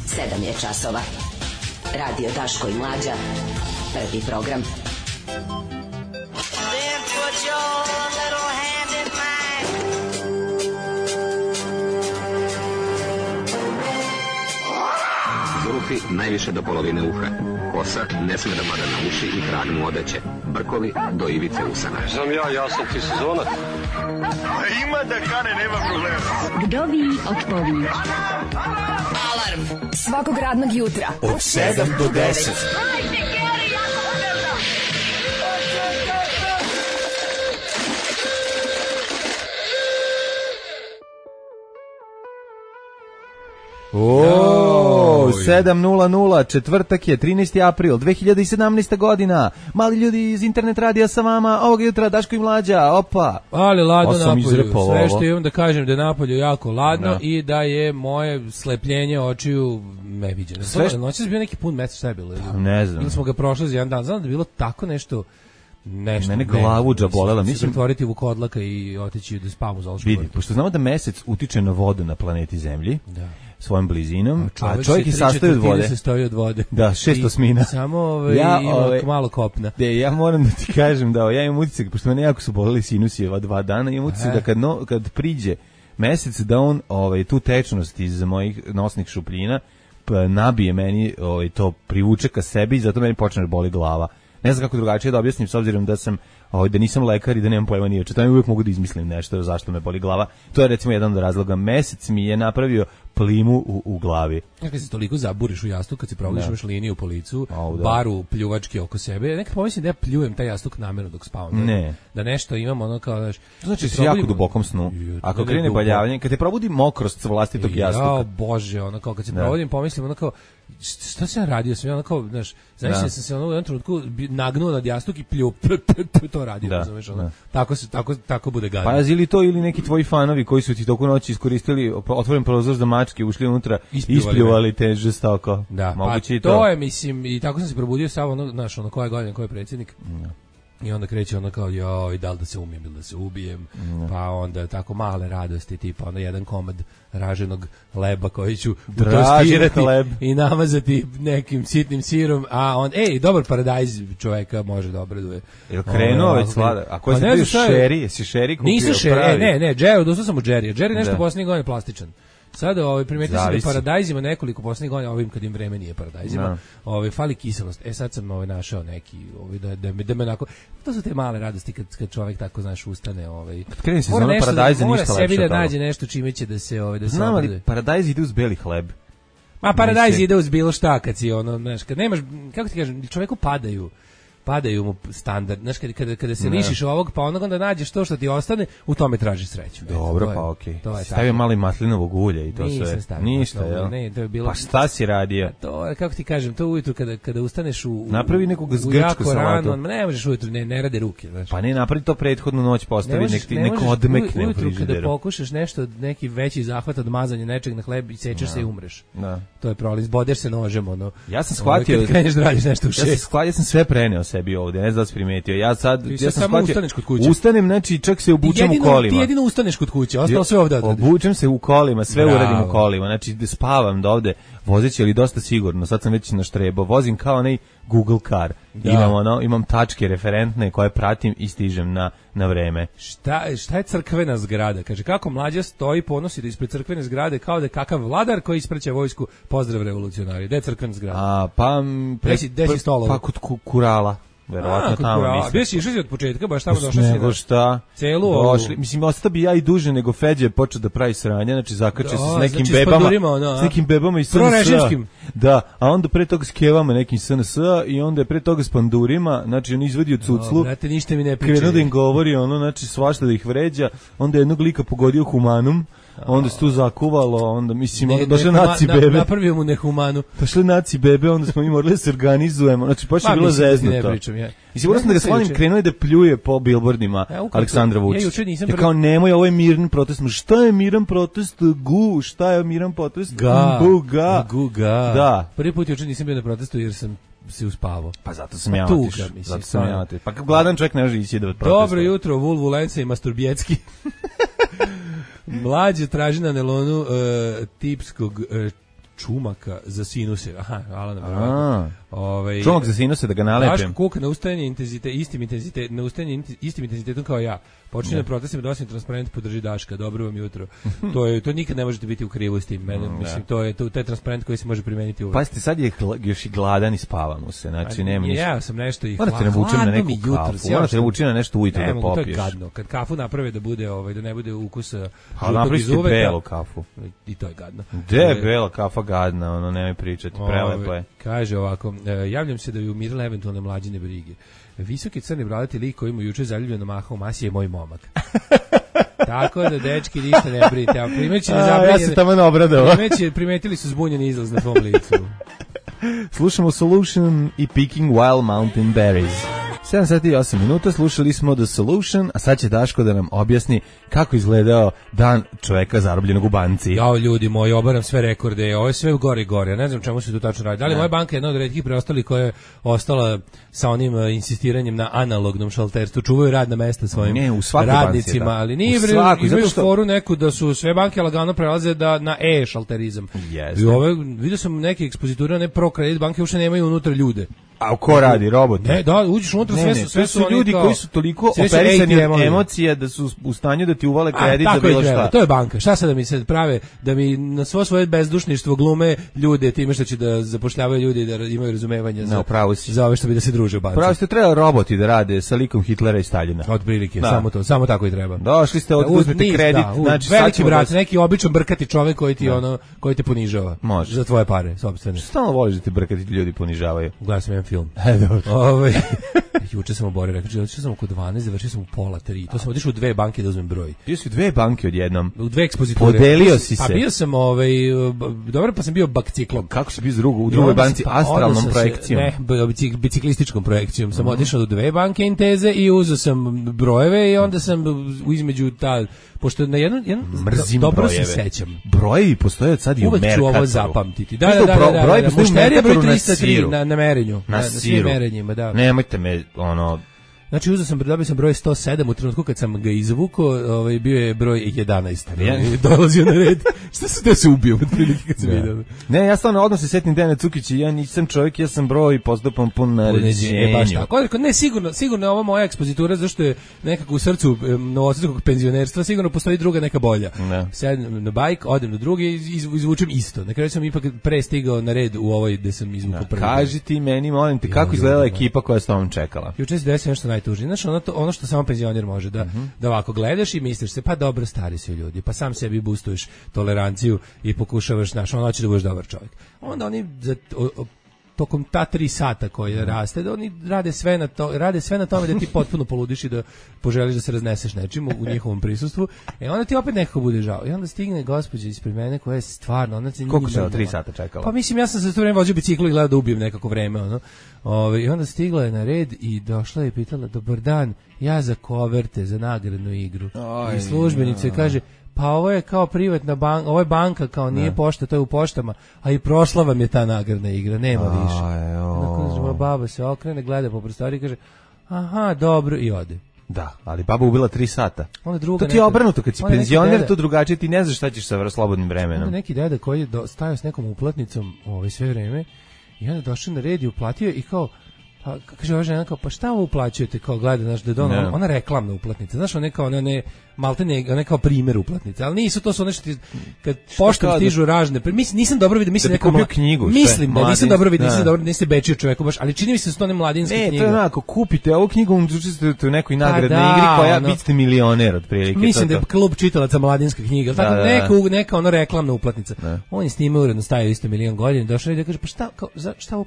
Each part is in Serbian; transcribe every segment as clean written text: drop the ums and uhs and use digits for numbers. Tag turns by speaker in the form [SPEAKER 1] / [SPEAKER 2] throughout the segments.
[SPEAKER 1] 7 je časova. Radio Daško i Mlađa. Prvi program.
[SPEAKER 2] Then put your little hand in mine.
[SPEAKER 3] Zuhi najviše do polovine uha. Kosa ne sme da pada na uši i trag mu odeće. Brkovi do ivice usana.
[SPEAKER 4] Znam ja sam ti sezonac.
[SPEAKER 5] Ima da kane, nema problema.
[SPEAKER 6] Vdovi otpovi.
[SPEAKER 1] Alarm
[SPEAKER 6] Svakog radnog jutra
[SPEAKER 5] Od 7 do 10.
[SPEAKER 7] O, 7:00, četvrtak je, 13. april, 2017. godina. Mali ljudi iz internet radija sa vama, ovog jutra Daško i Mlađa, opa.
[SPEAKER 8] Ali ladno napolju, sve što
[SPEAKER 7] ovo.
[SPEAKER 8] imam da kažem da je napolju jako ladno i da je moje slepljenje očiju neviđeno. Noći je bio neki pun mesec, šta je bilo?
[SPEAKER 7] Ne znam.
[SPEAKER 8] Ili smo ga prošli za jedan dan, znam da je bilo tako nešto.
[SPEAKER 7] Mene glavuđa bolela,
[SPEAKER 8] mislim pretvoriti u kodlaka i otići da spavam u zoološkom
[SPEAKER 7] vrtu.
[SPEAKER 8] vrtu.
[SPEAKER 7] Pošto znamo da mesec utiče na vodu na planeti Zemlji,
[SPEAKER 8] da,
[SPEAKER 7] svojom blizinom, a čovjek
[SPEAKER 8] se
[SPEAKER 7] je sastoji od vode.
[SPEAKER 8] Se stoji od vode.
[SPEAKER 7] Da, 6 osmina.
[SPEAKER 8] Samo ima malo kopna.
[SPEAKER 7] Ja moram da ti kažem da ja imam utisak, pošto mene jako su boleli sinusi ova 2 dana, imam utisak da kad priđe mesec da on tu tečnost iz mojih nosnih šupljina nabije meni, to privuče ka sebi i zato meni počne da boli glava. Ne znam kako drugačije da objasnim, s obzirom da sam da nisam lekar i da nemam pojma ni o čemu, uvijek mogu da izmislim nešto zašto me boli glava. To je recimo jedan od razloga. Mesec mi je napravio plimu u glavi.
[SPEAKER 8] Kad se toliko zaburiš u jastuk, kad se provodiš liniju po licu, baru pljuvački oko sebe, nekad pomislim da ja pljujem taj jastuk namjerno dok spavam.
[SPEAKER 7] Ne.
[SPEAKER 8] Da nešto imam ono kao, znaš...
[SPEAKER 7] Znači si jako dubokom snu. Ako krene baljavanje, kad te probudi mokrost sa vlastitog jastuka.
[SPEAKER 8] Ja, Bože, ono kao kad se provodim, pomislim ono kao, šta sam radio? Sam ja ono kao, znaš, zamislio sam se ono u jednom trenutku nagnuo nad jastuk i pljuo, to radio, razumeš, ono. Tako bude gadno.
[SPEAKER 7] Pa ili to ili neki tvoji fanovi koji su ti toku noći iskoristili otvoren prozor za mačke, ušli unutra, ispljuvali te žestoko.
[SPEAKER 8] Da,
[SPEAKER 7] moguće
[SPEAKER 8] pa to je, mislim, i tako sam se probudio samo ono, znaš, ono koja godina, ko je predsjednik. I onda kreće ono kao, joj, da li da se umijem ili da se ubijem, pa onda tako male radosti, tipa onda jedan komad raženog leba koji ću utostirati i namazati nekim sitnim sirom, a on, dobar paradajz čoveka može da obraduje.
[SPEAKER 7] Jel krenuo već slada? A koji ste bio šeri? Jesi šeri kupio?
[SPEAKER 8] Nisu šeri, ne, Jerry, odustao sam od Jerry. Jerry nešto posljednjih godina plastičan. Sada primetio sam da paradajzima nekoliko poslednjih godina, ovim kad im vreme nije paradajzima, fali kiselost. Sad sam našao neki, da me onako, to su te male radosti kad čovjek tako, znaš, ustane.
[SPEAKER 7] Kad krene se zona paradajza, ništa lepše.
[SPEAKER 8] Mora sebi da nađe nešto čime će da se
[SPEAKER 7] znam, ali paradajz ide uz beli hleb.
[SPEAKER 8] Ma paradajz ide uz bilo šta, kad si znaš, kad nemaš, kako ti kažem, čovjeku padaju mu standard. Znaš, kada se lišiš ovog, pa onda nađeš to što ti ostane, u tome tražiš sreću.
[SPEAKER 7] Dobro, pa okej. Stavio malo maslinovog ulja i to sve. Ništa, jel?
[SPEAKER 8] Ne, to je bilo...
[SPEAKER 7] Pa šta si radio?
[SPEAKER 8] To je, kako ti kažem, to ujutru kada ustaneš
[SPEAKER 7] napravi nekog grčku salatu.
[SPEAKER 8] Ne možeš ujutru, ne rade ruke. Znaš.
[SPEAKER 7] Pa ne, napravi to prethodnu noć, postavi neko odmekne u frižideru.
[SPEAKER 8] Ujutru kada pokušaš nešto, neki veći zahvat od mazanja nečeg na hleb i sečeš se i umreš. To je problem, zbodeš se nožem, ono.
[SPEAKER 7] Ja sam shvatio...
[SPEAKER 8] Kad kreneš da radiš nešto u 6.
[SPEAKER 7] Ja sam sve preneo sebi ovdje, ne znam da si primetio. Ja sam
[SPEAKER 8] samo ustaneš kod kuće.
[SPEAKER 7] Ustanem, znači čak se obučem u kolima.
[SPEAKER 8] Ti jedino ustaneš kod kuće, ostalo sve ovdje odradiš.
[SPEAKER 7] Obučem se u kolima, sve uradim u kolima. Znači spavam da ovde vozeći, ali dosta sigurno. Sad sam već naštrebo. Vozim kao onaj Google car. Imam tačke referentne koje pratim i stižem na vreme.
[SPEAKER 8] Šta je crkvena zgrada? Kaže, kako Mlađa stoji, ponosi da ispred crkvene zgrade kao da je kakav vladar koji ispraća vojsku. Pozdrav revolucionari. Gde je crkvena zgrada? Gde si stolovo?
[SPEAKER 7] Pa kod Kurala. Verovatno tamo mislim.
[SPEAKER 8] Gde si išli od početka, baš tamo došao si.
[SPEAKER 7] Nego šta?
[SPEAKER 8] Celu
[SPEAKER 7] došli. Mislim, ostao bi ja i duže nego Feđe je počeo da pravi sranje, znači zakače se s nekim bebama. S nekim bebama iz SNS. Da, a onda pre toga s kevama nekim SNS i onda je pre toga s pandurima, znači on izvadio cuclu.
[SPEAKER 8] Brate, ništa mi ne priča.
[SPEAKER 7] Krenuo da im govori, znači svašta da ih vređa, onda jednog lika pogodio humanum. Onda se tu zakuvalo, onda mislim, došle naci bebe.
[SPEAKER 8] Napravio mu nehumanu.
[SPEAKER 7] Došle naci bebe, onda smo mi morali da se organizujemo. Znači, baš je bilo zeznuto. Mislim, moram da ga slonim, krenuo je da pljuje po billboardima Aleksandra Vučića. Ja kao, nemoj, ovo je miran protest. Šta je miran protest? Šta je miran protest?
[SPEAKER 8] Ga.
[SPEAKER 7] Da.
[SPEAKER 8] Prvi put juče nisam bio na protestu jer sam se uspavao.
[SPEAKER 7] Pa zato sam ja otišao. Pa gladan čovjek ne može ići da protestuje.
[SPEAKER 8] Dobro jutro, Vulvulenca i Masturbjetski. Mlađe traži na nelonu tipskog čumaka za sinuse. Aha, Alana, verovatno.
[SPEAKER 7] Čumak za sinuse da ga nalepim.
[SPEAKER 8] Daško kuka na ustajanje istim intenzitetom kao ja. Počinje da protestim da osim transparent podrži Daška. Dobro vam jutro. To nikad ne možete biti u krivu s tim. Mislim, to je taj transparent koji se može primeniti uvek.
[SPEAKER 7] Pazite, sad je još i gladan i spava mu se. Znači, nema ništa.
[SPEAKER 8] Ja sam nešto i
[SPEAKER 7] morate navučem na neku kafu. Morate navučem na nešto ujutro da popiješ.
[SPEAKER 8] To je gadno. Kad kafu naprave da bude, da ne bude ukusa
[SPEAKER 7] žutog iz uveka. Belu kafu.
[SPEAKER 8] I to je gadno.
[SPEAKER 7] Gde je bela kafa gadna? Nemoj pričati. Prelepo je.
[SPEAKER 8] Kaže ovako, javljam se da bi umirale eventualne mlađine brige. Visoki crni bradati lik koji mu juče zaljubljeno mahao masi je moj momak. Tako da, dečki, ništa ne brinite. A primeći
[SPEAKER 7] ja se tamo obradao.
[SPEAKER 8] Primetili su zbunjeni izlaz na tvom licu.
[SPEAKER 7] Slušamo Solution i Picking Wild Mountain Berries. 7 sati i 8 minuta, slušali smo The Solution, a sad će Daško da nam objasni kako izgledao dan čoveka zarobljenog u banci.
[SPEAKER 8] Jao, ljudi moji, obaram sve rekorde, ovo je sve gore i gore, ne znam čemu se tu tačno radi. Da li moja banka je jedna od retkih preostalih koja je ostala sa onim insistiranjem na analognom šalterstvu, čuvaju radna mesta svojim radnicima, banci, ali nije imaju foru neku da su sve banke lagano prelaze na e-šalterizam.
[SPEAKER 7] Yes.
[SPEAKER 8] I vidio sam neke ekspoziture, ne ProCredit banke uopšte nemaju unutra ljude.
[SPEAKER 7] A ko radi, robot?
[SPEAKER 8] Ne, da, uđeš unutra, sve su
[SPEAKER 7] ljudi koji su toliko operisani od emocija da su u stanju da ti uvale kredit za bilo šta.
[SPEAKER 8] To je banka. Šta sad da mi se prave, da mi na svoje bezdušništvo glume ljude time što će da zapošljavaju ljudi da imaju razumevanje za ove što bi da se druže u banci.
[SPEAKER 7] Pravo ste trebali roboti da rade sa likom Hitlera i Staljina.
[SPEAKER 8] Od prilike, samo tako i treba.
[SPEAKER 7] Došli ste, uzmete kredit, znači
[SPEAKER 8] veliki brat, neki običan brkati čovek koji te ponižava.
[SPEAKER 7] Može.
[SPEAKER 8] Za tvoje pare, sopstvene.
[SPEAKER 7] Stalno voliš da te brkati ljudi ponižavaju.
[SPEAKER 8] Gledao sam jedan film. Juče sam oborio, rekao, juče sam oko 12, završio sam u pola 3. To sam otišao u 2 banke da uzmem broj.
[SPEAKER 7] Bio si u 2 banke odjednom.
[SPEAKER 8] U 2 ekspoziture.
[SPEAKER 7] Podelio si se.
[SPEAKER 8] Pa bio sam, dobro, pa sam bio bakciklom.
[SPEAKER 7] Kako si bio u drugoj banci? Astralnom projekcijom?
[SPEAKER 8] Ne, biciklističkom projekcijom. Sam otišao u 2 banke Inteze i uzeo sam brojeve i onda sam između pošto na jedan dobro se sećam.
[SPEAKER 7] Brojevi postoje od sad i u Merkatoru.
[SPEAKER 8] Uvek ću ovo zapamtiti. Da. Mušterija broj 303 na merenju. Na svim merenjima, da.
[SPEAKER 7] Nemojte me,
[SPEAKER 8] Znači, dobio sam broj 107 u trenutku kad sam ga izvukao, bio je broj 11. Dolazio na red. Šta se ubio od prilike kad sam vidio?
[SPEAKER 7] Ne, ja stvarno odmah se setim Dejana Cukića, ja nisam čovjek, ja sam broj i postupam po naređenju.
[SPEAKER 8] Baš tako. Ne, sigurno je ovo moja ekspozitura, zašto je nekako u srcu novosadskog penzionerstva, sigurno postoji druga neka bolja. Sedem na bajk, odem na drugi i izvučem isto. Na kraju sam ipak pre stigao na red u ovoj gde sam izvukao prvi.
[SPEAKER 7] Kaži ti meni, molim te, kako izgledala ekipa koja je s tobom čekala?
[SPEAKER 8] Juče se desilo nešto najtužnije. Znači, ono što samo penzioner može, da ovako gledaš i misliš se, pa dobro, stari su ljudi, pa sam sebi boostuješ toleranciju i pokušavaš, hoće da budeš dobar čovjek. Onda oni tokom ta 3 sata koje raste, da oni rade sve na tome da ti potpuno poludiš i da poželiš da se razneseš nečim u njihovom prisustvu. Onda ti opet nekako bude žao. I onda stigne gospođa ispred mene koja je stvarno...
[SPEAKER 7] Koliko se 3 sata čekala?
[SPEAKER 8] Pa mislim, ja sam za to vreme vozio biciklu i gledao da ubijem nekako vreme. I onda stigla je na red i došla je i pitala, dobar dan, ja za koverte, za nagradnu igru. I službenica kaže, pa ovo je kao privatna banka, ovo je banka, kao nije pošta, to je u poštama, a i prošla vam je ta nagradna igra, nema više. Onda baba se okrene, gleda po prostoriji i kaže, aha, dobro, i ode.
[SPEAKER 7] Da, ali baba ubila 3 sata. To ti je obrnuto, kad si penzioner, to drugačije, ti ne znaš šta ćeš sa slobodnim vremenom.
[SPEAKER 8] Onda neki deda koji je stajao s nekom uplatnicom sve vreme i onda došao na red i uplatio i kao, kaže ova žena kao, pa šta ovo uplaćujete, kao gleda, znaš, da je ona reklamna uplatnica, znaš, ona kao, ona kao primjer uplatnice, ali nisu, to su ono što ti, kad poštom stižu ražne, nisam dobro vidio, mislim
[SPEAKER 7] da knjigu,
[SPEAKER 8] mislim da nisam dobro vidio, niste bečio čoveku baš, ali čini mi se da su to one mladinske knjige.
[SPEAKER 7] Ne, to je onako, kupite ovu knjigu, učestvujete u nekoj nagradnoj igri koja biste milioner otprilike.
[SPEAKER 8] Mislim da je klub čitalaca mladinske knjige, tako neka ono reklamna uplatnica. On s njime uredno stajao isto milion godina, došao i da kaže, pa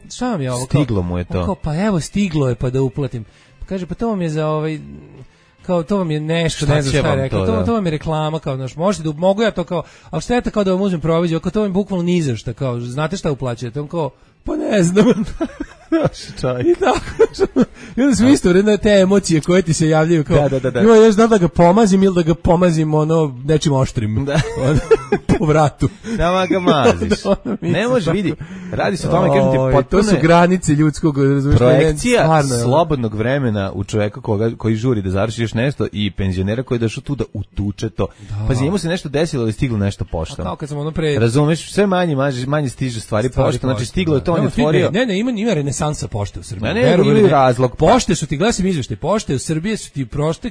[SPEAKER 8] šta vam je ovo?
[SPEAKER 7] Stiglo mu je to.
[SPEAKER 8] Pa evo, stiglo je pa da uplatim. Kaže, pa to vam je za kao to vam je nešto, ne znam šta je rekao, to vam je reklama, kao, znaš, možete da, mogu ja to kao, ali šta je to kao da vam uzmem proviziju, kao to vam je bukvalno ni za šta, kao, znate šta uplaćujete, on kao, pa ne znam. I tako, i onda smo isto vredno te emocije koje ti se javljaju, kao, ima još da ga pomazim ili da ga pomazim nečim oštrim, po vratu.
[SPEAKER 7] Nama ga maziš. Ne može, vidi, Radi se o tome, kažem ti,
[SPEAKER 8] To
[SPEAKER 7] potpuno
[SPEAKER 8] su
[SPEAKER 7] je
[SPEAKER 8] granice ljudskog
[SPEAKER 7] projekcija
[SPEAKER 8] stvarno,
[SPEAKER 7] slobodnog vremena u čoveka koji žuri da završi još nešto i penzionera koji je došao tu da utuče to. Pazi, njemu se nešto desilo ali stiglo nešto pošteno.
[SPEAKER 8] Kao kad sam ono pre...
[SPEAKER 7] Razumeš, sve manje stiže stvari pošteno, znači stiglo je to, on je otvorio.
[SPEAKER 8] Ne, ima renesansa pošte u Srbiji.
[SPEAKER 7] Ne, imaju razlog.
[SPEAKER 8] Pošte su ti, glasim izveštaj, pošte u Srbiji su ti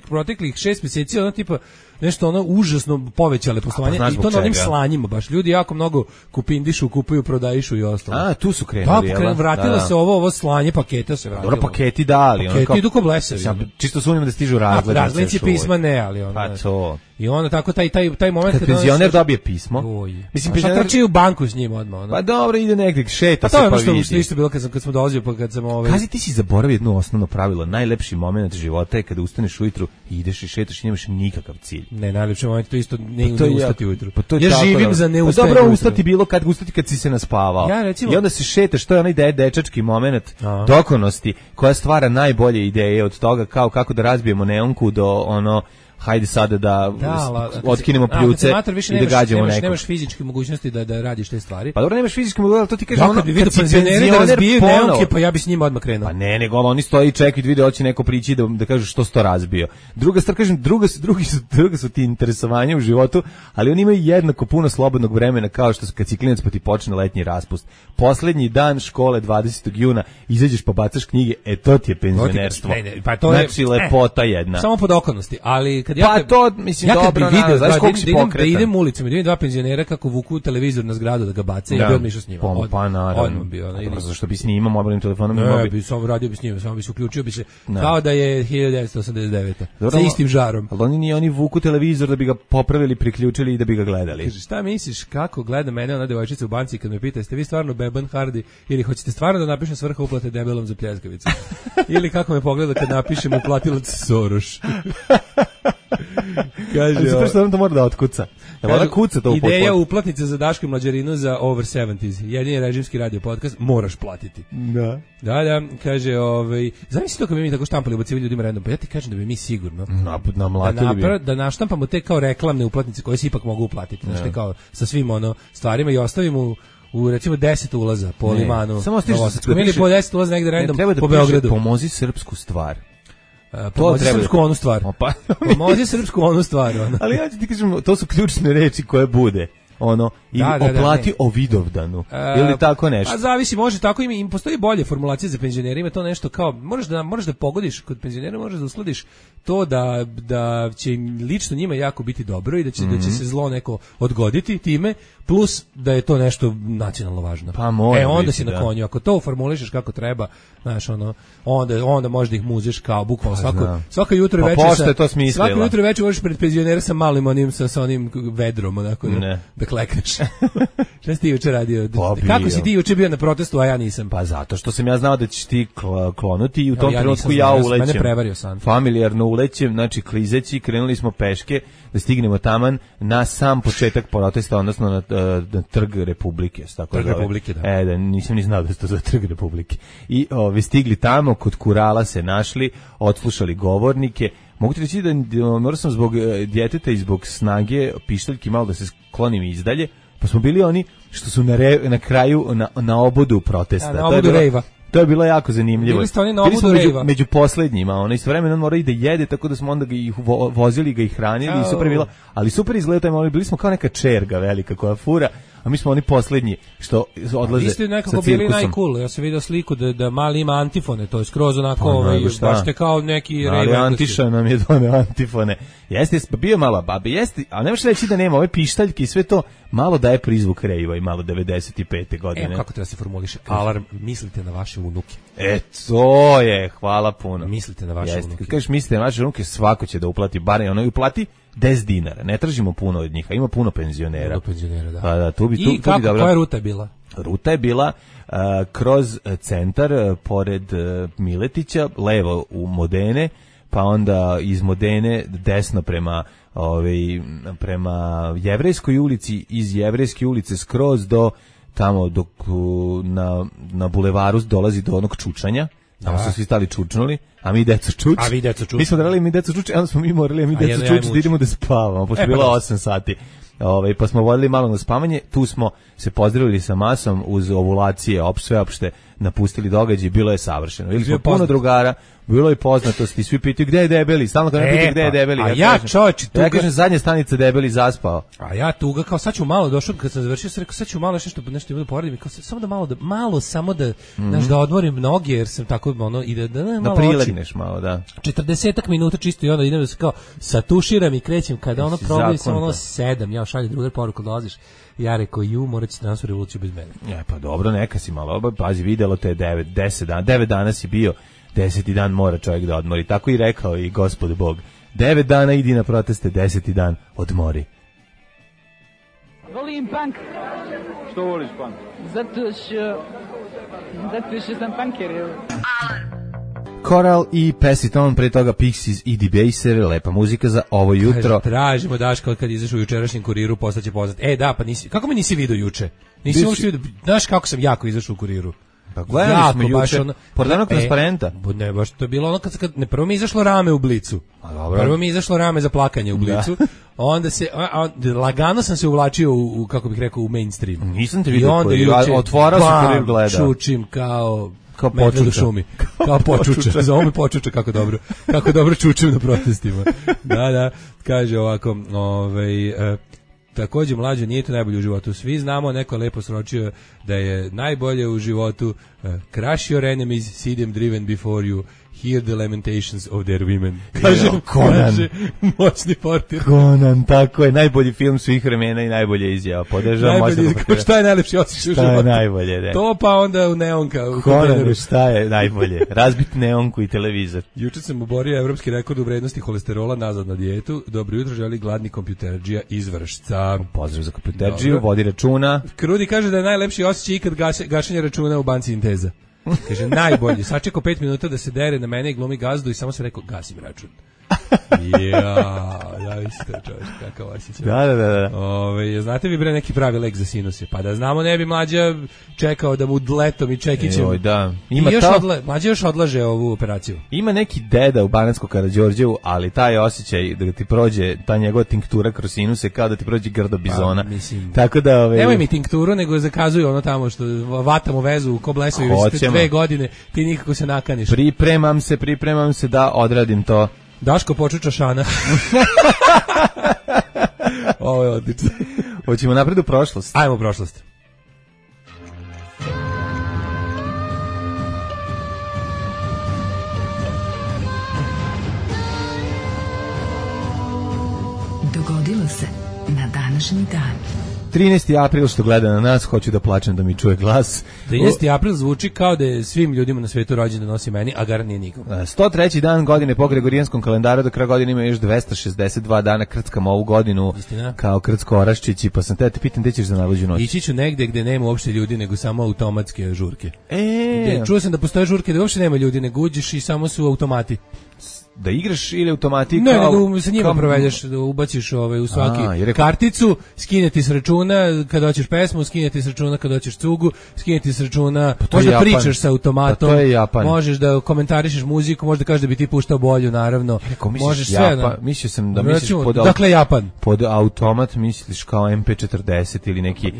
[SPEAKER 8] proteklih 6 mjeseci ono tipa nešto ono užasno povećale poslovanje i to na onim slanjima baš. Ljudi jako mnogo kupindišu, kupuju, prodajišu i ostalo.
[SPEAKER 7] A, tu su krenuli.
[SPEAKER 8] Da, vratilo se ovo slanje paketa se vratilo.
[SPEAKER 7] Dobro, paketi da, ali
[SPEAKER 8] paketi idu ko blesevi.
[SPEAKER 7] Čisto sumnjam da stižu razglednice.
[SPEAKER 8] Razglednici pisma ne, ali ono.
[SPEAKER 7] Pa to.
[SPEAKER 8] I onda tako taj moment
[SPEAKER 7] kad penzioner dobije pismo.
[SPEAKER 8] Mislim, penzioner trči u banku s njim odmah.
[SPEAKER 7] Pa dobro, ide negdje, šeta se
[SPEAKER 8] pa
[SPEAKER 7] vidi.
[SPEAKER 8] To je što isto bilo kad smo dolazili, pa kad sam
[SPEAKER 7] Kazi, ti si zaboravio jedno osnovno pravilo. Najlepši moment života je kada ustaneš ujutru i ideš i šetaš i nemaš nikakav cilj.
[SPEAKER 8] Ne, najlepši moment to isto ne ustati ujutru.
[SPEAKER 7] Ja
[SPEAKER 8] živim za ne ustajanje.
[SPEAKER 7] Dobro, ustati bilo kad si se naspavao. I onda se šetaš, to je onaj dečački moment dokonosti koja stvara najbolje ideje od toga kao kako da razbijemo neonku do ono hajde sada da otkinemo pljuce i da gađamo nekog.
[SPEAKER 8] Nemaš fizičke mogućnosti da radiš te stvari.
[SPEAKER 7] Pa dobro, nemaš fizičke mogućnosti, ali to ti kažeš ono,
[SPEAKER 8] kad bi vidio penzionere da razbiju neonke, pa ja bi s njima odmah krenuo.
[SPEAKER 7] Pa ne, nego oni stoji i čekaju da vide hoće neko prići da kažu što si to razbio. Druga stvar, kažem, druga su ti interesovanja u životu, ali oni imaju jednako puno slobodnog vremena kao što kad si klinac pa ti počne letnji raspust. Poslednji dan škole 20. juna izađeš pa bacaš knjige, to ti je penzionerstvo. Znači lepota jedna.
[SPEAKER 8] Samo pod okolnosti, ali
[SPEAKER 7] pa to, mislim, dobro, znaš koliko si pokretan.
[SPEAKER 8] Da idem ulicom i da vidim dva penzionera kako vuku televizor na zgradu da ga bace, ja bi odmišao s njima.
[SPEAKER 7] Pa naravno. Zašto bi snimao mobilnim telefonom?
[SPEAKER 8] Ne, bi samo radio bi s njima, samo bi se uključio bi se, kao da je 1989. Sa istim žarom.
[SPEAKER 7] Ali oni vuku televizor da bi ga popravili, priključili i da bi ga gledali.
[SPEAKER 8] Kaže, šta misliš, kako gleda mene ona devojčica u banci kad me pita, jeste vi stvarno Beban Hardy ili hoćete stvarno da napišem svrha uplate debelom za pljeskavicu? Ili kako me pogleda kad napišem uplatilac Soros?
[SPEAKER 7] Kaže, ali što on to mora da otkuca.
[SPEAKER 8] Ideja uplatnice za Daško i Mlađarinu za Over 70s. Jedini režimski radio podcast, moraš platiti. Da, kaže, zamisli to kad bi mi tako štampali ubacivali ljudima random, pa ja ti kažem da bi mi sigurno da naštampamo te kao reklamne uplatnice koje se ipak mogu uplatiti, znači kao sa svim stvarima i ostavimo u recimo 10 ulaza po Limanu.
[SPEAKER 7] Samo stiže
[SPEAKER 8] po 10 ulaza negde random po Beogradu.
[SPEAKER 7] Pomozi srpsku stvar.
[SPEAKER 8] Pomozi srpsku onu stvar. Pomozi srpsku onu stvar.
[SPEAKER 7] Ali ja ti kažem, to su ključne reči koje bude. I oplati o Vidovdanu ili tako nešto.
[SPEAKER 8] A zavisi, može tako, im postoji bolje formulacije za penzionere, ima to nešto kao možeš da pogodiš kod penzionera, možeš da usladiš to da će lično njima jako biti dobro i da će se zlo neko odgoditi time, plus da je to nešto nacionalno važno.
[SPEAKER 7] Pa mora
[SPEAKER 8] onda
[SPEAKER 7] biti,
[SPEAKER 8] si na konju, ako to formulišeš kako treba, znaš, onda možda ih muzeš kao bukvalno svako jutro i večer. Svako jutro i večer možeš pred penzionera sa malim sa onim vedrom, onako da klekneš. Šta si ti juče radio? Kako si ti juče bio na protestu, a ja nisam?
[SPEAKER 7] Pa zato što sam ja znao da ćeš ti klonuti i u tom trenutku ja ulećem.
[SPEAKER 8] Mene prevario san.
[SPEAKER 7] Familijarno ulećem, znači klizeći, krenuli smo peške da stignemo taman na sam početak protesta, odnosno na Trg Republike.
[SPEAKER 8] Trg Republike, da.
[SPEAKER 7] Da, nisam ni znao da je to za Trg Republike. I stigli tamo, kod Kurala se našli, odslušali govornike. Mogu ti reći da morao sam zbog djeteta i zbog snage pištaljki malo da se sklonim izdalje, pa smo bili oni što su na kraju na obodu protesta.
[SPEAKER 8] Na obodu rejva.
[SPEAKER 7] To je bilo jako zanimljivo.
[SPEAKER 8] Bili ste oni na obodu rejva.
[SPEAKER 7] Među poslednjima, istovremeno on mora i da jede, tako da smo onda ih vozili, ga i hranili, i super bilo. Ali super izgleda taj moment, bili smo kao neka čerga velika koja fura, a mi smo oni poslednji što odlaze sa cirkusom. Vi ste
[SPEAKER 8] nekako bili najcool, ja sam vidio sliku da mali ima antifone, to je skroz onako, baš te kao neki rejva.
[SPEAKER 7] Ali Antiša nam je doneo antifone. Jeste, bio malo babi, jeste, a ne možeš reći da nema ove pištaljke i sve to, malo daje prizvuk rejva i malo 95. godine.
[SPEAKER 8] Evo kako treba se formuliše, alarm, mislite na vaše unuke.
[SPEAKER 7] To je, hvala puno.
[SPEAKER 8] Mislite na vaše unuke.
[SPEAKER 7] Kad kažeš mislite na vaše unuke, svako će da uplati, bar ono i uplati 10 dinara, ne tražimo puno od njih, a ima puno penzionera.
[SPEAKER 8] Da.
[SPEAKER 7] Pa da,
[SPEAKER 8] I koja ruta je bila?
[SPEAKER 7] Ruta je bila kroz centar, pored Miletića, levo u Modene, pa onda iz Modene desno prema Jevrejskoj ulici, iz Jevrejske ulice skroz do tamo dok na bulevaru dolazi do onog čučanja. Tamo su svi stali čučnuli, a mi deco čuč. Mi smo morali mi deco čuč, onda smo mi morali mi deco čuč da idemo da spavamo, pošto je bilo 8 sati. Pa smo vodili malo na spavanje, tu smo se pozdravili sa masom uz ovulacije, sveopšte napustili događaj, bilo je savršeno. Ili smo puno drugara, bilo je poznatosti, svi pitaju gde je Debeli, stalno kad me pitaju gde je Debeli. Ja kažem zadnja stanica Debeli zaspao.
[SPEAKER 8] A ja tuga, kao sad ću malo, došao kad sam završio, sam rekao sad ću malo nešto bude poradim, kao samo da da odmorim noge, jer sam tako i da
[SPEAKER 7] prilegneš malo, da.
[SPEAKER 8] 40 minuta čisto i onda idem da se kao satuširam i krećem, kada ono probije sam 7, ja šaljem drugar poruku, dolaziš. Ja rekao, morat ćete nas u revoluciju bez mene.
[SPEAKER 7] Pa dobro, neka si malo, pazi, videlo te 10 dana, 9 dana si bio, 10. dan mora čovjek da odmori. Tako i rekao i Gospod Bog. 9 dana idi na proteste, 10. dan odmori.
[SPEAKER 9] Volim punk.
[SPEAKER 5] Što voliš punk?
[SPEAKER 9] Zato što sam punker.
[SPEAKER 7] Coral i Pessiton, pre toga Pixies i Debaser, lepa muzika za ovo jutro.
[SPEAKER 8] Tražimo Daška kad izašao u jučerašnjem Kuriru, postaće poznat. Da, pa kako me nisi vidio juče? Nisi uopšte vidio, znaš kako sam jako izašao u Kuriru.
[SPEAKER 7] Pa gledali smo juče, pored onog transparenta.
[SPEAKER 8] Ne, baš to je bilo ono kad prvo mi izašlo rame u Blicu. Prvo mi izašlo rame za plakanje u Blicu. Onda lagano sam se uvlačio u, kako bih rekao, u mainstream.
[SPEAKER 7] Nisam te vidio, otvorao se Kurir gleda.
[SPEAKER 8] Čučim kao počuča u šumi. Kao počuča. Zovu me počuča, kako dobro čučim na protestima. Da, kaže ovako, takođe mlađe nije to najbolje u životu. Svi znamo, neko je lepo sročio da je najbolje u životu crush your enemies, see them driven before you, hear the lamentations of their women. Kaže moćni portir.
[SPEAKER 7] Conan, tako je, najbolji film svih vremena i najbolje izjava. Podržavam moćno.
[SPEAKER 8] Šta je najlepši osjećaj u životu?
[SPEAKER 7] Šta je najbolje, ne?
[SPEAKER 8] To pa onda u neonka.
[SPEAKER 7] Conan, šta je najbolje? Razbiti neonku i televizor.
[SPEAKER 8] Juče sam oborio evropski rekord u vrednosti holesterola nazad na dijetu. Dobro jutro, želi gladni kompjuterđija iz Vršca.
[SPEAKER 7] Pozdrav za kompjuterđiju, vodi računa.
[SPEAKER 8] Krudi kaže da je najlepši osjećaj ikad gašenje računa u banci Inteza. Kaže, najbolji. Sačekao 5 minuta da se dere na mene i glumi gazdu i samo se rekao, gasim račun. Isto čovječ, kakav osjećaj.
[SPEAKER 7] Da.
[SPEAKER 8] Znate vi bre neki pravi lek za sinuse? Pa da znamo ne bi mlađa čekao da mu letom i čekićem.
[SPEAKER 7] Da.
[SPEAKER 8] Mlađa još odlaže ovu operaciju.
[SPEAKER 7] Ima neki deda u Banatskog Karađorđevu, ali taj osjećaj da ti prođe ta njegova tinktura kroz sinuse kao da ti prođe grdo bizona. Tako da
[SPEAKER 8] nemoj mi tinkturu, nego zakazuju ono tamo što vatamo vezu ko blesovi već 2 godine, ti nikako se nakaniš.
[SPEAKER 7] Pripremam se da odradim to.
[SPEAKER 8] Daško počuča šana. Ovo je odlično.
[SPEAKER 7] Hoćemo napred u prošlost.
[SPEAKER 8] Ajmo u prošlost.
[SPEAKER 1] Dogodilo se na današnji dan.
[SPEAKER 7] 13. april što gleda na nas, hoću da plačem da mi čuje glas.
[SPEAKER 8] 13. april zvuči kao da je svim ljudima na svetu rođen da nosi meni, a gar nije nikom.
[SPEAKER 7] 103. dan godine po Gregorijanskom kalendaru, do kraja godine ima još 262 dana, krckam ovu godinu.
[SPEAKER 8] Istina?
[SPEAKER 7] Kao krcko-oraščići, pa sam te pitam gde ćeš za najluđu noć.
[SPEAKER 8] Ići ću negde gde nema uopšte ljudi, nego samo automatske žurke. Čuo sam da postoje žurke da uopšte nema ljudi, nego uđeš i samo su automati.
[SPEAKER 7] Da igraš ili automati
[SPEAKER 8] ne, nego sa njima provedeš, da ubaciš u svaki karticu, skineti s računa kad hoćeš pesmu, skineti s računa kad hoćeš cugu, skineti s računa, možda pričaš sa automatom, možeš da komentarišeš muziku, možda kažeš da bi ti puštao bolju, naravno.
[SPEAKER 7] Možeš sve. Mislio sam da misliš
[SPEAKER 8] dakle Japan.
[SPEAKER 7] Pod automat misliš kao MP40 ili neki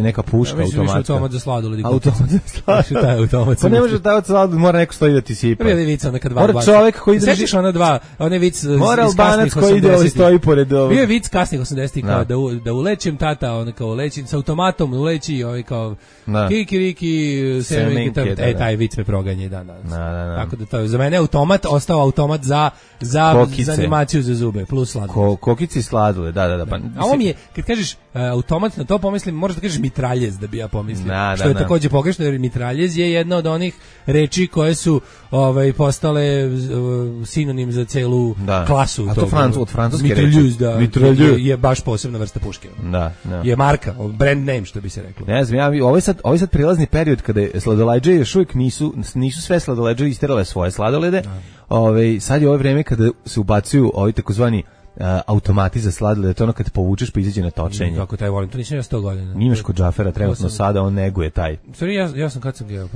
[SPEAKER 7] neka puška automatska.
[SPEAKER 8] Automat za sladoled.
[SPEAKER 7] Automat za sladoled. Pa ne može da sladoled, mora neko stoji da ti sipa.
[SPEAKER 8] Prvi vica neka dva.
[SPEAKER 7] Mora čovjek koji drži
[SPEAKER 8] onaj vic iz
[SPEAKER 7] kasnih 80-ih. Stoji pored
[SPEAKER 8] bio je vic kasnih 80-ih kao da ulećem tata, on kao uleći sa automatom, uleći ovaj kao kikiriki semenke, taj vic me proganja i danas. Tako da to za mene automat ostao automat za animaciju za zube plus sladoled.
[SPEAKER 7] Kokice i sladoled, da. Pa
[SPEAKER 8] a ovo mi je kad kažeš automat, na to pomislim, možeš da kažeš mitraljez da bi ja pomislio. Što je takođe pogrešno, jer mitraljez je jedna od onih reči koje su postale sinonim za celu klasu.
[SPEAKER 7] A to od francuske
[SPEAKER 8] reči. Mitraljez je baš posebna vrsta puške.
[SPEAKER 7] Da.
[SPEAKER 8] Je marka, brand name što bi se reklo.
[SPEAKER 7] Ne znam, ovaj sad prilazni period kada sladoledže još uvijek nisu sve sladoledže isterale svoje sladolede. Sad je ovo vreme kada se ubacuju ovi takozvani automati za sladoled, to ono kad povučeš pa izađe na točenje.
[SPEAKER 8] Kako taj volim, to nisam ja 100 godina.
[SPEAKER 7] Imaš kod Džafera trenutno sada, on neguje taj.
[SPEAKER 8] Sorry, ja sam kad sam ga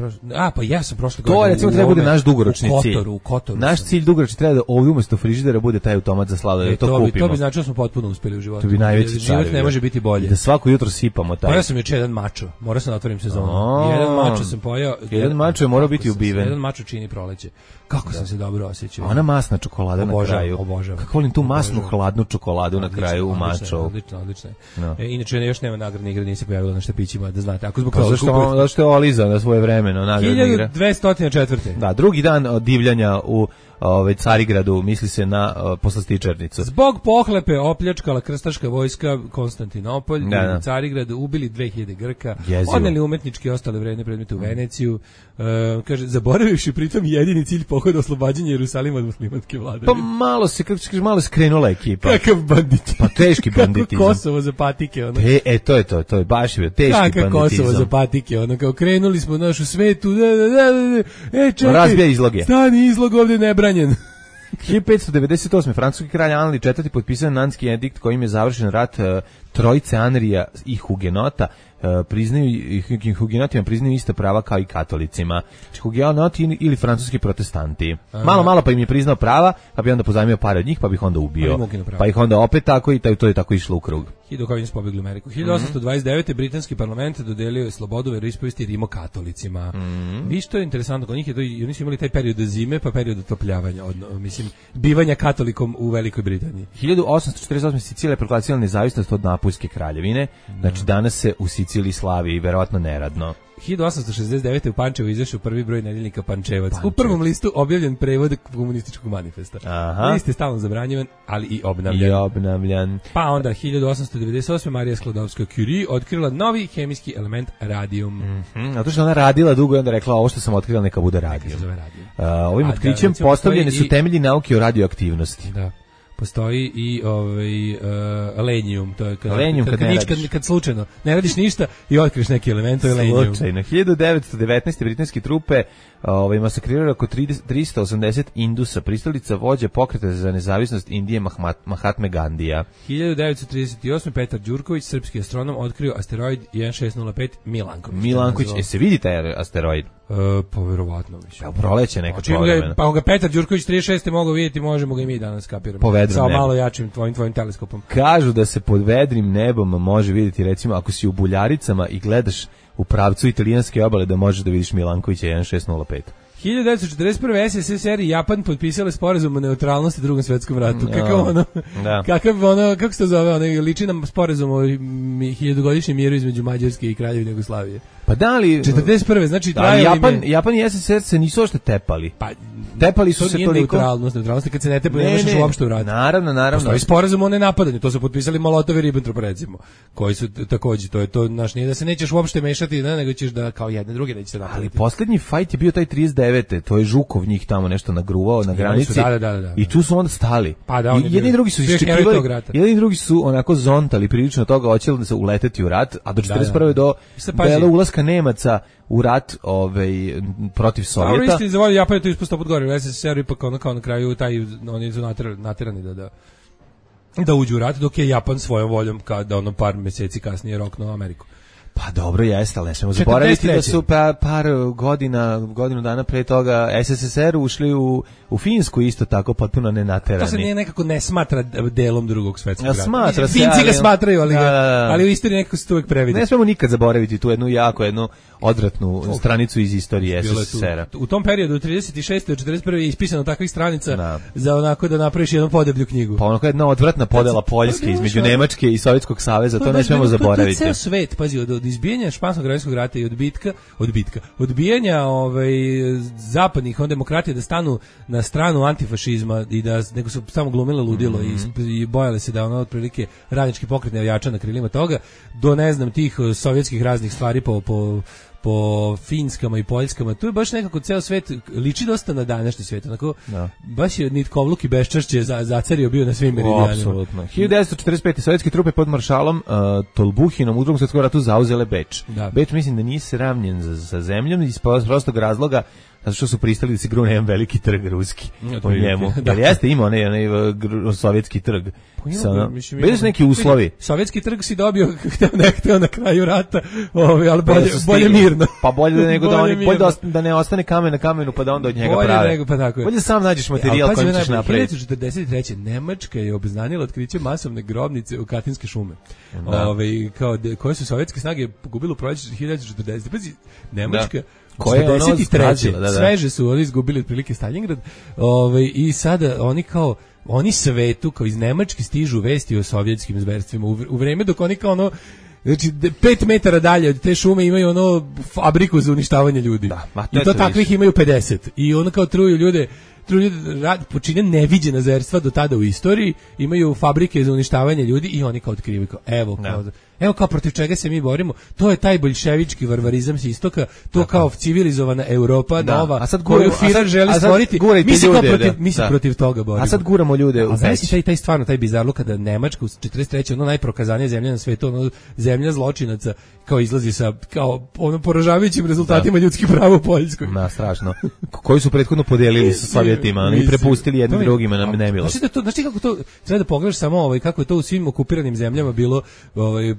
[SPEAKER 8] pa ja sam prošle
[SPEAKER 7] godine. To recimo treba bude naš dugoročni cilj.
[SPEAKER 8] U Kotoru.
[SPEAKER 7] Naš cilj dugoročni treba da ovdje umesto frižidera bude taj automat za sladoled, to kupimo.
[SPEAKER 8] To bi značilo da smo potpuno uspeli u životu.
[SPEAKER 7] To bi najveći
[SPEAKER 8] život ne može biti bolje.
[SPEAKER 7] Da svako jutro sipamo taj.
[SPEAKER 8] Pojao sam juče jedan mačo, morao sam da otvorim sezonu. Jedan mačo sam pojao.
[SPEAKER 7] Jedan mačo je morao biti ubiven.
[SPEAKER 8] Jedan mačo čini proleće. Kako sam se dobro osjećao.
[SPEAKER 7] Ona masna čokolada na kraju.
[SPEAKER 8] Obožavam.
[SPEAKER 7] Kako volim tu masnu hladnu čokoladu na kraju u maču.
[SPEAKER 8] Odlično. Inače još nema nagradne igre, nije se pojavilo na štapićima, da znate. Ako zbog
[SPEAKER 7] toga zašto je Oliza na svoje vremeno nagradne igre.
[SPEAKER 8] 1204.
[SPEAKER 7] Da, drugi dan od divljanja u Carigradu, misli se na poslastičarnicu.
[SPEAKER 8] Zbog pohlepe opljačkala krstaška vojska Konstantinopolj i Carigrad, ubili 2000 Grka, odneli umetnički i ostale vredne predmete u Veneciju. Kaže, zaboravivši pritom jedini cilj pohoda oslobađanja Jerusalima od muslimanske vlade.
[SPEAKER 7] Pa malo se krenula ekipa.
[SPEAKER 8] Kakav bandit.
[SPEAKER 7] Pa teški banditizam.
[SPEAKER 8] Kako Kosovo za patike. Ono.
[SPEAKER 7] To je baš teški banditizam.
[SPEAKER 8] Kakav Kosovo za patike. Ono, kao krenuli smo našu svetu. Čekaj.
[SPEAKER 7] Razbija izloge.
[SPEAKER 8] Stani izlog ovdje nebranjen.
[SPEAKER 7] 1598. francuski kralj Anri IV potpisao Nanski edikt kojim je završen rat trojice Anrija i Hugenota. Hugenotima priznaju ista prava kao i katolicima. Hugenoti ili francuski protestanti. Malo pa im je priznao prava, pa bi onda pozajmio pare od njih, pa bi ih onda ubio. Pa ih onda opet tako i to je tako išlo u krug.
[SPEAKER 8] Kako su pobegli u Ameriku. 1829. britanski parlament dodelio je slobodu veroispovesti rimokatolicima. Vi što je interesantno kod njih je to, oni su imali taj period zime pa period otopljavanja, mislim bivanja katolikom u Velikoj Britaniji.
[SPEAKER 7] 1848. Sicilija je proglasila nezavisnost od Napuljske kraljevine. Znači danas se u Siciliji slavi verovatno neradno.
[SPEAKER 8] 1869. u Pančevu izašao prvi broj nedeljnika Pančevac. U prvom listu objavljen prevod komunističkog manifesta. List je stalno zabranjivan, ali i obnavljan. Pa onda 1898. Marija Sklodovska-Curie otkrila novi hemijski element radijum.
[SPEAKER 7] Zato što ona radila dugo i onda rekla ovo što sam otkrila neka bude radijum. Ovim otkrićem postavljene su temelji nauke o radioaktivnosti.
[SPEAKER 8] Da. Postoji i lenijum, to je kad slučajno ne radiš ništa i otkriješ neki element, to je lenijum.
[SPEAKER 7] Slučajno. 1919. britanske trupe masakrirali oko 380 Indusa, pristalica vođa pokreta za nezavisnost Indije Mahatme Gandija.
[SPEAKER 8] 1938. Petar Đurković, srpski astronom, otkrio asteroid 1605
[SPEAKER 7] Milanković. Se vidi taj asteroid?
[SPEAKER 8] Pa verovatno više.
[SPEAKER 7] Proleće neka povremena.
[SPEAKER 8] Pa ga Petar Đurković 36. mogao vidjeti, možemo ga i mi danas kapiramo. Sa malo jačim tvojim teleskopom.
[SPEAKER 7] Kažu da se pod vedrim nebom može vidjeti, recimo, ako si u Buljaricama i gledaš u pravcu italijanske obale, da možeš da vidiš Milankovića 1605.
[SPEAKER 8] 1941. SSSR i Japan potpisali sporazum o neutralnosti u Drugom svjetskom ratu. Kako se to zove? Liči nam sporazum o 1000-godišnjem miru između Mađarske i Kraljevine Jugoslavije.
[SPEAKER 7] Pa da li
[SPEAKER 8] 41. znači
[SPEAKER 7] Japan i SSSR se nisu ošte tepali.
[SPEAKER 8] Pa
[SPEAKER 7] tepali su se toliko.
[SPEAKER 8] Neutralnost kad se ne tepaju, ne možeš uopšte uraditi.
[SPEAKER 7] Naravno.
[SPEAKER 8] Postoji sporazum o nenapadanju, to su potpisali Molotov i Ribbentrop recimo, koji su takođe to naš nije da se nećeš uopšte mešati, nego ćeš da kao jedne druge nećete napadati. Ali
[SPEAKER 7] poslednji fajt je bio taj 39. To je Žukov njih tamo nešto nagruvao na granici.
[SPEAKER 8] Da.
[SPEAKER 7] I tu su onda stali.
[SPEAKER 8] Pa da,
[SPEAKER 7] jedni drugi su iščekivali. Jedni drugi su onako zontali prilično toga, hoćeli da se uleteti u rat, a do 41. do ulaska Nemaca u rat protiv Sovjeta.
[SPEAKER 8] Dobro, istini za volju Japan je to ispustao pod gore, u SSSR ipak kao na kraju oni su naterani da uđu u rat, dok je Japan svojom voljom da par mjeseci kasnije roknuo Ameriku.
[SPEAKER 7] Pa dobro, jeste, ali ne smemo zaboraviti da su par godinu dana pre toga SSSR ušli u Finsku isto tako potpuno nenaterani.
[SPEAKER 8] To se nekako ne smatra delom Drugog svjetskog rata.
[SPEAKER 7] Smatra se,
[SPEAKER 8] Finci ga smatraju, ali u istoriji nekako se to uvijek previdi.
[SPEAKER 7] Ne smemo nikad zaboraviti tu jednu odvratnu stranicu iz istorije SSSR-a.
[SPEAKER 8] U tom periodu, 36. do 41. je ispisano takvih stranica za onako da napraviš jednu podeblju knjigu.
[SPEAKER 7] Pa onako jedna odvratna podela Poljske između Nemačke i Sovjetskog saveza, to ne smemo zaboraviti.
[SPEAKER 8] To je ceo svet, pazi, od izbijanja Španskog građanskog rata i odbijanja zapadnih demokratija da stanu na stranu antifašizma i da nego su samo glumile ludilo i bojale se da otprilike radnički pokret ne ojača na krilima toga, do ne znam tih sovjetskih raznih stvari po Finskama i Poljskama, tu je baš nekako ceo svet liči dosta na današnji svet, onako baš je nitkovluk i beščašće zacario bio na svim meridijanima.
[SPEAKER 7] Apsolutno. 1945. sovjetske trupe pod maršalom Tolbuhinom u Drugom svjetskom ratu zauzele Beč. Beč mislim da nije sravnjen sa zemljom iz prostog razloga zato što su pristali da se grune jedan veliki trg ruski u njemu.
[SPEAKER 8] Da.
[SPEAKER 7] Jer jeste imao onaj sovjetski trg. Bili su neki uslovi.
[SPEAKER 8] Sovjetski trg si dobio hteo na kraju rata, ali bolje mirno.
[SPEAKER 7] Pa bolje da nego da ne ostane kamen na kamenu pa da onda od njega prave. Bolje sam nađeš materijal koji ćeš napraviti.
[SPEAKER 8] 1943. Nemačka je obznanila otkriće masovne grobnice u Katinske šume. Koje su sovjetske snage pogubile u proleće 1940. Pazi, Nemačka
[SPEAKER 7] koje je ono
[SPEAKER 8] 43. Sveže su oni izgubili otprilike Stalingrad. I sada oni svetu kao iz Nemačke stižu vesti o sovjetskim zverstvima u vreme dok oni kao ono, znači 5 metara dalje od te šume imaju ono fabriku za uništavanje ljudi. I to takvih imaju 50. I ono kao truju ljude počine neviđena zverstva do tada u istoriji, imaju fabrike za uništavanje ljudi i oni kao otkrivaju evo kao protiv čega se mi borimo, to je taj boljševički varvarizam s istoka, to kao civilizovana Europa nova, koju Führer želi stvoriti, mi se protiv toga borimo.
[SPEAKER 7] A sad guramo ljude u Peć.
[SPEAKER 8] Taj stvarno, taj bizarluk kada Nemačka u 43. ono najprokazanija zemlja na svetu, ono zemlja zločinaca, kao izlazi sa kao ono poražavajućim rezultatima ljudskih prava u Poljskoj.
[SPEAKER 7] Strašno. Koji su prethodno podelili sa Sovjetima i prepustili jednim drugima na nemilost.
[SPEAKER 8] Znači kako to treba da pogledaš samo kako je to u svim okupiranim zemljama bilo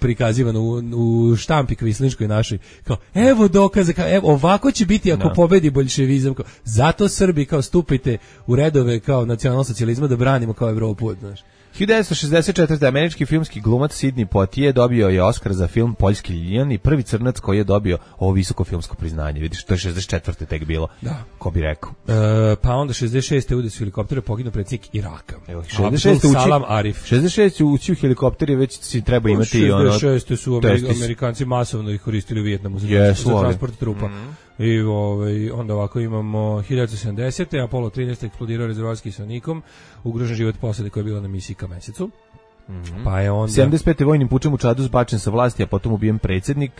[SPEAKER 8] prikazivano u štampi kvislinškoj našoj, kao evo dokaze, kao evo ovako će biti ako pobedi boljševizam, kao zato Srbi kao stupite u redove kao nacionalsocijalizma da branimo kao Evropu, znaš.
[SPEAKER 7] 1964. američki filmski glumac Sidney Poitier dobio je Oskar za film Poljski Ljiljani i prvi crnac koji je dobio ovo visoko filmsko priznanje. Vidiš, to je 64. tek bilo. Da. Ko bi rekao.
[SPEAKER 8] Pa onda 66. ude su helikoptere poginuo predsjednik Iraka.
[SPEAKER 7] Evo, 66.
[SPEAKER 8] Salam Arif.
[SPEAKER 7] 66. ući u helikopteri već si treba imati
[SPEAKER 8] 66. su Amerikanci masovno ih koristili u Vijetnamu za transport trupa. I onda ovako imamo 1970. Apollo 13 eksplodirao rezervoarski kiselnikom, ugrožen život posade koja je bila na misiji ka mesecu. Pa je onda
[SPEAKER 7] 75. vojnim pučem u Čadu zbačen sa vlasti, a potom ubijen predsjednik.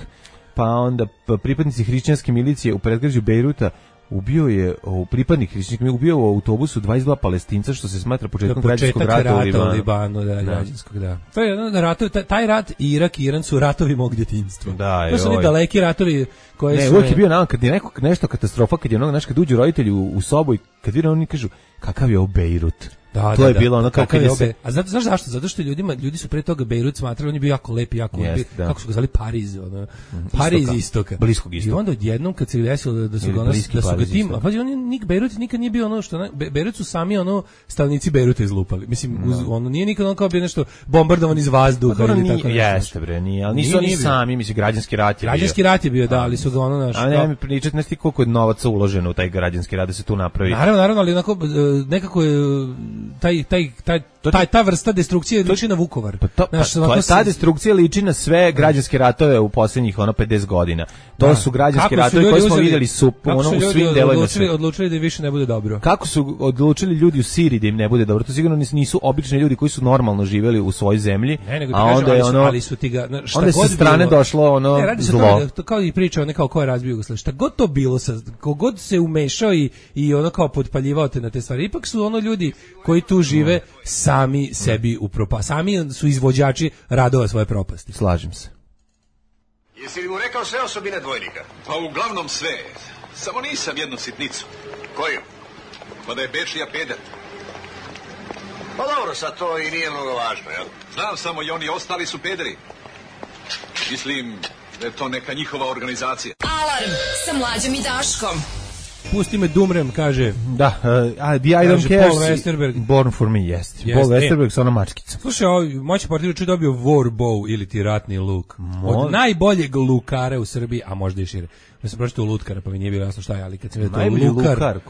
[SPEAKER 7] Pa onda pripadnici hrišćanske milicije u predgrađu Bejruta pripadnik hrišćanske milicije ubio u autobusu 22 Palestinca, što se smatra početkom građanskog rata u Libanu.
[SPEAKER 8] Građanskog, da. To je ratovi, taj rat Irak i Iran su ratovi mog djetinjstva. To su oni daleki ratovi koji su...
[SPEAKER 7] uvijek je bio nam, kad je nešto katastrofa, kad je kad uđu roditelji u sobu i kad vide oni kažu, kakav je ovo Bejrut? To je bilo ono kako je se...
[SPEAKER 8] A znaš zašto? Zato što ljudi su pre toga Bejrut smatrali, on je bio jako lep, kako su ga zvali Pariz, Pariz istoka.
[SPEAKER 7] Bliskog istoka.
[SPEAKER 8] I onda odjednom kad se desilo da su ga tim, a pazi, Bejrut nikad nije bio ono što... Bejrut su sami stanovnici Bejruta izlupali. Mislim, nije nikad ono kao bio nešto bombardovan iz vazduha ili tako nešto.
[SPEAKER 7] Jeste bre, nije, ali nisu oni sami, mislim, građanski rat je bio.
[SPEAKER 8] Građanski rat je bio, da, ali su ga
[SPEAKER 7] A ne mi pričati nešto koliko je novaca uloženo u taj građanski rat da se tu napravi.
[SPEAKER 8] Naravno, ali onako nekako je ta vrsta destrukcije liči na Vukovar.
[SPEAKER 7] Ta destrukcija liči na sve građanske ratove u posljednjih 50 godina. To su građanski ratovi koji smo vidjeli u svim delovima sveta.
[SPEAKER 8] Odlučili da više ne bude dobro.
[SPEAKER 7] Kako su odlučili ljudi u Siriji da im ne bude dobro? To sigurno nisu obični ljudi koji su normalno živjeli u svojoj zemlji.
[SPEAKER 8] A onda je onda
[SPEAKER 7] sa strane došlo zlo.
[SPEAKER 8] Kao i priča kao ko je razbio Jugoslaviju. Šta god to bilo, kogod se umešao i ono kao potpaljivao te na te stvari, ipak su ljudi koji tu žive sami sebi sami su izvođači radova svoje propasti.
[SPEAKER 7] Slažem se.
[SPEAKER 5] Jesi li mu rekao sve osobine dvojnika?
[SPEAKER 9] Pa uglavnom sve. Samo nisam jednu sitnicu.
[SPEAKER 5] Koju?
[SPEAKER 9] Pa da je Bečija peder.
[SPEAKER 5] Pa dobro, sad to i nije mnogo važno, jel?
[SPEAKER 9] Znam samo i oni ostali su pederi. Mislim da je to neka njihova organizacija.
[SPEAKER 1] Alarm sa Mlađom i Daškom.
[SPEAKER 8] Pusti me dumrem, kaže.
[SPEAKER 7] Da, The I Don't Care,
[SPEAKER 8] Paul Westerberg.
[SPEAKER 7] Born for Me, jest. Paul Westerberg sa ona mačkica.
[SPEAKER 8] Slušaj, moći portir je dobio War Bow ili ti ratni luk. Od najboljeg lukara u Srbiji, a možda i šire. Ja sam pročitao lutkara, pa mi nije bilo jasno šta je, ali kad sam vidio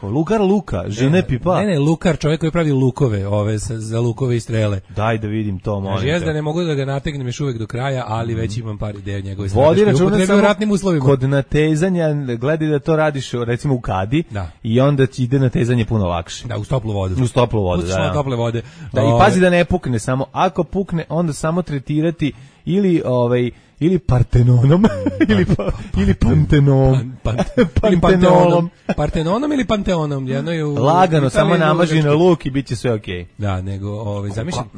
[SPEAKER 7] Lukar Luka, žene pipa.
[SPEAKER 8] Ne, lukar, čovjek koji pravi lukove, za lukove i strele.
[SPEAKER 7] Daj da vidim to, molim te.
[SPEAKER 8] Jezda ne mogu da ga nategnem još uvek do kraja, ali već imam par ideja njegove
[SPEAKER 7] strateške upotrebe
[SPEAKER 8] u ratnim uslovima.
[SPEAKER 7] Kod natezanja, gledaj da to radiš recimo u kadi i onda ti ide natezanje puno lakše.
[SPEAKER 8] Da, uz toplu vodu.
[SPEAKER 7] Uz toplu vodu, da.
[SPEAKER 8] Tople vode.
[SPEAKER 7] Da, i pazi da ne pukne, samo ako pukne, onda samo tretirati ili ili Partenonom ili Pantenom. Pantenolom.
[SPEAKER 8] Partenonom ili Panteonom, jedno je u
[SPEAKER 7] Lagano, samo
[SPEAKER 8] Italiji,
[SPEAKER 7] namaži na luk i bit će sve okej.
[SPEAKER 8] Da, nego, zamišljam.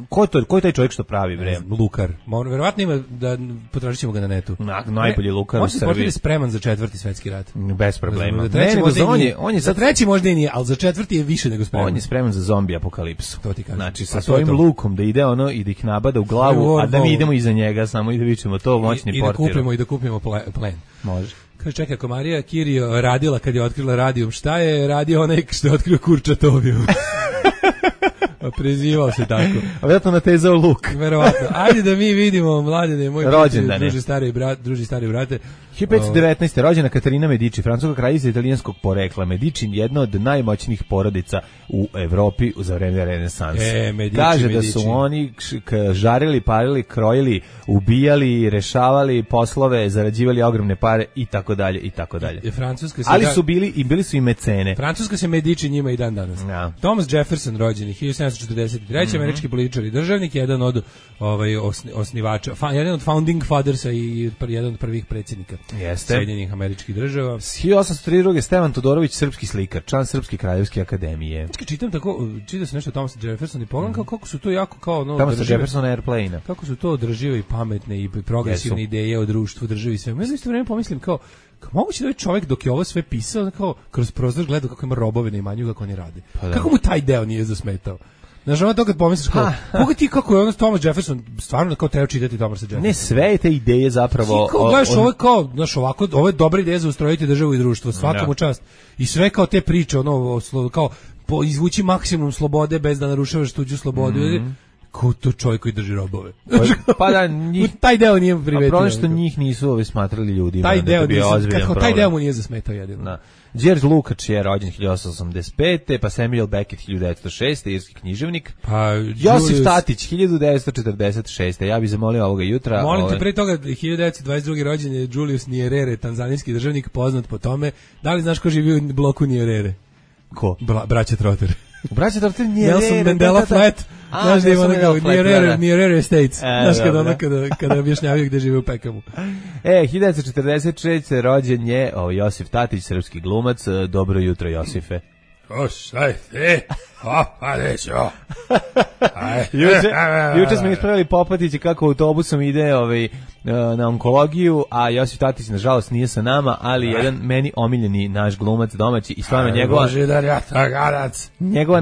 [SPEAKER 7] Ko je taj čovjek što pravi, bre?
[SPEAKER 8] Lukar. Verovatno ima, da potražit ćemo ga na netu.
[SPEAKER 7] Najbolji lukar u Srbiji.
[SPEAKER 8] On se spreman za 4. svetski rat.
[SPEAKER 7] Bez problema.
[SPEAKER 8] On je za 3. možda i nije, ali za 4. je više nego spreman.
[SPEAKER 7] On je spreman za zombi apokalipsu.
[SPEAKER 8] To ti kažem.
[SPEAKER 7] Znači, sa svojim lukom da ide ono i da ih nabada u glavu, a da mi idemo iza njega samo i da vičemo to moćni portir.
[SPEAKER 8] I da kupimo plen.
[SPEAKER 7] Može.
[SPEAKER 8] Kaže, čekaj, ako Marija Kirio radila kad je otkrila radijum, šta je radio onaj što je otkrio Kurčatoviju? Prezivao se tako.
[SPEAKER 7] A vjerojatno natezao luk.
[SPEAKER 8] Verovatno. Ajde da mi vidimo, mladene, moj druži stari brate.
[SPEAKER 7] 1519. rođena Katarina Medici, francuska kraljica italijanskog porekla. Medici jedna od najmoćnijih porodica u Evropi za vreme renesanse. Kaže da su oni žarili, parili, krojili, ubijali, rešavali poslove, zarađivali ogromne pare i tako dalje i tako dalje. Ali su bili su i mecene.
[SPEAKER 8] Francuska se Medici njima i dan danas.
[SPEAKER 7] Ja.
[SPEAKER 8] Thomas Jefferson rođeni 1743. Američki političar i državnik, jedan od osnivača, jedan od founding fathersa i jedan od prvih predsjednika Sjedinjenih Američkih Država.
[SPEAKER 7] 1832. Stevan Todorović, srpski slikar, član Srpske kraljevske akademije.
[SPEAKER 8] Čita se nešto o Thomas Jefferson i pogledam kako su to jako kao
[SPEAKER 7] Thomas Jefferson Airplane.
[SPEAKER 8] Kako su to održive i pametne i progresivne ideje o društvu, državi i sve. Ja isto vreme pomislim kao moguće da ovaj čovjek dok je ovo sve pisao kao kroz prozor gledao kako ima robove na imanju kako oni rade. Kako mu taj deo nije zasmetao? Znaš, ono to kad pomisliš kao, mogu ti kako je ono Thomas Jefferson, stvarno kao treba čitati Thomasa Jeffersona.
[SPEAKER 7] Ne, sve te ideje zapravo...
[SPEAKER 8] Ti kao gledaš ovo kao, znaš, ovako, ovo je dobra ideja za ustrojiti državu i društvo, svakom u čast. I sve kao te priče, ono, kao, izvući maksimum slobode bez da narušavaš tuđu slobodu. Kao to čovjek koji drži robove.
[SPEAKER 7] Pa da, njih...
[SPEAKER 8] taj deo nije privetio.
[SPEAKER 7] A problem što njih nisu smatrali ljudima.
[SPEAKER 8] Taj deo mu nije zasmetao jedino.
[SPEAKER 7] Da. George Lukács je rođen 1885. Pa Samuel Beckett 1906. irski književnik.
[SPEAKER 8] Pa
[SPEAKER 7] Josif Tatić 1946. Ja bih zamolio ovoga jutra.
[SPEAKER 8] Molim te, pre toga 1922. rođen je Julius Nyerere, tanzanijski državnik poznat po tome. Da li znaš ko živi u bloku Nyerere?
[SPEAKER 7] Ko?
[SPEAKER 8] Braća Trotter.
[SPEAKER 7] Braća Trotter Nyerere.
[SPEAKER 8] Nelson Mandela Flat. Znaš da ima Nyerere Estates. Znaš kada objašnjavaju gde žive u Pekamu.
[SPEAKER 7] 1946. rođen je Josif Tatić, srpski glumac. Dobro jutro, Josife. Juče smo ispravili Popatića kako autobusom ide na onkologiju, a Josif Tatić nažalost nije sa nama, ali jedan meni omiljeni naš glumac domaći i stvarno njegova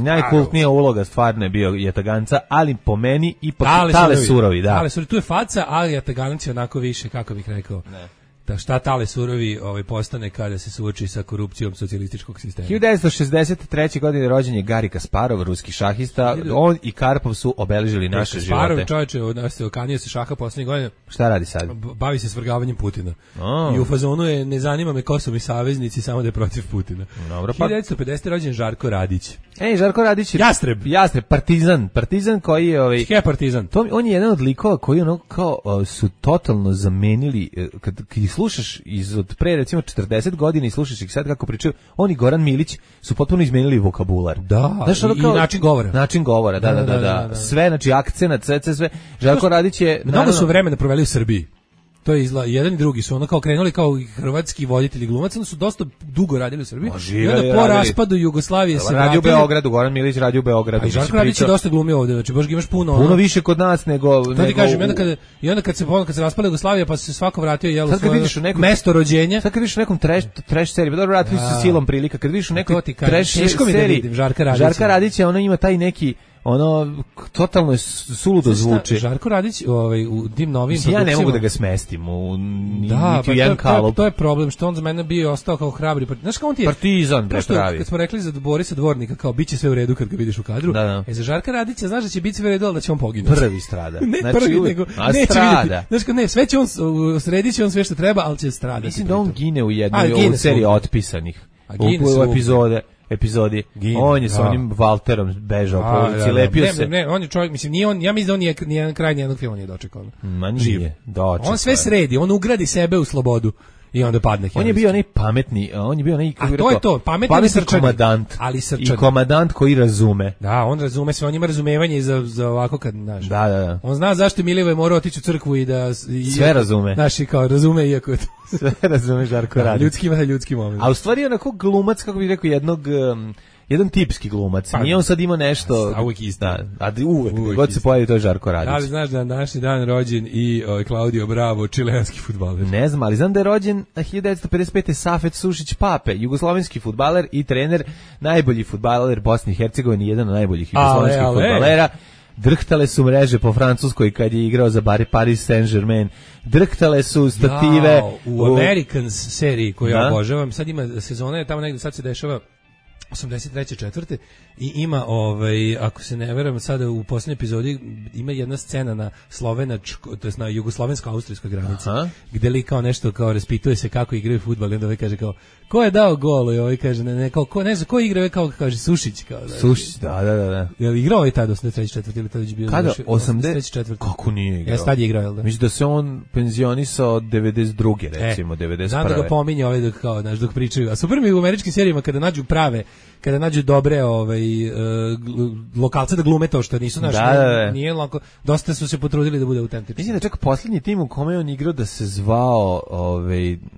[SPEAKER 7] najkultnija uloga stvarno je bio Jataganca, ali po meni ipak Tale Surovi.
[SPEAKER 8] Tale Surovi, tu je faca, ali Jataganac je onako više, kako bih rekao. Ne. Da šta Tale Surovi postane kada se suoči sa korupcijom socijalističkog sistema.
[SPEAKER 7] 1963. godine rođen je Gari Kasparov, ruski šahista. On i Karpov su obeležili naše živote.
[SPEAKER 8] Kasparov, čovječe, okanio se šaha poslednjih godina.
[SPEAKER 7] Šta radi sad?
[SPEAKER 8] Bavi se svrgavanjem Putina. I u fazonu je, ne zanima me ko su mi saveznici, samo da je protiv Putina.
[SPEAKER 7] Dobro,
[SPEAKER 8] 1950. rođen Žarko Radić.
[SPEAKER 7] Žarko Radić je Jastreb, partizan koji je
[SPEAKER 8] partizan.
[SPEAKER 7] On je jedan od likova koji kao su totalno zamenili kad slušaš od pre recimo 40 godina i slušaš ih sad kako pričaju, on i Goran Milić su potpuno izmenili vokabular.
[SPEAKER 8] Da, znaš, i način govora.
[SPEAKER 7] Način govora, da. Sve, znači akcenat, sve. Žarko Radić je...
[SPEAKER 8] Mnogo su vremena proveli u Srbiji. To je jedan i drugi su kao krenuli kao hrvatski voditelji glumaca, onda su dosta dugo radili u Srbiji. I onda po raspadu Jugoslavije se
[SPEAKER 7] radio u Beogradu, Goran Milić radio u Beogradu.
[SPEAKER 8] A Žarko Radić je dosta glumio ovde, znači baš ga imaš puno
[SPEAKER 7] više kod nas nego...
[SPEAKER 8] To ti kažem, kad se raspala Jugoslavija pa se svako vratio svoje mesto rođenja.
[SPEAKER 7] Sad kad vidiš u nekom trash seriji, pa dobro vratili su silom prilika, kad vidiš u nekoj trash seriji, Žarka Radić ona ima taj neki totalno je suludo zvuči.
[SPEAKER 8] Žarko Radić u tim novim produkcijama...
[SPEAKER 7] Ja ne mogu da ga smestim u jedan kalup.
[SPEAKER 8] To je problem, što on za mene bio ostao kao hrabri. Znaš kao on ti je...
[SPEAKER 7] Partizan, pravi.
[SPEAKER 8] Kad smo rekli za Borisa Dvornika, kao bit će sve u redu kad ga vidiš u kadru. Za Žarka Radića, znaš da će biti sve u redu, ali da će on poginuti.
[SPEAKER 7] Prvi strada.
[SPEAKER 8] Ne prvi, nego neće vidjeti. Znaš kao ne, sve će on, sredit će on sve što treba, ali će stradati.
[SPEAKER 7] Mislim da on gine u jednoj seriji otpisanih. U epizodi. On je sa onim Valterom bežao po ulici, lepio se.
[SPEAKER 8] Ne, on je čovjek, mislim, nije on, ja mislim da on nije kraj nijednog filma nije dočekao.
[SPEAKER 7] Ma nije, dočekao.
[SPEAKER 8] On sve sredi, on ugradi sebe u slobodu. i onda padne.
[SPEAKER 7] On je bio onaj pametni, on je bio onaj, kako
[SPEAKER 8] A to je to, pametni srčani,
[SPEAKER 7] komadant.
[SPEAKER 8] ali srčani.
[SPEAKER 7] I komadant koji razume.
[SPEAKER 8] Da, on razume sve, on ima razumevanje i za ovako kad, znaš.
[SPEAKER 7] Da.
[SPEAKER 8] On zna zašto Milivoje mora otići u crkvu i da...
[SPEAKER 7] Sve razume.
[SPEAKER 8] Znaš, i kao razume, iako je to...
[SPEAKER 7] Sve razume Žarko Radić.
[SPEAKER 8] Ljudski moment.
[SPEAKER 7] A u stvari onako glumac, kako bih rekao, jedan tipski glumac. Nije on sad ima nešto...
[SPEAKER 8] A uvijek isto.
[SPEAKER 7] Da, a uvijek god se pojavi, to je Žarko Radić.
[SPEAKER 8] Da li znaš da je današnji dan rođen i Claudio Bravo, čileanski fudbaler?
[SPEAKER 7] Ne znam, ali znam da je rođen 1955. Safet Sušić Pape, jugoslovenski fudbaler i trener, najbolji fudbaler Bosne i Hercegovine, jedan od najboljih jugoslovenskih fudbalera. Drhtale su mreže po Francuskoj kad je igrao za Paris Saint-Germain. Drhtale su stative.
[SPEAKER 8] U Americans seriji koju ja obožavam, sad ima sezona, tamo negde sad se dešava 83. četvrte i ima, ako se ne veram, sada u posljednjoj epizodi ima jedna scena na to jest na jugoslovensko-austrijskoj granici, gde li kao nešto kao raspituje se kako igraju fudbal i onda kaže kao, ko je dao gol i ovaj kaže, ne znam, ko igra, kao kaže Sušić.
[SPEAKER 7] Sušić, da.
[SPEAKER 8] Je li igrao tada 83. četvrte ili tada već bio?
[SPEAKER 7] Kada?
[SPEAKER 8] 83. četvrte.
[SPEAKER 7] Kako nije igrao?
[SPEAKER 8] Tad je igrao, jel da?
[SPEAKER 7] Mislim da se on penzionisao 92. recimo, 91.
[SPEAKER 8] Znam da ga pominje dok pričaju. A super mi u američkim serijama kada nađu dobre lokalce da glume to što nisu naši, nije lako, dosta su se potrudili da bude autentično.
[SPEAKER 7] Mislim da čak posljednji tim u kome on igrao da se zvao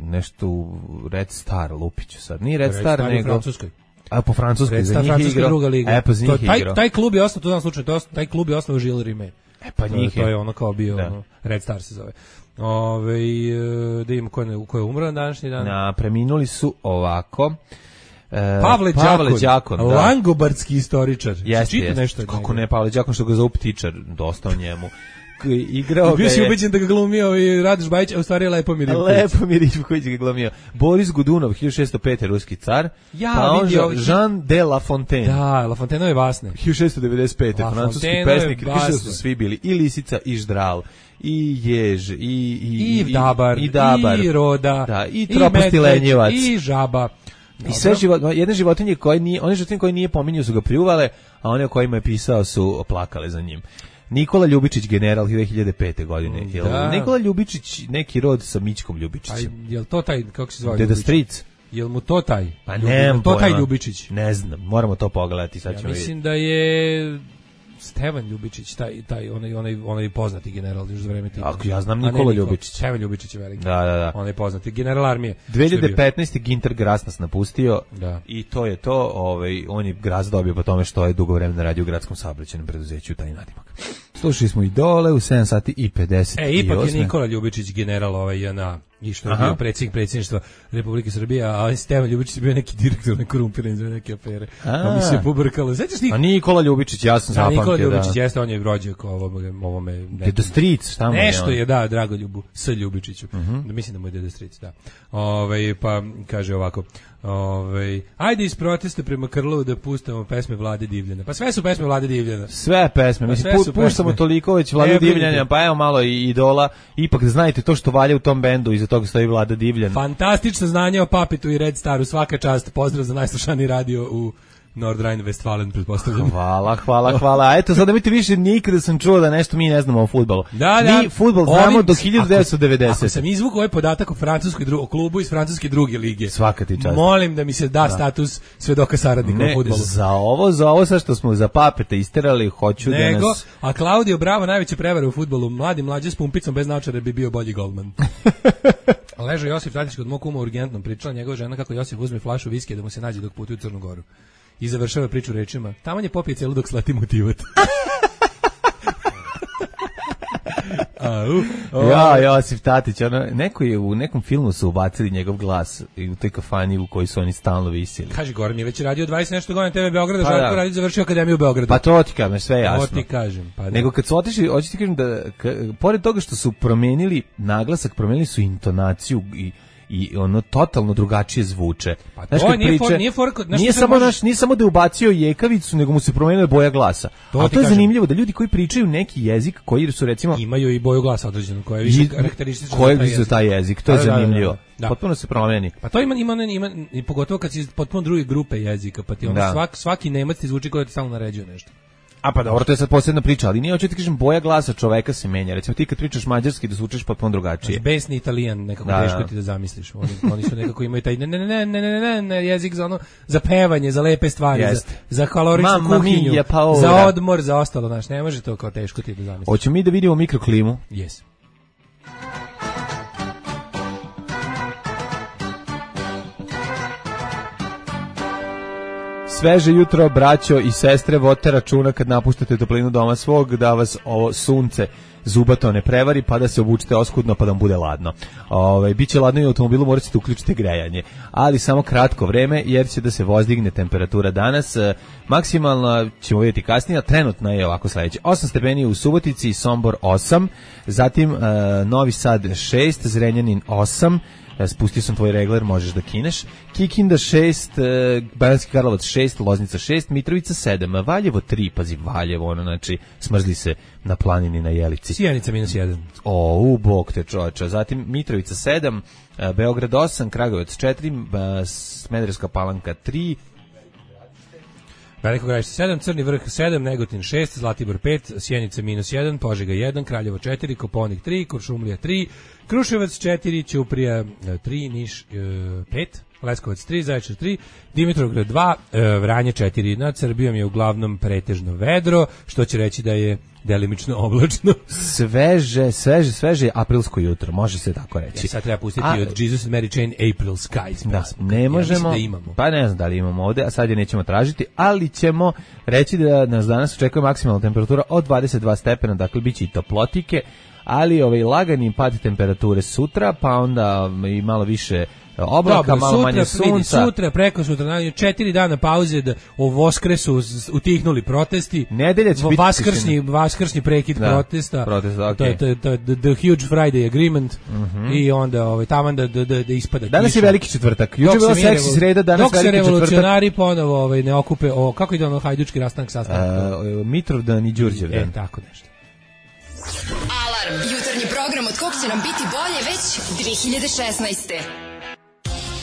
[SPEAKER 7] nešto Red Star Lupiću sad. Nije Red Star nego...
[SPEAKER 8] u Francuskoj.
[SPEAKER 7] A po Francuskoj, za njih je igrao.
[SPEAKER 8] Druga liga.
[SPEAKER 7] Pa za njih je igrao.
[SPEAKER 8] Taj klub je ostao, to znam slučaj, taj klub je ostao Gilles Rimet.
[SPEAKER 7] Pa njih je.
[SPEAKER 8] To je ono kao bio, Red Star se zove. Da imamo ko je umro na današnji dan.
[SPEAKER 7] Preminuli su ovako...
[SPEAKER 8] Pavle Đakon, langobardski istoričar.
[SPEAKER 7] Jeste. Kako ne, Pavle Đakon, što ga zovu ptičar, dosta o njemu. Igrao
[SPEAKER 8] bio si ubeđen da ga glumio i Radoš Bajić, a u stvari Lepomir
[SPEAKER 7] Ivković ga glumio. Boris Godunov, 1605. ruski car. Pa on Jean de La Fontaine.
[SPEAKER 8] Da, La Fontaineve vasne.
[SPEAKER 7] 1695. francuski pesnik. Više su svi bili i Lisica i Ždral. I Jež, i
[SPEAKER 8] Dabar, i Roda,
[SPEAKER 7] i Troposti Lenjevac,
[SPEAKER 8] i Žaba.
[SPEAKER 7] I sve jedne životinje koje nije pominjao su ga pljuvale, a one o kojima je pisao su plakale za njim. Nikola Ljubičić, general 2005. godine. Nikola Ljubičić neki rod sa Mićkom Ljubičićem?
[SPEAKER 8] Jel to taj, kako se zove?
[SPEAKER 7] Deda Stric.
[SPEAKER 8] Jel mu to taj?
[SPEAKER 7] Pa nemam
[SPEAKER 8] to taj Ljubičić?
[SPEAKER 7] Ne znam, moramo to pogledati. Sad ćemo
[SPEAKER 8] mislim da je... Stevan Ljubičić, taj onaj poznati general još za vreme Tita.
[SPEAKER 7] Ja znam Nikola Ljubičić.
[SPEAKER 8] Stevan Ljubičić je veliki.
[SPEAKER 7] Da.
[SPEAKER 8] On je poznati general armije.
[SPEAKER 7] 2015. Ginter Gras nas napustio.
[SPEAKER 8] Da.
[SPEAKER 7] I to je to, on je Gras dobio po tome što je dugo vremena radio u gradskom saobraćajnom preduzeću, taj nadimak. Slušali smo i dole u 7 sati i 50.
[SPEAKER 8] Ipak je Nikola Ljubičić general JNA. I što je bio predsjedništva Republike Srbije, a Stevan Ljubičić je bio neki direktor nekorumpiran za neke afere. Pa mi se pobrkalo.
[SPEAKER 7] A Nikola Ljubičić, ja sam zapamtio.
[SPEAKER 8] Nikola Ljubičić jeste, on je rođak ovome.
[SPEAKER 7] Deda Stric, šta mu je?
[SPEAKER 8] Nešto je, da, Dragoljubu, S. Ljubičiću. Mislim da mu je Deda Stric, da. Pa kaže ovako, ajde iz protesta prema Krlovu da pustamo pesme Vlade Divljana. Pa sve su pesme Vlade Divljana.
[SPEAKER 7] Sve pesme, mislim, puštamo toliko već Vlade Divljana, pa evo malo i Idola, ipak da znajte to što valja u tom bendu, iza toga stoji Vlada Divljan.
[SPEAKER 8] Fantastično znanje o Papitu i Red Staru, svaka čast, pozdrav za najslušaniji radio u Nordrhein-Westfalen, pretpostavljam.
[SPEAKER 7] Hvala. A eto, sad da mi ti više nikada sam čuo da nešto mi ne znamo o fudbalu. Mi fudbal znamo do 1990.
[SPEAKER 8] Ako sam izvukao ovaj podatak o klubu iz francuske druge lige,
[SPEAKER 7] svaka ti čast.
[SPEAKER 8] Molim da mi se da status svedoka saradnika u fudbalu.
[SPEAKER 7] Za ovo sad što smo za Papeta isterali, hoću da nas...
[SPEAKER 8] A Claudio Bravo, najveće prevare u fudbalu, mlađe s pumpicom bez naočara bi bio bolji golman. Ležao Josip Tatić kod mog kuma urgentnom, pričala njegova žena kako Josip uzme flašu viskija da mu se nađe dok putuje u Crnu Goru. I završava priču rečima: taman je popije celu dok slati motivat.
[SPEAKER 7] Josip Tatić, neko je u nekom filmu su ubacili njegov glas u toj kafani u kojoj su oni stalno visili.
[SPEAKER 8] Kaži, Goran je već radio 20 nešto godina TV Beograda, Žarko Radić završio akademiju u Beogradu.
[SPEAKER 7] Pa to ti kažem, sve jasno.
[SPEAKER 8] To ti kažem.
[SPEAKER 7] Nego kad su otišli, hoću ti kažem da, pored toga što su promenili naglasak, promenili su intonaciju i ono totalno drugačije zvuče.
[SPEAKER 8] Pa to
[SPEAKER 7] nije samo da je ubacio jekavicu, nego mu se promenila boja glasa. A to je zanimljivo da ljudi koji pričaju neki jezik koji su recimo
[SPEAKER 8] imaju i boju glasa određenu koja je više karakteristična
[SPEAKER 7] za taj jezik. To je zanimljivo. Potpuno se promeni.
[SPEAKER 8] Pa to ima i pogotovo kad si potpuno druge grupe jezika, pa ti onda svaki Nemac ti zvuči kao da ti stalno naređuje nešto.
[SPEAKER 7] A pa dobro, to je sad posebna priča, ali nije, hoću ti kažem, boja glasa čoveka se menja. Recimo ti kad pričaš mađarski da zvučiš potpuno drugačije.
[SPEAKER 8] Besni Italijan, nekako teško ti da zamisliš. Oni su nekako imaju taj ne jezik za ono, za pevanje, za lepe stvari, za kaloričnu kuhinju, za odmor, za ostalo, znaš, ne može to kao teško ti da zamisliš.
[SPEAKER 7] Hoćemo mi da vidimo mikroklimu?
[SPEAKER 8] Yes.
[SPEAKER 7] Sveže jutro, braćo i sestre, vodite računa kad napuštate toplinu doma svog, da vas ovo sunce zubato ne prevari, pa da se obučite oskudno, pa da vam bude ladno. Biće ladno i u automobilu, morate da uključite grejanje, ali samo kratko vreme, jer će da se vozdigne temperatura danas. Maksimalno ćemo vidjeti kasnije, trenutno je ovako sledeće. 8 stepeni u Subotici, Sombor 8, zatim Novi Sad 6, Zrenjanin 8, spustio sam tvoj regler, možeš da kineš. Kikinda 6, Banatski Karlovac 6, Loznica 6, Mitrovica 7, Valjevo 3, pazi Valjevo, ono, znači, smrzli se na planini na Jelici.
[SPEAKER 8] Sjenica -1.
[SPEAKER 7] Bog te čoveča. Zatim Mitrovica 7, Beograd 8, Kragujevac 4, Smederevska Palanka 3,
[SPEAKER 8] Veliko Gradište 7, Crni Vrh 7, Negotin 6, Zlatibor 5, Sjenica -1, Požega 1, Kraljevo 4, Koponik 3, Kuršumlija 3, Kruševac 4, Ćuprija 3, Niš 5, Leskovac 3, Zaječar 3, Dimitrovgrad 2, Vranje 4. Nad Srbijom je uglavnom pretežno vedro, što će reći da je delimično oblačno.
[SPEAKER 7] Sveže aprilsko jutro, može se tako reći.
[SPEAKER 8] Sad treba pustiti od Jesus and Mary Chain April Skies.
[SPEAKER 7] Da, ne možemo, da imamo. Pa ne znam da li imamo ovde, a sad je nećemo tražiti, ali ćemo reći da nas danas očekuje maksimalna temperatura od 22 stepena, dakle biće i toplotike, ali lagani pad temperature sutra, pa onda i malo više oblaka, malo manje sunca.
[SPEAKER 8] Sutra, preko sutra, 4 dana pauze da u Voskresu utihnuli protesti.
[SPEAKER 7] Nedelja će biti
[SPEAKER 8] vaskršnji prekid protesta. To je the huge Friday agreement i onda taman da ispada.
[SPEAKER 7] Danas je veliki četvrtak. Juče je bila seksi sreda, danas veliki četvrtak.
[SPEAKER 8] Dok se revolucionari ponovo ne okupe, kako ide ono hajdučki rastanak sastanak?
[SPEAKER 7] Mitrovdan i Đurđevdan.
[SPEAKER 8] Tako nešto.
[SPEAKER 6] Alarm, jutarnji program od kog će nam biti bolje već 2016.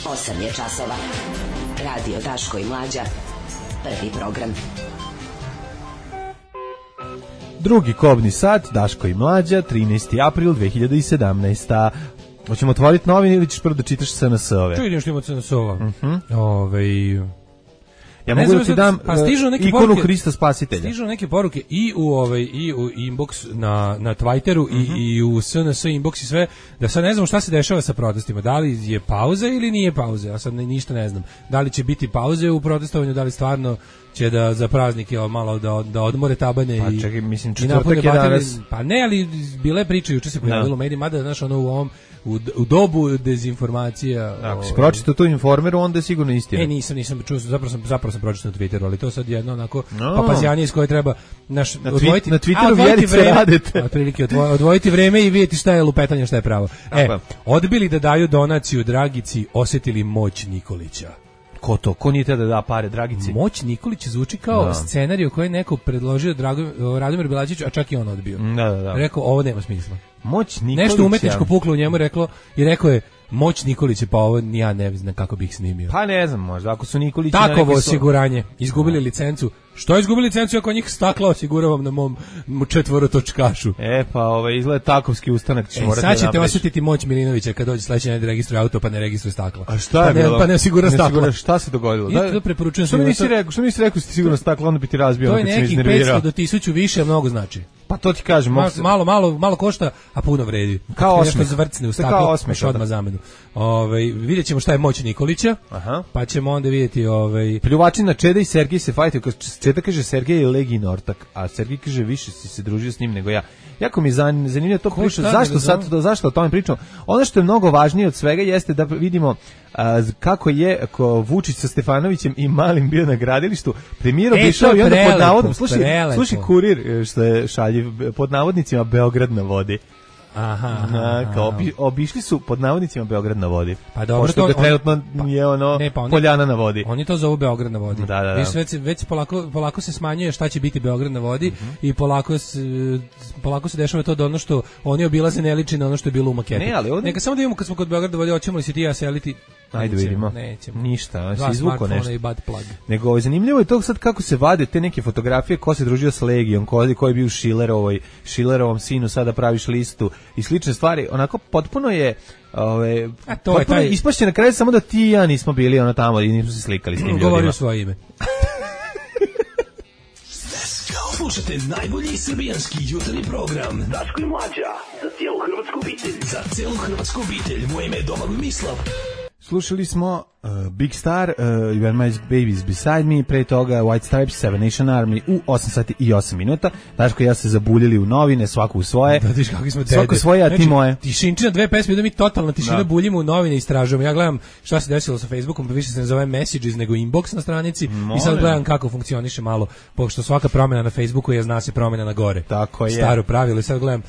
[SPEAKER 1] 8 je časova. Radio Daško i Mlađa. Prvi program.
[SPEAKER 7] Drugi kobni sat, Daško i Mlađa, 13. april 2017. Hoćemo otvoriti novine ili ćeš prvo da čitaš SNS-ove?
[SPEAKER 8] Čujem što ima SNS-ova.
[SPEAKER 7] Ja mogu da ti dam ikonu Hrista Spasitelja.
[SPEAKER 8] Stižu neke poruke i u inbox na Twitteru i u SNS inbox i sve, da sad ne znam šta se dešava sa protestima. Da li je pauza ili nije pauza? Ja sad ništa ne znam. Da li će biti pauze u protestovanju, da li stvarno će da za praznike malo da odmore tabane
[SPEAKER 7] i čekaj, mislim četvrtak je danas.
[SPEAKER 8] Pa ne, ali bile priče juče se pojavilo u medijima, mada znaš ono u ovom u dobu dezinformacija.
[SPEAKER 7] Ako si pročitao tu Informeru, onda je sigurno istina.
[SPEAKER 8] Nisam čuo, zapravo sam pročitao na Twitteru, ali to sad jedno onako papazjanije s koje treba
[SPEAKER 7] na Twitteru vjerice radite.
[SPEAKER 8] Otprilike odvojiti vreme i vidjeti šta je lupetanje, šta je pravo. Odbili da daju donaciju Dragici, osjetili moć Nikolića.
[SPEAKER 7] Ko to? Ko nije te da da pare Dragici?
[SPEAKER 8] Moć Nikolića zvuči kao scenarij koji je neko predložio Radomir Belačiću, a čak i on odbio.
[SPEAKER 7] Da.
[SPEAKER 8] Rekao, ovo nema smisla.
[SPEAKER 7] Moć Nikolića.
[SPEAKER 8] Nešto umetničko puklo u njemu rekao je Moć Nikolića, pa ovo ja ne znam kako bih snimio.
[SPEAKER 7] Pa ne znam, možda ako su Nikolići
[SPEAKER 8] takovo osiguranje, izgubili licencu. Što izgubili licencu ako njih stakla osiguravam na mom četvorotočkašu?
[SPEAKER 7] Pa izgleda takovski ustanak ćeš morati da napraviš.
[SPEAKER 8] Sad ćete osjetiti moć Milinovića kad dođe sledeći dan da registruje auto pa ne registruje stakla.
[SPEAKER 7] A šta je bilo?
[SPEAKER 8] Pa ne osigura stakla.
[SPEAKER 7] Šta se dogodilo?
[SPEAKER 8] I to preporučujem
[SPEAKER 7] što mi nisi rekao si sigurno stakla, onda bi ti razbio.
[SPEAKER 8] To je nekih 500 do 1000 više, mnogo znači.
[SPEAKER 7] Pa to ti kažem,
[SPEAKER 8] malo košta, a puno vredi.
[SPEAKER 7] Kao osmeh.
[SPEAKER 8] Zvrcne u staklo, baš odmah zamenu. Vidjet ćemo šta je moć Nikolića, pa ćemo onda vidjeti...
[SPEAKER 7] Pljuvačina Čeda i Sergej se fajtaju. Čeda kaže Sergej je Legin ortak, a Sergej kaže više si se družio s njim nego ja. Jako mi zanimljivo to priča. Zašto o tome pričamo? Ono što je mnogo važnije od svega jeste da vidimo kako je Vučić sa Stefanovićem i Malim bio na gradilištu. Premijer obišao i onda pod navodom, slušaj Kurir što je šaljiv, pod navodnicima Beograd na vodi. Kao obišli su pod navodnicima Beograd na vodi.
[SPEAKER 8] Pa dobro,
[SPEAKER 7] pošto ga trenutno je Poljana na vodi.
[SPEAKER 8] Oni to zovu Beograd na vodi.
[SPEAKER 7] Da.
[SPEAKER 8] Već polako se smanjuje šta će biti Beograd na vodi i polako se dešava to da ono što oni obilaze ne liči na ono što je bilo u maketi.
[SPEAKER 7] Neka
[SPEAKER 8] samo da vidimo kad smo kod Beograda na vodi, hoćemo li se ti ja seliti
[SPEAKER 7] Ajde vidimo.
[SPEAKER 8] Nećemo.
[SPEAKER 7] Ništa,
[SPEAKER 8] Dva
[SPEAKER 7] se izvuko
[SPEAKER 8] smartfona
[SPEAKER 7] nešto.
[SPEAKER 8] i butt plug.
[SPEAKER 7] Nego zanimljivo je to sad kako se vade te neke fotografije, ko se družio s Legijom, ko je bio Schillerovom sinu, sada praviš listu i slične stvari. Onako potpuno je
[SPEAKER 8] to je taj
[SPEAKER 7] ispašće na kraju samo da ti i ja nismo bili ono tamo i nismo se slikali s tim ljudima.
[SPEAKER 8] Govorio svoje ime.
[SPEAKER 10] Slušajte najbolji srbijanski jutarnji program Daško i Mlađa za cijelu hrvatsku obitelj. Za cijelu hrvatsku obitelj. Moje ime je Domagoj Mislav.
[SPEAKER 7] Slušali smo Big Star, You and My Babies Beside Me, pre toga White Stripes, Seven Nation Army u 8 sati i 8 minuta. Daško i ja se zabuljili u novine, svako u svoje.
[SPEAKER 8] Da, viš kakvi smo dede.
[SPEAKER 7] Svako svoje, a ti moje.
[SPEAKER 8] Tišinčina, dve pesme, da mi totalna tišina, buljimo u novine i istražujemo. Ja gledam šta se desilo sa Facebookom, pa više se ne zove Messages nego Inbox na stranici i sad gledam kako funkcioniše malo, pošto svaka promjena na Facebooku je zna se promjena na gore.
[SPEAKER 7] Tako je.
[SPEAKER 8] Staro pravilo i sad gledam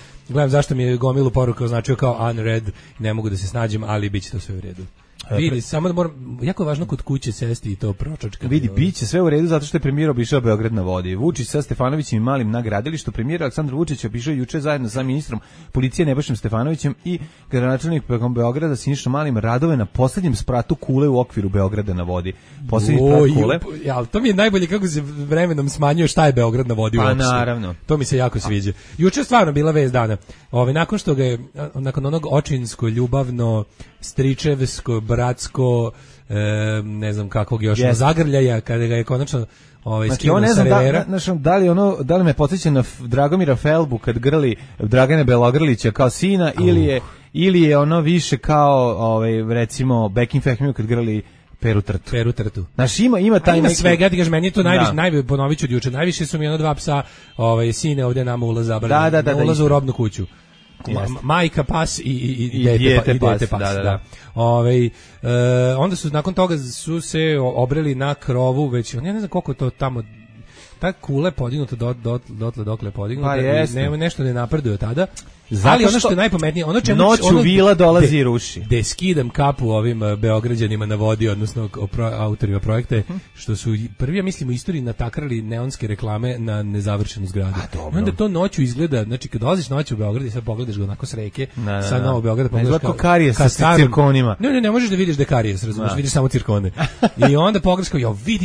[SPEAKER 8] zašto mi je gomilu poruka označio kao unread, ne mogu da se snađem, ali bit će to sve u redu. Vidi, samo da moram, jako je važno kod kuće sesti i to pročačka.
[SPEAKER 7] Vidi, biće sve u redu zato što je premijer obišao Beograd na vodi. Vučić sa Stefanovićem i Malim na gradilištu. Premijer Aleksandar Vučić obišao juče zajedno sa ministrom policije Nebojšom Stefanovićem i gradonačelnikom Beograda Sinišom Malim radove na poslednjem spratu kule u okviru Beograda na vodi. Poslednji sprat kule.
[SPEAKER 8] Ja, to mi je najbolje kako se vremenom smanjuje šta je Beograd na vodi uopšte.
[SPEAKER 7] Pa naravno.
[SPEAKER 8] To mi se jako sviđa. Juče je stvarno bila vest dana. Nakon što ga je, nakon onog očinsko, ljubavno, stričevsko, bratsko, ne znam kakvog još zagrljaja, kada ga je konačno skinuo sa revera.
[SPEAKER 7] Da li me podsjeća na Dragomira Felbu kad grli Dragana Belogrlića kao sina, ili je ono više kao recimo Bekim Fehmiju kad grli Peru Trtu. Znaš, ima taj neki...
[SPEAKER 8] svega, ja ti kažem, meni je to najviše, ponovit ću od juče, najviše su mi ono dva psa, sine ovdje nama ulaz zabranjeni, na ulazu u robnu kuću. Majka pas i dete pas. Da. Onda su nakon toga su se obreli na krovu, već ja ne znam koliko to tamo, ta kula je podignuta dotle dokle je podignuta i nešto ne napreduje tada. Ali ono što je najpametnije, ono čemu
[SPEAKER 7] noću vila dolazi i ruši.
[SPEAKER 8] Da skidam kapu ovim Beograđanima na vodi, odnosno autorima projekta, što su prvi, ja mislim, u istoriji natakrali neonske reklame na nezavršenu zgradu. I onda to noću izgleda, znači kad dolaziš noću u Beograd i sad pogledaš ga onako s reke, sa Novog Beograda, pogledaš kao
[SPEAKER 7] karijes sa cirkonima.
[SPEAKER 8] Ne možeš da vidiš da karijes, razumiješ, vidiš samo cirkone. I onda pogledaš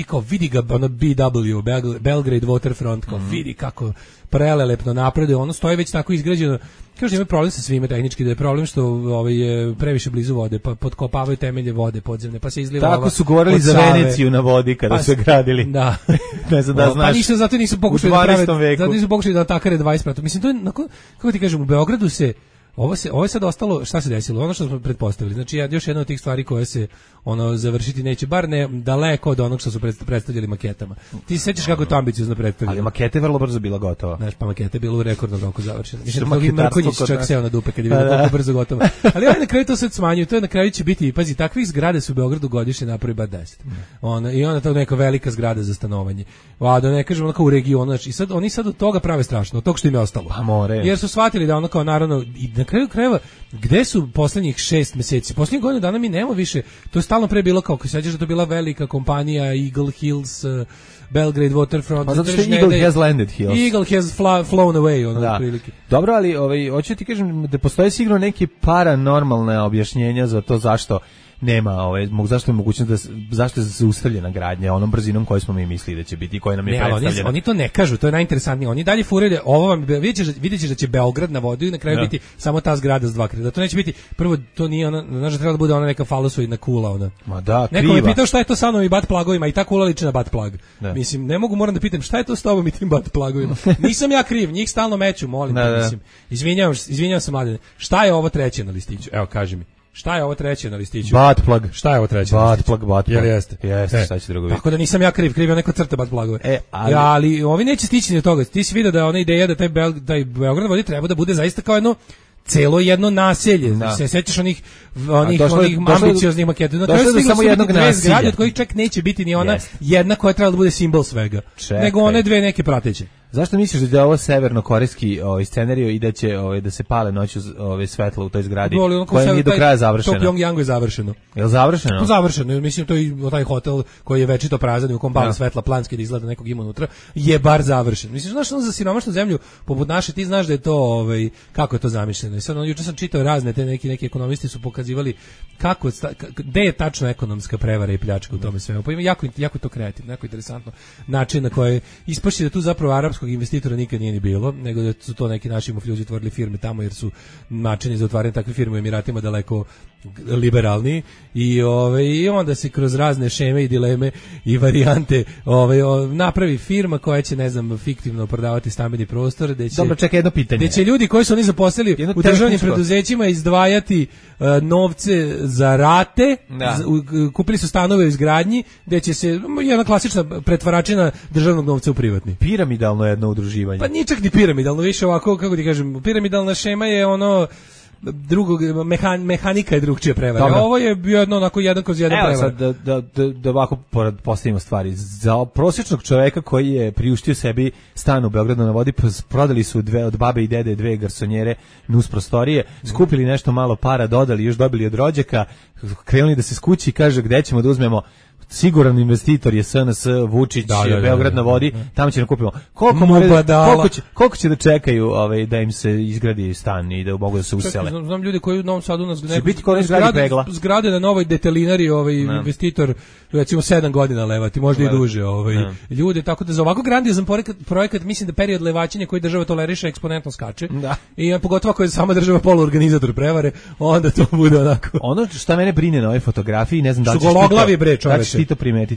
[SPEAKER 8] kao, vidi ga, ono BW, Belgrade Waterfront, kao vidi kako prelelepno napreduje, ono stoji već tako izgrađeno. Kaže, ima problem sa svime tehnički, da je problem što je previše blizu vode, pa potkopavaju temelje vode podzemne, pa se izliva.
[SPEAKER 7] Tako su govorili za Veneciju na vodi kada su gradili.
[SPEAKER 8] Da.
[SPEAKER 7] Ne znam da znaš.
[SPEAKER 8] Pa ništa, zato nisu pokušali da prave, zato nisu pokušali da takare 20%. Mislim, to je, kako ti kažem, u Beogradu se ovo je sad ostalo, šta se desilo? Ono što smo pretpostavili. Znači, još jedna od tih stvari koje se završiti neće, bar ne daleko od onog što su predstavljali maketama. Ti se sećaš kako je to ambiciozno predstavljeno?
[SPEAKER 7] Ali maketa je vrlo brzo bila gotova.
[SPEAKER 8] Znaš, pa maketa je bila u rekordnom roku završena. Mislim, mnogi Mrkonjić čak seo na dupe kad je bilo koliko brzo gotovo. Ali na kraju to sad smanjuju. To je na kraju će biti, pazi, takvih zgrada su u Beogradu godišnje napravi bar 10. I onda to neka velika zgrada za stanovanje. A da ne kažem onako u regionu. Znači, oni sad od toga prave strašno, od toga što im je ostalo.
[SPEAKER 7] Pa more.
[SPEAKER 8] Jer su shvatili da ono kao naravno i na kraju krajeva gde su poslednjih 6 meseci? Poslednjih godina dana mi nema više. To je stalno pre bilo kao, ako se sećaš da to bila velika kompanija Eagle Hills, Belgrade Waterfront.
[SPEAKER 7] Pa zato što Eagle has landed hills.
[SPEAKER 8] Eagle has flown away, prilike.
[SPEAKER 7] Dobro, ali hoću ti kažem da postoje sigurno neki paranormalne objašnjenja za to zašto nema, zašto je mogućnost zašto je zaustavljena gradnja onom brzinom koju smo mi mislili da će biti i koja nam je predstavljena.
[SPEAKER 8] Oni to ne kažu, to je najinteresantnije. Oni dalje furaju da ovo vam vidjet ćeš da će Beograd na vodi i na kraju biti samo ta zgrada s 2 krila. To neće biti, prvo to nije ona, znači treba da bude ona neka falosoidna kula ona.
[SPEAKER 7] Ma da, kriva.
[SPEAKER 8] Neko me pitao šta je to sa mnom i bat plagovima i ta kula liči na bat plag. Mislim, ne mogu, moram da pitam šta je to s tobom i tim bat plagovima. Nisam ja kriv, njih stalno meću, molim te, mislim. Izvinjavam se, mladene. Šta je ovo treće na listiću? Evo, kaži mi. Šta je ovo treće na listiću?
[SPEAKER 7] Butt plug.
[SPEAKER 8] Šta je ovo treće na listiću?
[SPEAKER 7] Butt plug.
[SPEAKER 8] Jel jeste?
[SPEAKER 7] Jeste, šta će drugo biti?
[SPEAKER 8] Tako da nisam ja kriv je neko crta butt plugove. Ali ovi neće stići do toga. Ti si vidio da je ona ideja da taj Beograd vodi treba da bude zaista kao jedno naselje. Se sećaš onih ambicioznih maketa. Na kraju stiglo samo jednog naselja, od kojih čak neće biti ni ona jedna koja treba da bude simbol svega. Nego one dve neke prateće.
[SPEAKER 7] Zašto misliš da je ovo severno-korejski scenarijo i da će da se pale noću svetla u toj zgradi koja nije do kraja završena?
[SPEAKER 8] To Pyongyangu je završeno.
[SPEAKER 7] Je li završeno?
[SPEAKER 8] To završeno, mislim to i taj hotel koji je večito prazan u kom pale svetla planski da izgleda nekog ima unutra je bar završen. Mislim znaš za siromašnu zemlju poput naše ti znaš da je to kako je to zamišljeno. I sad juče sam čitao razne te neki ekonomisti su pokazivali kako gde je tačno ekonomska prevara i pljačka u tome svemu. Pa ima jako to kreativno, jako interesantno način na koji ispašće da tu zapravo arapskog investitora nikad nije ni bilo, nego da su to neki naši mufljuzi otvorili firme tamo jer su načini za otvaranje takve firme u Emiratima daleko liberalni i onda se kroz razne šeme i dileme i varijante napravi firma koja će ne znam fiktivno prodavati stambeni prostor gde će
[SPEAKER 7] Dobro, čekaj jedno pitanje.
[SPEAKER 8] Gde će ljudi koji su oni zaposlili u državnim preduzećima izdvajati novce za rate, kupili su stanove u izgradnji gde će se jedna klasična pretvaračina državnog novca u privatni.
[SPEAKER 7] Piramidalno jedno udruživanje.
[SPEAKER 8] Pa nije čak ni piramidalno, više ovako kako ti kažem, piramidalna šema je drugog mehanika je drugčija prevara. Ovo je bio onako jedan kroz jedan prevara.
[SPEAKER 7] Evo sad da ovako postavimo stvari. Za prosječnog čoveka koji je priuštio sebi stan u Beogradu na vodi, prodali su od babe i dede 2 garsonjere nus prostorije, skupili nešto malo para, dodali, još dobili od rođaka, krenuli da se skući i kaže gde ćemo da uzmemo. Siguran investitor je SNS, Vučić, Beograd na vodi, tamo će da kupimo. Koliko će da čekaju da im se izgradi stan i da mogu da se usele?
[SPEAKER 8] Znam ljudi koji u Novom Sadu nas
[SPEAKER 7] zgrade
[SPEAKER 8] na novoj detelinari investitor recimo 7 godina levati, možda i duže. Ljude, tako da za ovako grandiozan projekat mislim da period levačenja koji država toleriše eksponentno skače. I pogotovo ako je sama država poluorganizator prevare, onda to bude onako.
[SPEAKER 7] Ono što mene brine na ovoj fotografiji, ne znam da li ćeš ti to primetiti.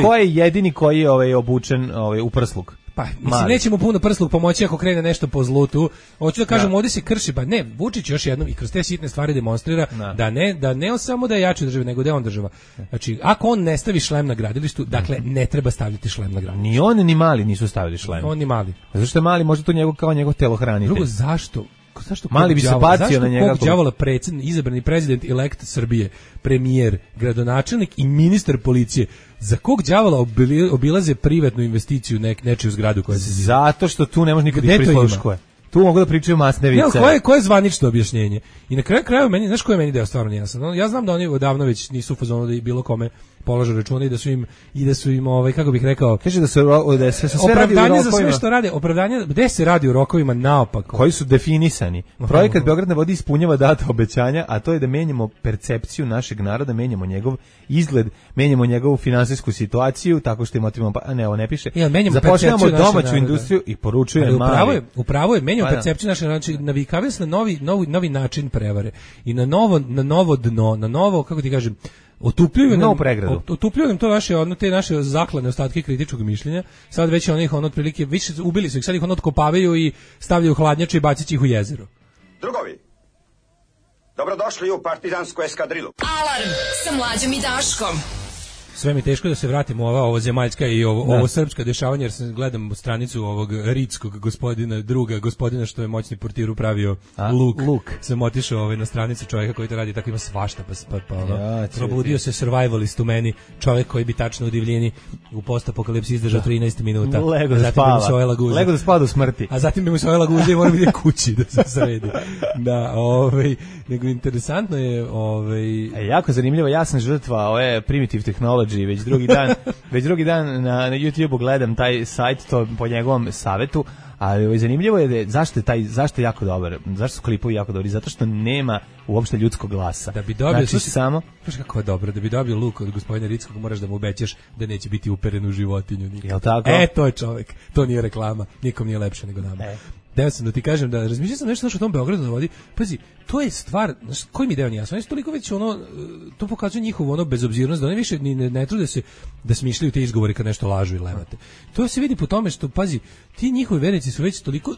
[SPEAKER 7] Ko je jedini koji je obučen u prsluk?
[SPEAKER 8] Pa, mislim, nećemo puno prsluk pomoći ako krene nešto po zlutu. Hoću da kažem, ovdje se krši, pa ne, Vučić još jednom i kroz te sitne stvari demonstrira da ne on samo da je jači država, nego da je on država. Znači, ako on ne stavi šlem na gradilištu, dakle, ne treba staviti šlem na gradilištu.
[SPEAKER 7] Ni on ni Mali nisu stavili šlem.
[SPEAKER 8] On ni Mali.
[SPEAKER 7] Zašto je Mali, možda to njegov telohranitelj.
[SPEAKER 8] Drugo, zašto
[SPEAKER 7] Mali bi se bacio na njega.
[SPEAKER 8] Kog đavola izabrani prezident elekt Srbije, premijer, gradonačelnik i ministar policije, za kog đavola obilaze privatnu investiciju nečiju zgradu koja se zida?
[SPEAKER 7] Zato što tu ne može nikad prisluškuje. Tu mogu da pričaju masne vice.
[SPEAKER 8] Koje je zvanično objašnjenje? I na kraju meni, znaš ko je meni deo stvarno nijasan? Ja znam da oni odavno već nisu u fazonu da i bilo kome polažu račune i da su im kako bih rekao,
[SPEAKER 7] kaže da se sve
[SPEAKER 8] opravdanje za sve što rade, opravdanje gde se radi u rokovima naopako,
[SPEAKER 7] koji su definisani. Projekat Beograd na vodi ispunjava data obećanja, a to je da menjamo percepciju našeg naroda, menjamo njegov izgled, menjamo njegovu finansijsku situaciju tako što im otimamo, ovo ne piše. Zapošljavamo domaću industriju i poručuje Mali.
[SPEAKER 8] Upravo je, menjamo percepciju našeg naroda, znači navikavaju se na novi način prevare i na novo dno, na novo, kako ti kažem, otupljuju nam to te naše zaklane ostatke kritičkog mišljenja. Sad već onih otprilike više ubili su ih, sad ih otkopavaju i stavljaju u hladnjače i bacići ih u jezero.
[SPEAKER 11] Drugovi, dobrodošli u partizansku eskadrilu.
[SPEAKER 6] Alarm sa Mlađom i Daškom.
[SPEAKER 8] Sve mi teško da se vratimo ovo zemaljska i ovo srpska dešavanja, jer sam gledam stranicu ovog ritskog gospodina što je moćni portiru pravio Luk. Sam otišao na stranicu čovjeka koji to radi, tako ima svašta, probudio se survivalist u meni, čovjek koji bi tačno u divljini u postapokalipsi izdržao 13 minuta.
[SPEAKER 7] Lego da spava do smrti.
[SPEAKER 8] A zatim bi mu se ojela guza i mora biti kući da se sredi. Da, nego interesantno je
[SPEAKER 7] jako zanimljivo, ja sam žrtva ove primitive technology već drugi dan na YouTubeu gledam taj sajt, to po njegovom savetu, ali zanimljivo je zašto je jako dobar, zašto su klipovi jako dobri, zato što nema uopšte ljudskog glasa.
[SPEAKER 8] Da bi dobio, samo kako je dobro, da bi dobio Luk od gospodina Ritskog, moraš da mu obećaš da neće biti uperen u životinju nikad.
[SPEAKER 7] Jel tako?
[SPEAKER 8] To je čovjek, to nije reklama, nikom nije lepše nego nama. Deo sam da ti kažem da razmišljam sam nešto o tom Beogradu na vodi. Pazi, to je stvar, znaš, koji mi deo nije jasno. Oni su toliko već to pokazuje njihovu bezobzirnost, da oni više ne trude se da smišljaju te izgovore kad nešto lažu i levate. To se vidi po tome što, pazi, ti njihovi vernici su već toliko,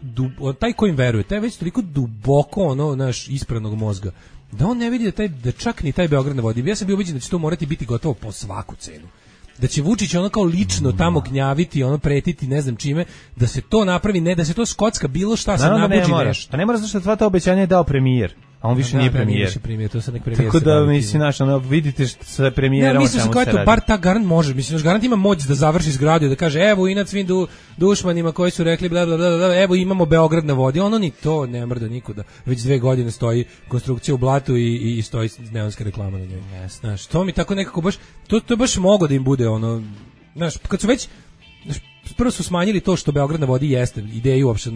[SPEAKER 8] taj ko im veruje, taj već toliko duboko naš ispranog mozga, da on ne vidi da čak ni taj Beograd na vodi. Ja sam bio ubeđen da će to morati biti gotovo po svaku cenu. Da će Vučić kao lično tamo gnjaviti, pretiti ne znam čime, da se to napravi, ne da se to skocka bilo šta se nabuđi nešto.
[SPEAKER 7] Pa ne mora, zato što ta obećanja je dao premijer. a on više nije premijer.
[SPEAKER 8] Više premijer, to sad nek premijer.
[SPEAKER 7] Tako da mislim naš, vidite sve premijera.
[SPEAKER 8] Ne, mislim se kao to bar ta garant može, mislim garant ima moć da završi zgradu, da kaže evo inat svim dušmanima koji su rekli bla bla bla, evo imamo Beograd na vodi, ono ni to ne mrda nikuda. Već 2 godine stoji konstrukcija u blatu i stoji neonska reklama na njoj. Znaš, to mi tako nekako baš to baš mogo da im bude ono, znaš, kad su već prvo su smanjili to što Beograd na vodi jeste, ideju uopšte,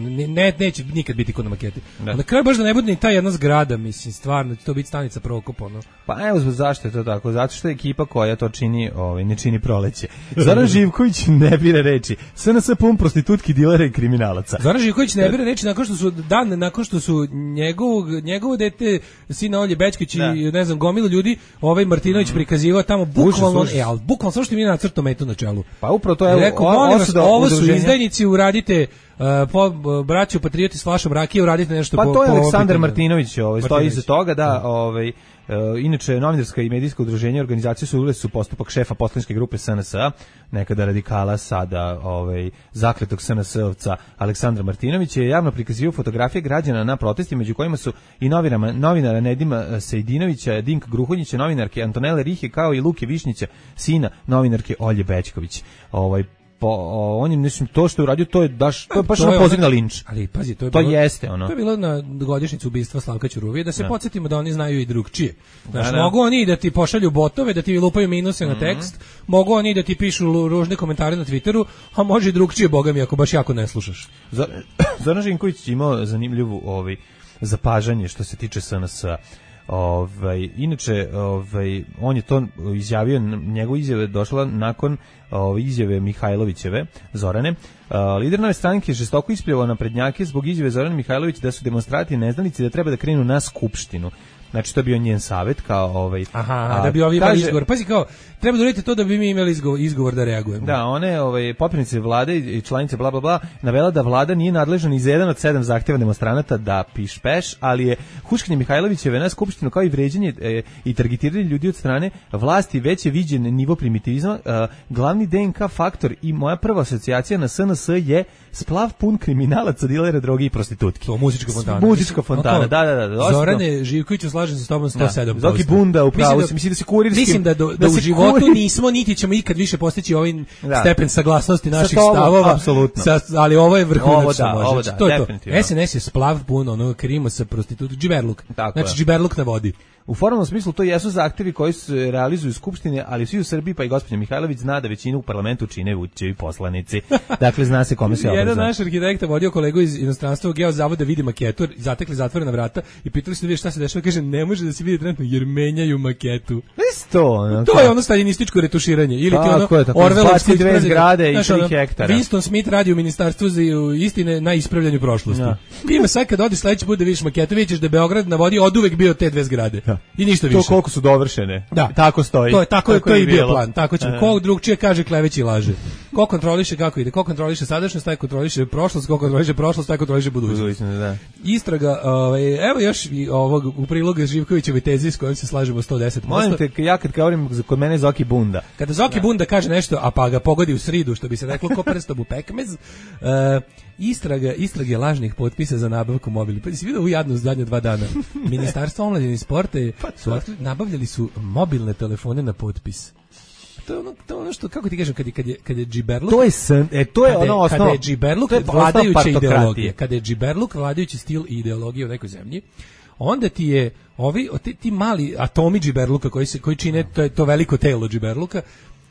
[SPEAKER 8] neće nikad biti kod na maketi. Na kraju baš da ne bude ni ta jedna zgrada, mislim, stvarno, to biti stanica Prokop, ono.
[SPEAKER 7] Pa evo zašto je to tako, zato što je ekipa koja to čini, ne čini proleće. Zoran Živković ne bira reči, SNS pun prostitutki, dilera i kriminalaca.
[SPEAKER 8] Zoran Živković ne bira reči nakon što su njegovo dete, sina Olje Bećković i ne znam, gomilu ljudi, Martinović prikazivao tamo bukvalno, bukvalno samo što mi je nacrtao metu na čelu.
[SPEAKER 7] Pa upravo to je
[SPEAKER 8] ovo su izdajnici, uradite braću patrioti s flašom rakije, uradite nešto
[SPEAKER 7] pa to je Aleksandar Martinović, stoji iza toga da inače novinarska i medijska udruženja organizacije su uvele su postupak šefa poslaničke grupe SNS-a, nekada radikala, sada zakletog SNS-ovca Aleksandra Martinovića, je javno prikazivao fotografije građana na protestima, među kojima su i novinara Nedima Sejdinovića, Dinka Gruhonjića, novinarke Antonele Rihe, kao i Luke Višnjića, sina novinarke Olje Bećković. On je, mislim, to što je uradio, to je baš ono poziv na linč.
[SPEAKER 8] Ali pazi, to
[SPEAKER 7] jeste ono.
[SPEAKER 8] To je bilo na godišnjicu ubistva Slavka Ćuruvije, da se podsjetimo da oni znaju i drugčije. Znaš, mogu oni da ti pošalju botove, da ti lupaju minuse na tekst, mogu oni da ti pišu ružne komentare na Twitteru, a može i drugčije, boga mi, ako baš jako ne slušaš.
[SPEAKER 7] Zoran Živković imao zanimljivu zapažanje što se tiče SNS-a. Inače, on je to izjavio, njegova izjava je došla nakon izjave Mihajlovićeve, Zorane. Lider Nove stranke je žestoko ispljuvao naprednjake zbog izjave Zorane Mihajlović da su demonstranti neznalici, da treba da krenu na skupštinu. Znači, to je bio njen savjet, kao
[SPEAKER 8] da bi ovi imali izgovor. Pazi, kao, treba da uradite to da bi mi imali izgovor da reagujemo.
[SPEAKER 7] Da, one potpredsednice vlade i članice bla bla bla navela da vlada nije nadležna ni za jedan od 7 zahtjeva demonstranata da piš peš, ali je huškanje Mihajlovićeve na skupštinu kao i vređanje i targetiranje ljudi od strane vlasti već je viđen nivo primitivizma. Glavni DNK faktor i moja prva asocijacija na SNS je splav pun kriminalaca, dilera, droge i prostitutki.
[SPEAKER 8] To muzička fontana.
[SPEAKER 7] Muzička fontana, da.
[SPEAKER 8] Zorane Živkoviću, slažem se s tobom 107%.
[SPEAKER 7] Zoki Bunda, upravo si, mislim da se kurirskim...
[SPEAKER 8] Mislim da u životu nismo, niti ćemo ikad više postići ovaj stepen saglasnosti naših stavova.
[SPEAKER 7] Apsolutno.
[SPEAKER 8] Ali ovo je vrhunac.
[SPEAKER 7] Ovo da, definitivno.
[SPEAKER 8] SNS je splav pun, ono krimo sa prostitutom, džiberluk. Znači džiberluk na vodi.
[SPEAKER 7] U formalnom smislu to jesu zahtevi koji se realizuju u skupštine, ali svi u Srbiji, pa i gospođa Mihajlović zna da većinu u parlamentu čine Vučićevi poslanici. Dakle, zna se kome se obraza.
[SPEAKER 8] Jedan naš arhitekta vodio kolegu iz inostranstva u Geozavod da vidi maketu, zatekli zatvorena vrata i pitali su da vidi šta se dešava, kaže ne može da se vidi trenutno jer menjaju maketu. To je ono staljinističko retuširanje ili ti ono
[SPEAKER 7] Orwellovske dve zgrade i 3 hektara.
[SPEAKER 8] Winston Smith radi u ministarstvu za istine na ispravljanju prošlosti. Ima sad kad odiš sledeći put da vidiš maketu, vidiš da Beograd na vodi oduvek bio te 2 zgrade. I ništa više.
[SPEAKER 7] To koliko su dovršene.
[SPEAKER 8] Da.
[SPEAKER 7] Tako stoji.
[SPEAKER 8] To je bio plan. Tako ćemo. Ko drugčije kaže kleveći i laže. Ko kontroliše kako ide? Ko kontroliše sadašnjost, taj kontroliše prošlost, ko kontroliše prošlost, taj kontroliše budućnost. Istraga, evo još i ovog u prilogu Živkovićeve tezi s kojom se slažemo 110%.
[SPEAKER 7] Molim te, ja kad govorim kod mene Zoki Bunda.
[SPEAKER 8] Kada Zoki Bunda kaže nešto, a pa ga pogodi u sridu, što bi se reklo ko prstom u pekmez, istrage lažnih potpisa za nabavku mobila. Pa si vidio u jadnu zadnje 2 dana. Ministarstvo omladine i sporta nabavljali su mobilne telefone na potpis. To je ono što, kako ti kažem, kad je džiberluk...
[SPEAKER 7] To je ono osnovno.
[SPEAKER 8] Kada je džiberluk vladajuća ideologija, kada je džiberluk vladajući stil i ideologija u nekoj zemlji, onda ti je ti mali atomi džiberluka koji čine to veliko telo džiberluka,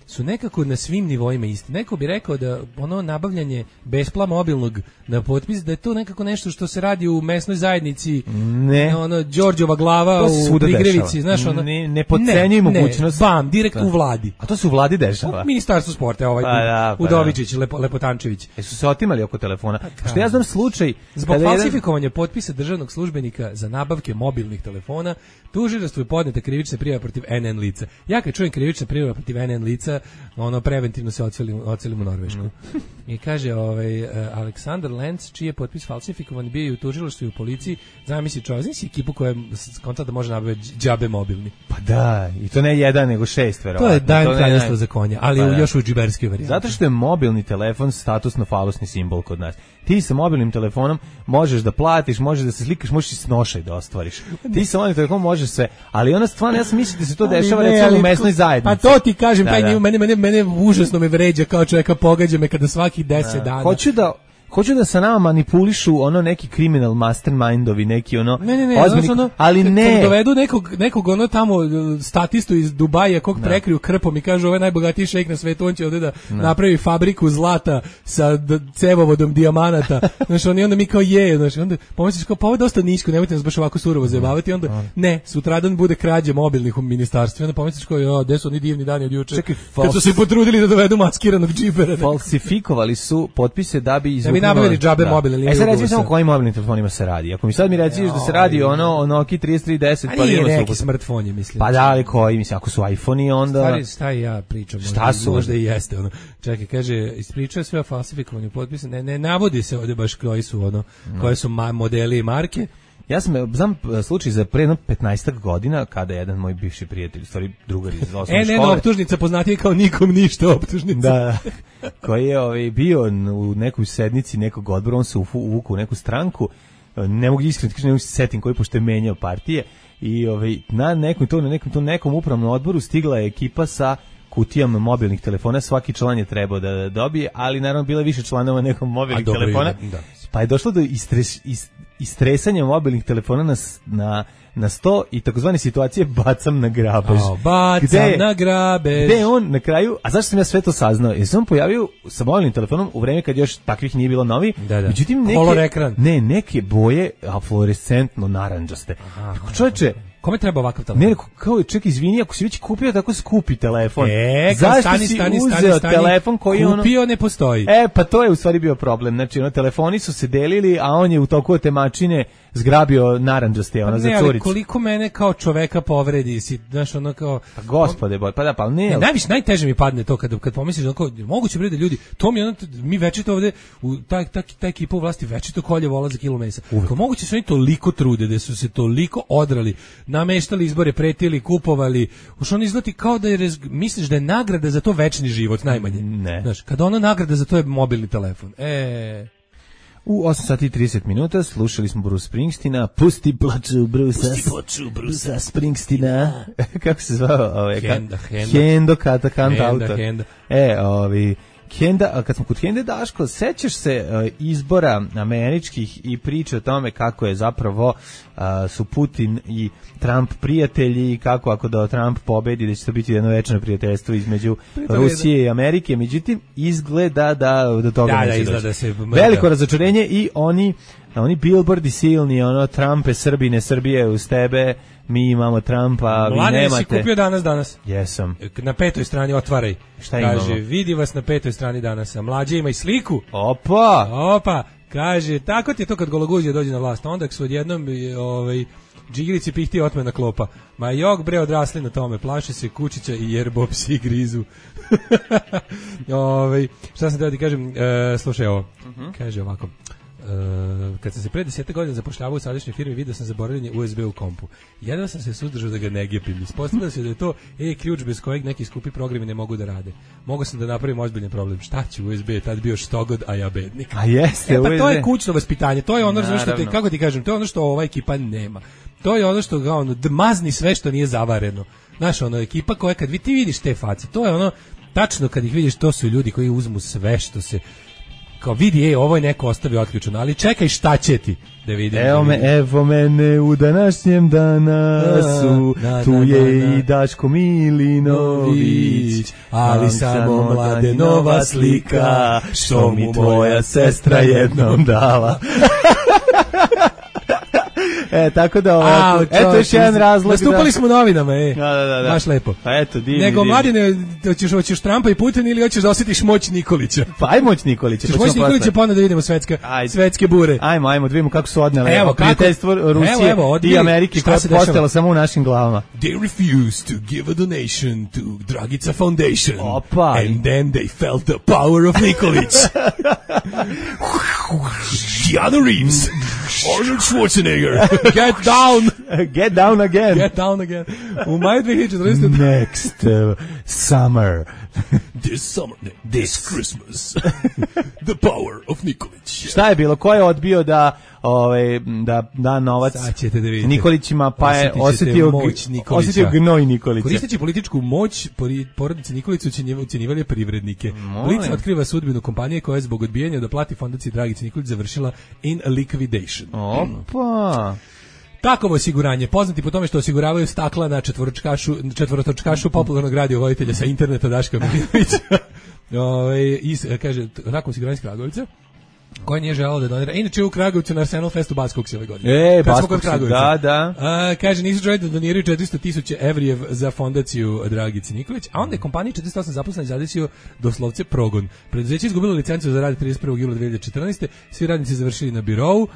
[SPEAKER 8] su nekako na svim nivoima isti. Neko bi rekao da ono nabavljanje bespla mobilnog na potpis, da je to nekako nešto što se radi u mesnoj zajednici, ono Đorđova glava u Prigrevici, znaš, ono
[SPEAKER 7] ne potcenjuj mogućnost.
[SPEAKER 8] Direkt u vladi.
[SPEAKER 7] A to se u vladi dešava.
[SPEAKER 8] U Ministarstvu sporta, Udovičić, Lepotančević.
[SPEAKER 7] Su se otimali oko telefona. Što ja znam slučaj
[SPEAKER 8] zbog falsifikovanja potpisa državnog službenika za nabavke mobilnih telefona, tužilaštvu je podneta krivična prijava protiv NN lica. Ja kad čujem krivična prijava protiv NN lica, meseca ono preventivno se ocelimo u Norvešku. I kaže Aleksandar Lenz, čiji je potpis falsifikovan, bio je u tužilaštvu i u policiji. Zamisli čovjek, znači ekipu koja konta da može nabaviti džabe mobilni.
[SPEAKER 7] Pa da, i to ne jedan, nego 6 verovatno.
[SPEAKER 8] To je dajem kraljevstvo za konja, ali još u džiberskoj varijanti.
[SPEAKER 7] Zato što je mobilni telefon statusno-falosni simbol kod nas. Ti sa mobilnim telefonom možeš da platiš, možeš da se slikaš, možeš i snošaj da ostvariš. Ti sa mobilnim telefonom možeš sve, ali ona stvarno, ja sam mislio da se to dešava recimo u mesnoj zajednici.
[SPEAKER 8] Pa to ti kažem, mene užasno me vređa kao čovjeka, pogađa me kada svakih 10 dana.
[SPEAKER 7] Hoću da sa nama manipulišu ono neki criminal mastermindovi, neki ono
[SPEAKER 8] ozbiljni,
[SPEAKER 7] ali ne.
[SPEAKER 8] Dovedu nekog ono tamo statistu iz Dubaja kog prekriju krpom i kažu ovo je najbogatiji šejk na svetu, on će ovde da napravi fabriku zlata sa cevovodom dijamanata. Znaš, onda mi kao znaš, onda pomisliš kao pa ovo je dosta nisko, nemojte nas baš ovako surovo zajebavati, onda ne, sutradan bude krađa mobilnih u ministarstvu, onda pomisliš kao gde su oni divni dani od juče. Kad su se potrudili da dovedu maskiranog džibera.
[SPEAKER 7] Falsifikovali su potpise da bi
[SPEAKER 8] nabavili džabe mobilne linije.
[SPEAKER 7] Sad recimo samo kojim mobilnim telefonima se radi. Ako mi sad mi reciš da se radi o Nokia 3310,
[SPEAKER 8] pa nije neki smartfon je, mislim.
[SPEAKER 7] Pa da, ali koji, mislim, ako su iPhone-i onda...
[SPEAKER 8] Šta ja pričam?
[SPEAKER 7] Šta su?
[SPEAKER 8] Možda i jeste, ono. Čekaj, kaže, ispričao sve o falsifikovanju potpisa. Ne navodi se ovde baš koji su, koje su modeli i marke.
[SPEAKER 7] Ja znam slučaj za pre 15 godina kada je jedan moj bivši prijatelj, stvari drugar iz osnovne škole.
[SPEAKER 8] Optužnica poznatiji kao nikom ništa optužnica.
[SPEAKER 7] Da, koji je bio u nekoj sednici nekog odbora, on se uvukao u neku stranku, ne mogu iskreno kažem, ne mogu se setim koji, pošto je menjao partije, i na nekom upravnom odboru stigla je ekipa sa kutijama mobilnih telefona, svaki član je trebao da dobije, ali naravno bilo je više članova nekog mobilnih telefona, pa je došlo do istresanja mobilnih telefona na 100 i takozvane situacije bacam na grabež.
[SPEAKER 8] Na grabež.
[SPEAKER 7] Gde on na kraju, a zašto sam ja sve to saznao? Jer sam pojavio sa mobilnim telefonom u vreme kad još takvih nije bilo novi. Međutim, neke boje fluorescentno narandžaste. Čovječe,
[SPEAKER 8] kome treba ovakav telefon?
[SPEAKER 7] Ne, kao čekaj, izvini, ako si već kupio tako skupi telefon. Zašto si uzeo telefon koji
[SPEAKER 8] kupio ne postoji?
[SPEAKER 7] Pa to je u stvari bio problem. Znači, telefoni su se delili, a on je u toku temačine zgrabio narandžaste, za curicu.
[SPEAKER 8] Ali koliko mene kao čoveka povredi, si, znaš, ono kao...
[SPEAKER 7] Pa gospode boj, pa da, pa ne.
[SPEAKER 8] Najteže mi padne to kad pomisliš, moguće bre da ljudi, to mi večito ovde, ta ekipa u vlasti večito kolje vola za kilo mesa. Kao moguće su oni toliko trude, da su se toliko odrali, nameštali izbore, pretili, kupovali, už on izgleda kao da misliš da je nagrada za to večni život, najmanje.
[SPEAKER 7] Ne.
[SPEAKER 8] Znaš, kada ona nagrada za to je mobilni telefon.
[SPEAKER 7] U 8 sati i 30 minuta slušali smo Bruce Springsteena, Pusti plaču Brucea Springsteena. Kako se zvao? Hendo Kantautor. Henda, kad smo kod Hende, Daško, sećaš se izbora američkih i priče o tome kako je zapravo su Putin i Trump prijatelji i kako ako da Trump pobedi da će to biti jedno večno prijateljstvo između Rusije i Amerike, međutim izgleda da do toga neće doći. Veliko razočarenje i oni billboardi silni, Trumpe, Srbine, Srbije uz tebe, mi imamo Trumpa, vi nemate.
[SPEAKER 8] Mladen, si kupio danas?
[SPEAKER 7] Jesam.
[SPEAKER 8] Na 5. strani otvaraj.
[SPEAKER 7] Šta imamo?
[SPEAKER 8] Kaže, vidi vas na 5. strani danas. Mlađe ima i sliku.
[SPEAKER 7] Opa!
[SPEAKER 8] Kaže, tako ti je to kad Gologuzija dođe na vlast. Onda su odjednom džigirici pihti otmena klopa. Ma jok bre odrasli na tome. Plaše se kučića i jerbo psi grizu. Šta sam teo ti kažem? Slušaj ovo. Kaže ovako. Kad sam se pre 10 godina zapošljavao u sadašnjoj firmi, vidio sam zaboravljanje USB u kompu. Jedva sam se suzdržao da ga ne gepim. Ispostavilo se da je to ključ bez kojeg neki skupi programi ne mogu da rade. Mogao sam da napravim ozbiljan problem. Šta će USB? Tad bio štogod, a ja bednik.
[SPEAKER 7] A jeste,
[SPEAKER 8] pa to je kućno vaspitanje. To je ono što kako ti kažem, to je ono što ova ekipa nema. To je ono što mazni sve što nije zavareno. Znaš, ekipa koja kad ti vidiš te face, to je tačno kad ih vidiš, to su ljudi koji uzmu sve što se kao vidi, ovo je neko ostavio otključeno, ali čekaj šta će ti da vidim.
[SPEAKER 7] Evo mene u današnjem danasu, tu je i Daško Milinović,
[SPEAKER 8] ali samo Mladenova slika, što mi tvoja sestra jednom dala.
[SPEAKER 7] Tako da, eto još jedan razlog.
[SPEAKER 8] Nastupali smo u novinama,
[SPEAKER 7] Da.
[SPEAKER 8] Baš lepo.
[SPEAKER 7] Pa eto, divni.
[SPEAKER 8] Nego, Mladine, hoćeš Trumpa i Putin ili hoćeš da osjetiš moć Nikolića?
[SPEAKER 7] Pa aj moć Nikolića.
[SPEAKER 8] Moć Nikolića, pa onda da vidimo svetske bure.
[SPEAKER 7] Ajmo, da vidimo kako su odnele prijateljstvo Rusije i Amerike koja je postala samo u našim glavama.
[SPEAKER 8] They refused to give a donation to Dragica Foundation.
[SPEAKER 7] Opa.
[SPEAKER 8] And then they felt the power of Nikolić. Keanu Reeves, Arnold Schwarzenegger, get down.
[SPEAKER 7] Get down again.
[SPEAKER 8] Get down again. U maju 2014.
[SPEAKER 7] Next summer.
[SPEAKER 8] This Christmas. The power of Nikolić.
[SPEAKER 7] Šta je bilo? Ko je odbio da da novac Nikolićima, pa je osetio gnoj Nikolića.
[SPEAKER 8] Koristeći političku moć, porodice Nikolića ucenjivali privrednike. Blic otkriva sudbinu kompanije koja je zbog odbijanja da plati fondaciji Dragici Nikolić završila in liquidation.
[SPEAKER 7] Opa!
[SPEAKER 8] Takovo osiguranje, poznati po tome što osiguravaju stakla na četvorotočkašu popularnog radiovoditelja sa interneta Daška Milinovića. Kaže, takovo osiguranje iz Kragovica, koja nije želala da donira. Inače u Kragovicu na Arsenal Festu Baskog se ove godine.
[SPEAKER 7] Baskog se, da.
[SPEAKER 8] Kaže, nisu želeli da doniraju 400.000 evrijev za fondaciju Dragici Nikolić, a onda je kompaniji 48 zaposlenih zadesio doslovce progon. Preduzeće izgubilo licencu za rad 31. jula 2014. Svi radnici završili na birovu.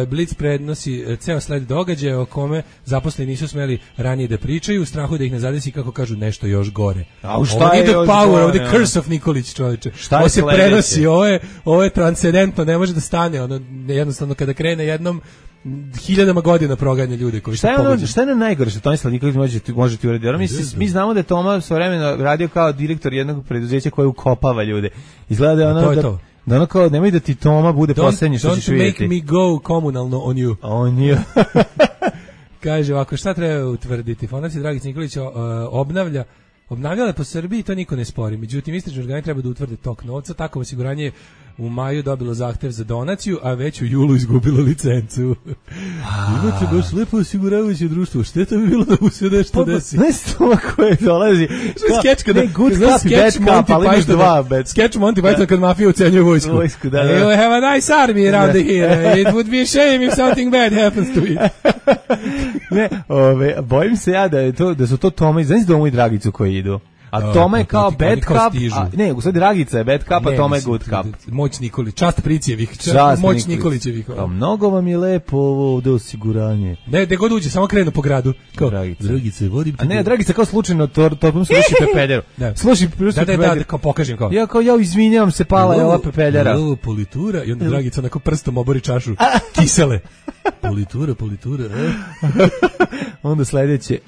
[SPEAKER 8] Blic prenosi ceo sled događaja o kome zaposleni nisu smeli ranije da pričaju, u strahu da ih ne zadesi, kako kažu, nešto još gore.
[SPEAKER 7] Šta je
[SPEAKER 8] the power of the curse of Nikolić, čovječe. Ovo se prenosi, ovo je transcendentno, ne može da stane, ono jednostavno kada krene jednom hiljadama godina proganja ljude koji su pogođeni.
[SPEAKER 7] Šta je na najgore što Tomislav Nikolić može ti uraditi? Mi znamo da je Toma svojevremeno radio kao direktor jednog preduzeća koje ukopava ljude. Izgleda da je ono da ono kao, nemoj da ti Toma bude poslednji što ćeš vidjeti.
[SPEAKER 8] Don't make me go komunalno on you.
[SPEAKER 7] On you.
[SPEAKER 8] Kaže ovako, šta treba utvrditi? Fondacija Dragica Nikolića obnavljala po Srbiji, to niko ne spori. Međutim, istražni organi treba da utvrde tok novca. Tako osiguranje je u maju dobilo zahtev za donaciju, a već u julu izgubilo licencu. Imate baš lepo osiguravajuće društvo. Šteta bi bilo da mu se nešto desi.
[SPEAKER 7] Ne stoma koje dolazi.
[SPEAKER 8] Sketch kada
[SPEAKER 7] good cup i bad cup, ali imaš dva bad.
[SPEAKER 8] Sketch Monty Python kad mafija ucenjuje vojsku.
[SPEAKER 7] Da.
[SPEAKER 8] You have a nice army around here. It would be a shame if something bad happens to it.
[SPEAKER 7] Ne, bojim se ja da su to Toma, znaš Domu i Dragicu koji idu. A Toma je kao bad cup, ne, u sad Dragica je bad cup, a Toma je good cup.
[SPEAKER 8] Moć Nikolić, čast Pricijevih, moć Nikolićevih.
[SPEAKER 7] Kao, mnogo vam je lepo ovo ovde osiguranje.
[SPEAKER 8] Ne, gde god uđe, samo krenu po gradu. Kao,
[SPEAKER 7] Dragica, vodim te. A ne, Dragica kao slučajno, torbom se ruši pepeljeru. Sluši pepeljeru.
[SPEAKER 8] Da, kao pokažem kao.
[SPEAKER 7] Ja izvinjavam se, pala je ova pepeljera.
[SPEAKER 8] Ovo politura, i onda Dragica onako prstom obori čašu kisele. Politura.
[SPEAKER 7] Onda sledeće,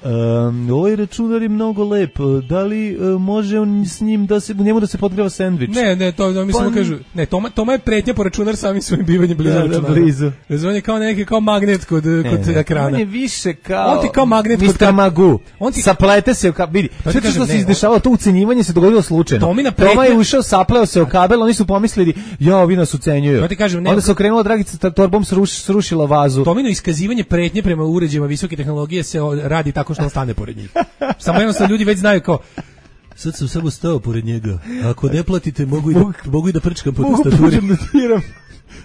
[SPEAKER 7] ovaj računar je mnogo lep, da li može on s njim njemu da se podgreva sendvič?
[SPEAKER 8] Ne, to mi samo kažu. Ne, Toma je pretnja po računar samim svojim bivanjem blizu računara. Razumije kao magnet kod ekrana.
[SPEAKER 7] On je više kao...
[SPEAKER 8] On ti kao magnet kod...
[SPEAKER 7] Mr. Magoo. Saplete se, vidi, sve što se izdešavalo, to ucenjivanje se dogodilo slučajno. Toma je ušao, sapleo se o kabel, oni su pomislili, vi nas ucenjuju. Onda se okrenula Dragica, torbom srušila vazu.
[SPEAKER 8] Tomino iskazivanje pretnje prema uređajima visoke tehnologije se radi tako što on stane pored njih. Samo jednostavno ljudi već znaju kao, sad sam samo stao pored njega. Ako ne platite, mogu i da prčkam po tastaturi.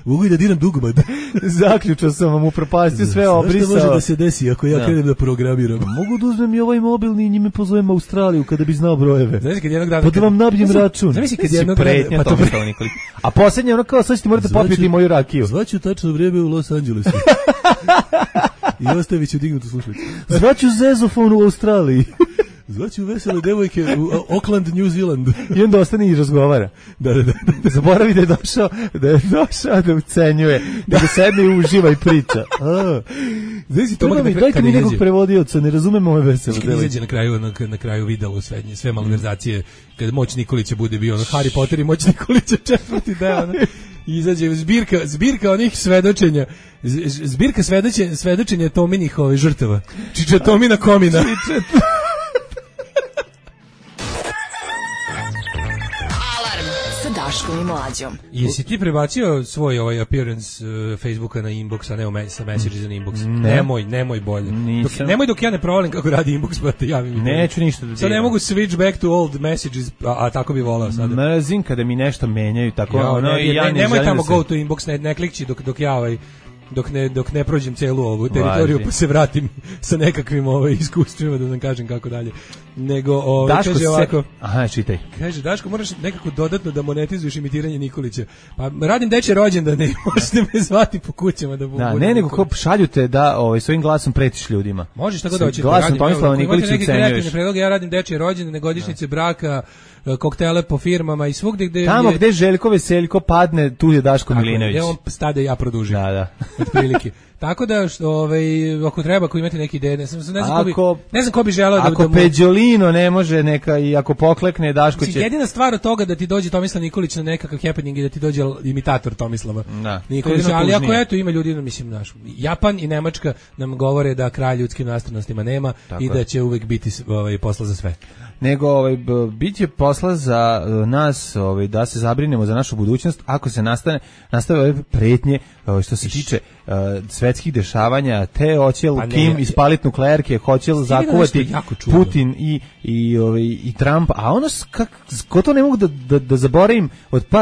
[SPEAKER 8] Mogu i da diram dugmad.
[SPEAKER 7] Zaključao sam vam, upropastio sve, obrisao.
[SPEAKER 8] Šta može da se desi ako ja krenem da programiram?
[SPEAKER 7] Mogu da uzmem i ovaj mobilni i njime pozovem Australiju kada bi znao brojeve.
[SPEAKER 8] Znaš kad jednog dana...
[SPEAKER 7] Pa da vam nabijem račun.
[SPEAKER 8] Znaš kad jednog dana...
[SPEAKER 7] A posljednje ono kao, sad ćete morate popiti moju rakiju.
[SPEAKER 8] Zvaću tačno vreme u Los Angelesu. I ostavit ću dignutu slušalicu.
[SPEAKER 7] Zvaću zezofon u Australiji.
[SPEAKER 8] Zvaću vesele devojke u Auckland, New Zealand.
[SPEAKER 7] I onda ostane i razgovara.
[SPEAKER 8] Da.
[SPEAKER 7] Zaboravi da je došao da ucenjuje, da sedne i uživa i priča. Dajte mi nekog prevodioca, ne razumemo ove vesele devojke.
[SPEAKER 8] Kad izađe na kraju videlo sve malverzacije, kad moć Nikolića bude bio Harry Potter i moć Nikolića 4. deo. Izađe zbirka onih svedočenja, zbirka svedočenja Tominih žrtava. Čiča Tomina komina.
[SPEAKER 6] Daškom i Mlađom.
[SPEAKER 8] Jesi ti prebacio svoj appearance Facebooka na inbox, a ne sa messages na inbox? Nemoj bolje. Nemoj dok ja ne provalim kako radi inbox, pa te javim.
[SPEAKER 7] Neću ništa da
[SPEAKER 8] sad ne mogu switch back to old messages, a tako bi volao sada.
[SPEAKER 7] Mrzim kada mi nešto menjaju, tako
[SPEAKER 8] nemoj tamo go to inbox, ne klikći dok ja dok ne prođem celu ovu teritoriju, pa se vratim sa nekakvim iskustvima, da nam kažem kako dalje. Nego, kaže ovako...
[SPEAKER 7] Aha, čitaj.
[SPEAKER 8] Kaže, Daško, moraš nekako dodatno da monetizuješ imitiranje Nikolića. Pa radim dečje rođendane, možete me zvati po kućama da budu...
[SPEAKER 7] Da, ne, nego ko šalju te da svojim glasom pretiš ljudima.
[SPEAKER 8] Možeš tako da hoćete.
[SPEAKER 7] Glasom Tomislava Nikolića ucenjuješ.
[SPEAKER 8] Ja radim dečje rođendane, godišnjice braka, koktele po firmama i svugde gde...
[SPEAKER 7] Tamo gde Željko Veseljko padne, tu je Daško Milinović.
[SPEAKER 8] Gde on stade, ja produžim.
[SPEAKER 7] Da.
[SPEAKER 8] Otprilike. Tako da, ako treba, ako imate neke ideje, ne znam ko bi želeo da...
[SPEAKER 7] Ako Peđolino ne može neka i ako poklekne, Daško će...
[SPEAKER 8] Jedina stvar od toga da ti dođe Tomislav Nikolić na nekakav happening i da ti dođe imitator Tomislava Nikolića, ali ako ima ljudi, mislim, Japan i Nemačka nam govore da kraj ljudskim nastavnostima nema i da će uvek biti posla za sve.
[SPEAKER 7] Nego bit će posla za nas da se zabrinemo za našu budućnost ako se nastave ove pretnje što se tiče svetskih dešavanja, te hoće li Kim ispalit nuklearke, hoće li zakuvati Putin i Trump, a ono ko to ne mogu da zaboravim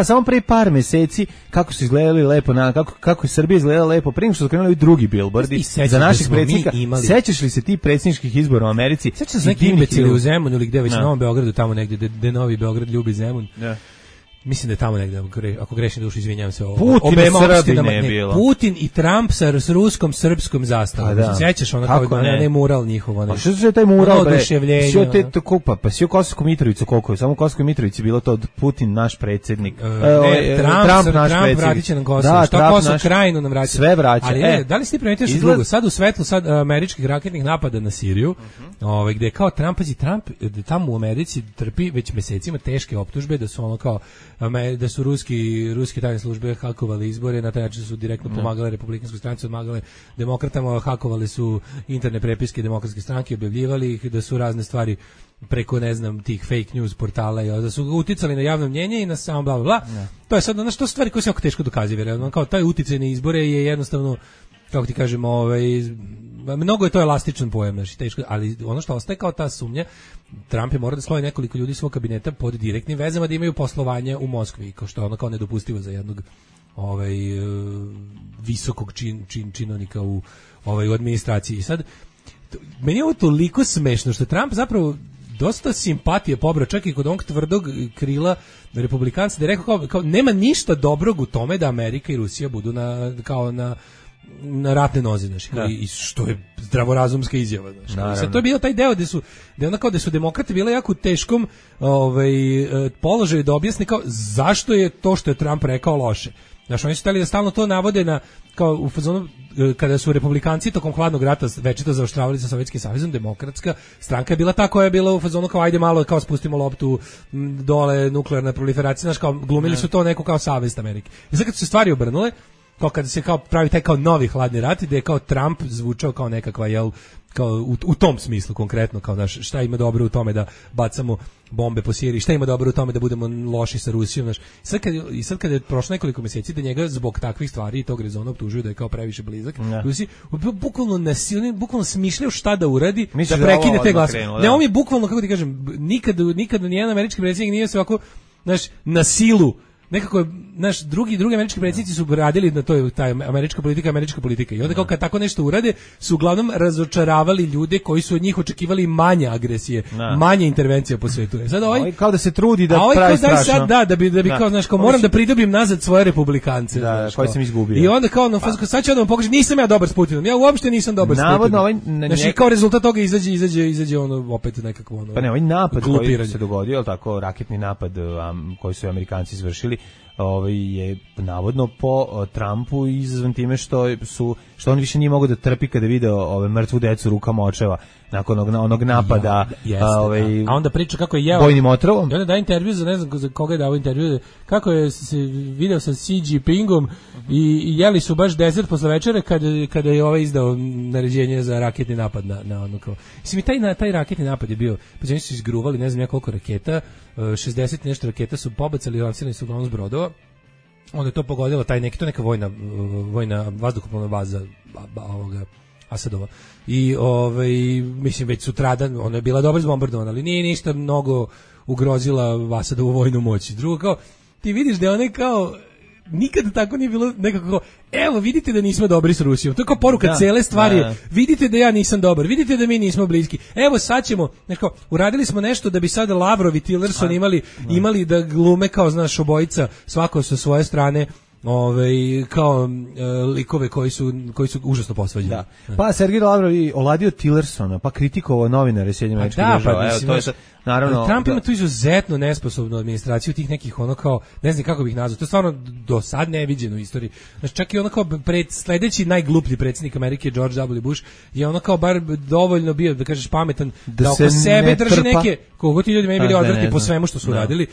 [SPEAKER 7] samo pre par meseci kako su izgledali lepo, kako je Srbija izgledala lepo prije što su krenuli ovi drugi billboardi za naših predsjednika. Sećaš li se ti predsjedničkih izbora u Americi?
[SPEAKER 8] Sećaš se neki imbecili u Zemunu ili gde već na Novom Beogradu, tamo negde gde Novi Beograd ljubi Zemun. Mislim da je tamo negde, ako grešim dušu, izvinjavam se. Putin i Trump sa ruskom, srpskom zastavom. Sećaš ono kao ne mural njihov.
[SPEAKER 7] A što se taj mural, bre? Što te to kupa? Pa si u Kosovsku Mitrovicu koliko je? Samo u Kosovskoj Mitrovici bilo to od Putin naš predsjednik.
[SPEAKER 8] Trump vratit će nam Kosovo. Što Kosovo krajinu nam vraća.
[SPEAKER 7] Sve vraća.
[SPEAKER 8] Ali da li si ti primetio što drugo? Sad u svetlu američkih raketnih napada na Siriju, gde je kao Trump tamo u Americi trpi već mesecima teške optužbe da su ono kao da su ruske tajne službe hakovali izbore, na taj način su direktno pomagale republikanskoj stranci, pomagale demokratama, hakovali su interne prepiske demokratske stranke, objavljivali ih, da su razne stvari preko, ne znam, tih fake news portala, da su uticali na javno mnjenje i na samo bla bla bla. To je sad ono što stvari koje se jako teško dokazive, kao taj uticaj na izbore je jednostavno, kako ti kažemo, mnogo je to elastičan pojam, teško, ali ono što ostaje kao ta sumnja, Trump je morao da sloji nekoliko ljudi svog kabineta pod direktnim vezama da imaju poslovanje u Moskvi, kao što je ono kao nedopustivo za jednog visokog činovnika u administraciji. I sad, meni je ovo toliko smešno što Trump zapravo dosta simpatije pobrao, čak i kod onog tvrdog krila republikanca, da je rekao kao nema ništa dobrog u tome da Amerika i Rusija budu na ratne noze, i što je zdravorazumska izjava, sad to je bio taj deo gde su demokrate bile jako u teškom položaju da objasne kao zašto je to što je Trump rekao loše. Oni su hteli da stalno to navode kao u fazonu kada su republikanci tokom hladnog rata večito zaoštravali sa Sovjetskim savezom, demokratska stranka je bila ta koja je bila u fazonu kao ajde malo kao spustimo loptu dole, nuklearna proliferacija, kao glumili su to neko kao savez Amerike. I sad kad su se stvari obrnule, kao kada se kao pravi taj kao novi hladni rat, gde je kao Trump zvučao kao nekakva, kao u tom smislu konkretno, kao šta ima dobro u tome da bacamo bombe po Siriji, šta ima dobro u tome da budemo loši sa Rusijom, I sad kad je prošlo nekoliko mjeseci da njega zbog takvih stvari i tog rezona optužuju da je kao previše blizak Rusiji, bukvalno nasilno, bukvalno smišljao šta da uradi, da prekine te glasove. Ne, on je bukvalno, kako ti kažem, nikad nijedan američki predsjednik nije se ovako, na silu, nekako, drugi američki predsjednici su radili na taj američka politika i onda kao kad tako nešto urade su uglavnom razočaravali ljude koji su od njih očekivali manje agresije, manje intervencija po svetu. Sad
[SPEAKER 7] kao da se trudi da pravi strašno.
[SPEAKER 8] Da bi kao moram da pridobim nazad svoje republikance.
[SPEAKER 7] Koje sam izgubio.
[SPEAKER 8] I onda kao, sad ću da vam pokažem, nisam ja dobar s Putinom, ja uopšte nisam dobar s Putinom. Kao rezultat toga izađe opet nekako
[SPEAKER 7] Pa ne, ovaj napad koji se dogodio, tako, raketni napad koji su Amerikanci izvršili, je navodno po Trumpu izazvan time što on više nije mogao da trpi kada je video mrtvu decu rukama očeva nakon onog napada
[SPEAKER 8] a onda priča kako je jeo
[SPEAKER 7] bojnim otrovom.
[SPEAKER 8] I onda da intervju ne znam za koga je dao intervju, kako je se video sa Xi Jinpingom i jeli su baš dezert posle večere kada je izdao naređenje za raketni napad na ono kao. Mislim, taj raketni napad je bio, pa oni su izgruvali ne znam ja koliko raketa, 60 nešto raketa su pobacali, lansirani su uglavnom s brodova. Onda je to pogodilo to neka vojna vazduhoplovna baza ovoga Asadova. I mislim već sutradan ona je bila dobro izbombardovana, ali nije ništa mnogo ugrozila Asadovu vojnu moć. Drugo, kao ti vidiš da one kao nikad tako nije bilo nekako, evo vidite da nismo dobri s Rusijom. To je kao poruka cele stvari. Vidite da ja nisam dobar, vidite da mi nismo bliski. Evo sad ćemo, nekako, uradili smo nešto da bi sada Lavrov i Tillerson imali da glume kao, znaš, obojica, svako sa svoje strane, kao likove koji su užasno posvađani.
[SPEAKER 7] Da. Pa Sergej Lavrov i oladio Tillersona, pa kritikovao novinare SAD-a. Evo, to je sad, naravno,
[SPEAKER 8] Trump ima tu izuzetno nesposobnu administraciju tih nekih ono kao, ne znam kako bih nazvao, to je stvarno do sad neviđeno u istoriji. Znači čak i ono kao sledeći najgluplji predsjednik Amerike George W. Bush je ono kao bar dovoljno bio, da kažeš, pametan da oko sebe drži neke, koliko ti ljudi meni bili odvrtni po svemu što su radili,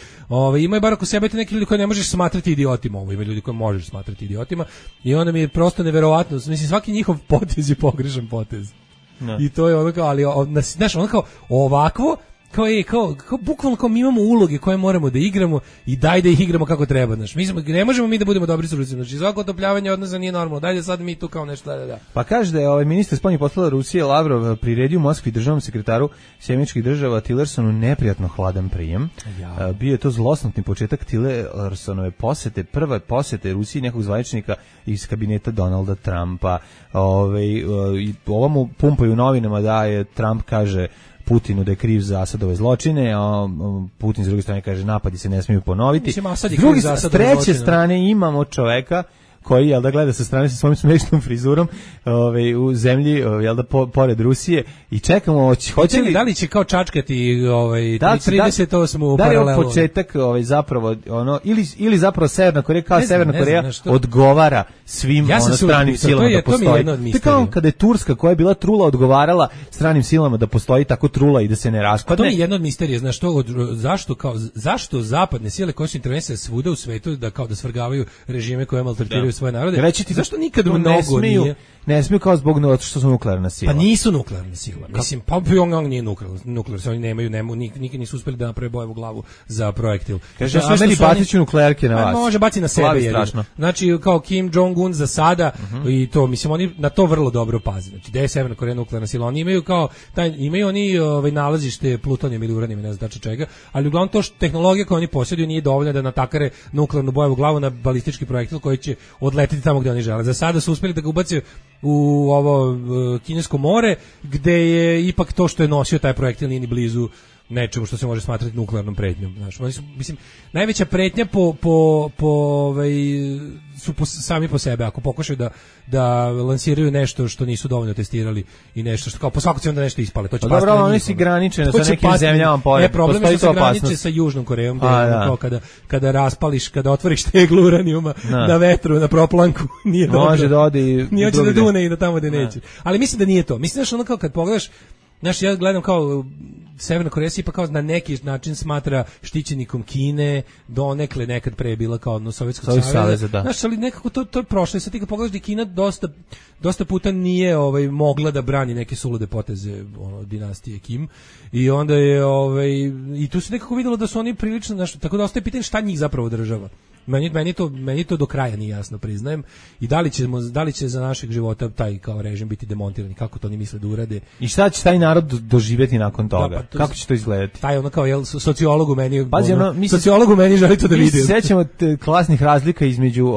[SPEAKER 8] imaju bar oko sebe te neki ljudi koje ne možeš smatrati idiotima, ima ljudi koje možeš smatrati idiotima, i onda mi je prosto neverovatno, mislim, svaki njihov potez je pogrešan potez. I to je ono kao, ali znaš, ono kao ovakvo, kao bukvalno kao mi imamo uloge koje moramo da igramo i daj da ih igramo kako treba, znaš. Ne možemo mi da budemo dobri s Rusijom, znači svako otopljavanje odnosa nije normalno, daj da sad mi tu kao nešto da.
[SPEAKER 7] Pa kaže da je ministar spoljnih poslova Rusije Lavrov priredio u Moskvi državnom sekretaru Sjedinjenih Država Tillersonu neprijatno hladan prijem. Bio je to zlosnotni početak Tillersonove posete, prve posete Rusiji nekog zvaničnika iz kabineta Donalda Trumpa. Ovo mu pumpaju u novinama da je Trump, kaže Putinu da je kriv za Asadove zločine, a Putin s druge strane kaže napadi se ne smiju ponoviti.
[SPEAKER 8] Mislim,
[SPEAKER 7] s treće strane imamo čoveka koji, jel da, gleda sa strane sa svojim smešnom frizurom u zemlji, jel da, pored Rusije, i čekamo, hoće li...
[SPEAKER 8] Da li će kao čačkati 38.
[SPEAKER 7] Da li je početak zapravo, ili zapravo Severna Koreja, kao Severna Koreja odgovara svim stranim silama da postoji. To je kao kada je Turska, koja je bila trula, odgovarala stranim silama da postoji tako trula i da se ne raspadne.
[SPEAKER 8] To je jedna od misterija, znaš, zašto zapadne sile koje su intervencije svuda u svetu da kao da svrgavaju režime koje maltretiraju svoje narode. Zašto nikad mnogo nije?
[SPEAKER 7] Ne smiju kao zbog što su nuklearna sila.
[SPEAKER 8] Pa nisu nuklearna sila. Mislim, pa Pyongyang nije nuklearna. Oni nemaju, nikad nisu uspeli da naprave bojevu glavu za projektil.
[SPEAKER 7] Kaže, Ameri bacit nuklearke na vas.
[SPEAKER 8] Može baciti na sebe. Znači, kao Kim Jong-un za sada, i to, mislim, oni na to vrlo dobro paze. Znači, gde je Severna Koreja nuklearna sila? Oni imaju kao, imaju oni nalazište plutonijom ili uranijom, ne znam tačno čega, ali uglavnom to tehnologija koju oni posjeduju nije dovoljna da natakare nuklearnu bojevu glavu na balistički projektil koji će odletiti tamo gde oni žele. Za sada su uspeli da ga ubace u ovo Kinesko more, gde je ipak to što je nosio taj projektil nije ni blizu nečemu što se može smatrati nuklearnom pretnjom. Znaš, oni su, mislim, najveća pretnja su sami po sebe, ako pokušaju da lansiraju nešto što nisu dovoljno testirali i nešto što kao po svaku cenu da nešto ispale, to će pasti.
[SPEAKER 7] Dobro, oni su graničeni sa nekim zemljama pored.
[SPEAKER 8] Problem je što se graniče sa Južnom Korejom, gde kada raspališ, kada otvoriš teglu uranijuma na vetru, na proplanku, nije dobro.
[SPEAKER 7] Može da odi.
[SPEAKER 8] Nije hoće da dune i da tamo gde neće. Ali mislim da nije to. Mislim da ono kao kad pogledaš, znaš, ja gledam kao Severna Koreja se pa kao na neki način smatra štićenikom Kine, donekle nekad pre je bila kao odnos Sovjetskog saveza. Znaš, ali nekako to je prošlo. Sad ti kad pogledaš da Kina dosta puta nije mogla da brani neke sulude poteze dinastije Kim, i onda je i tu se nekako videlo da su oni prilično, znaš, tako da ostaje pitanje šta njih zapravo država. Meni to do kraja nije jasno, priznajem. I da li će za našeg života taj kao režim biti demontiran, kako to oni misle da urade.
[SPEAKER 7] I šta će taj narod doživjeti nakon toga? Kako će to izgledati?
[SPEAKER 8] Taj ono kao sociologu meni želi to da vidi.
[SPEAKER 7] Mi se sećamo klasnih razlika između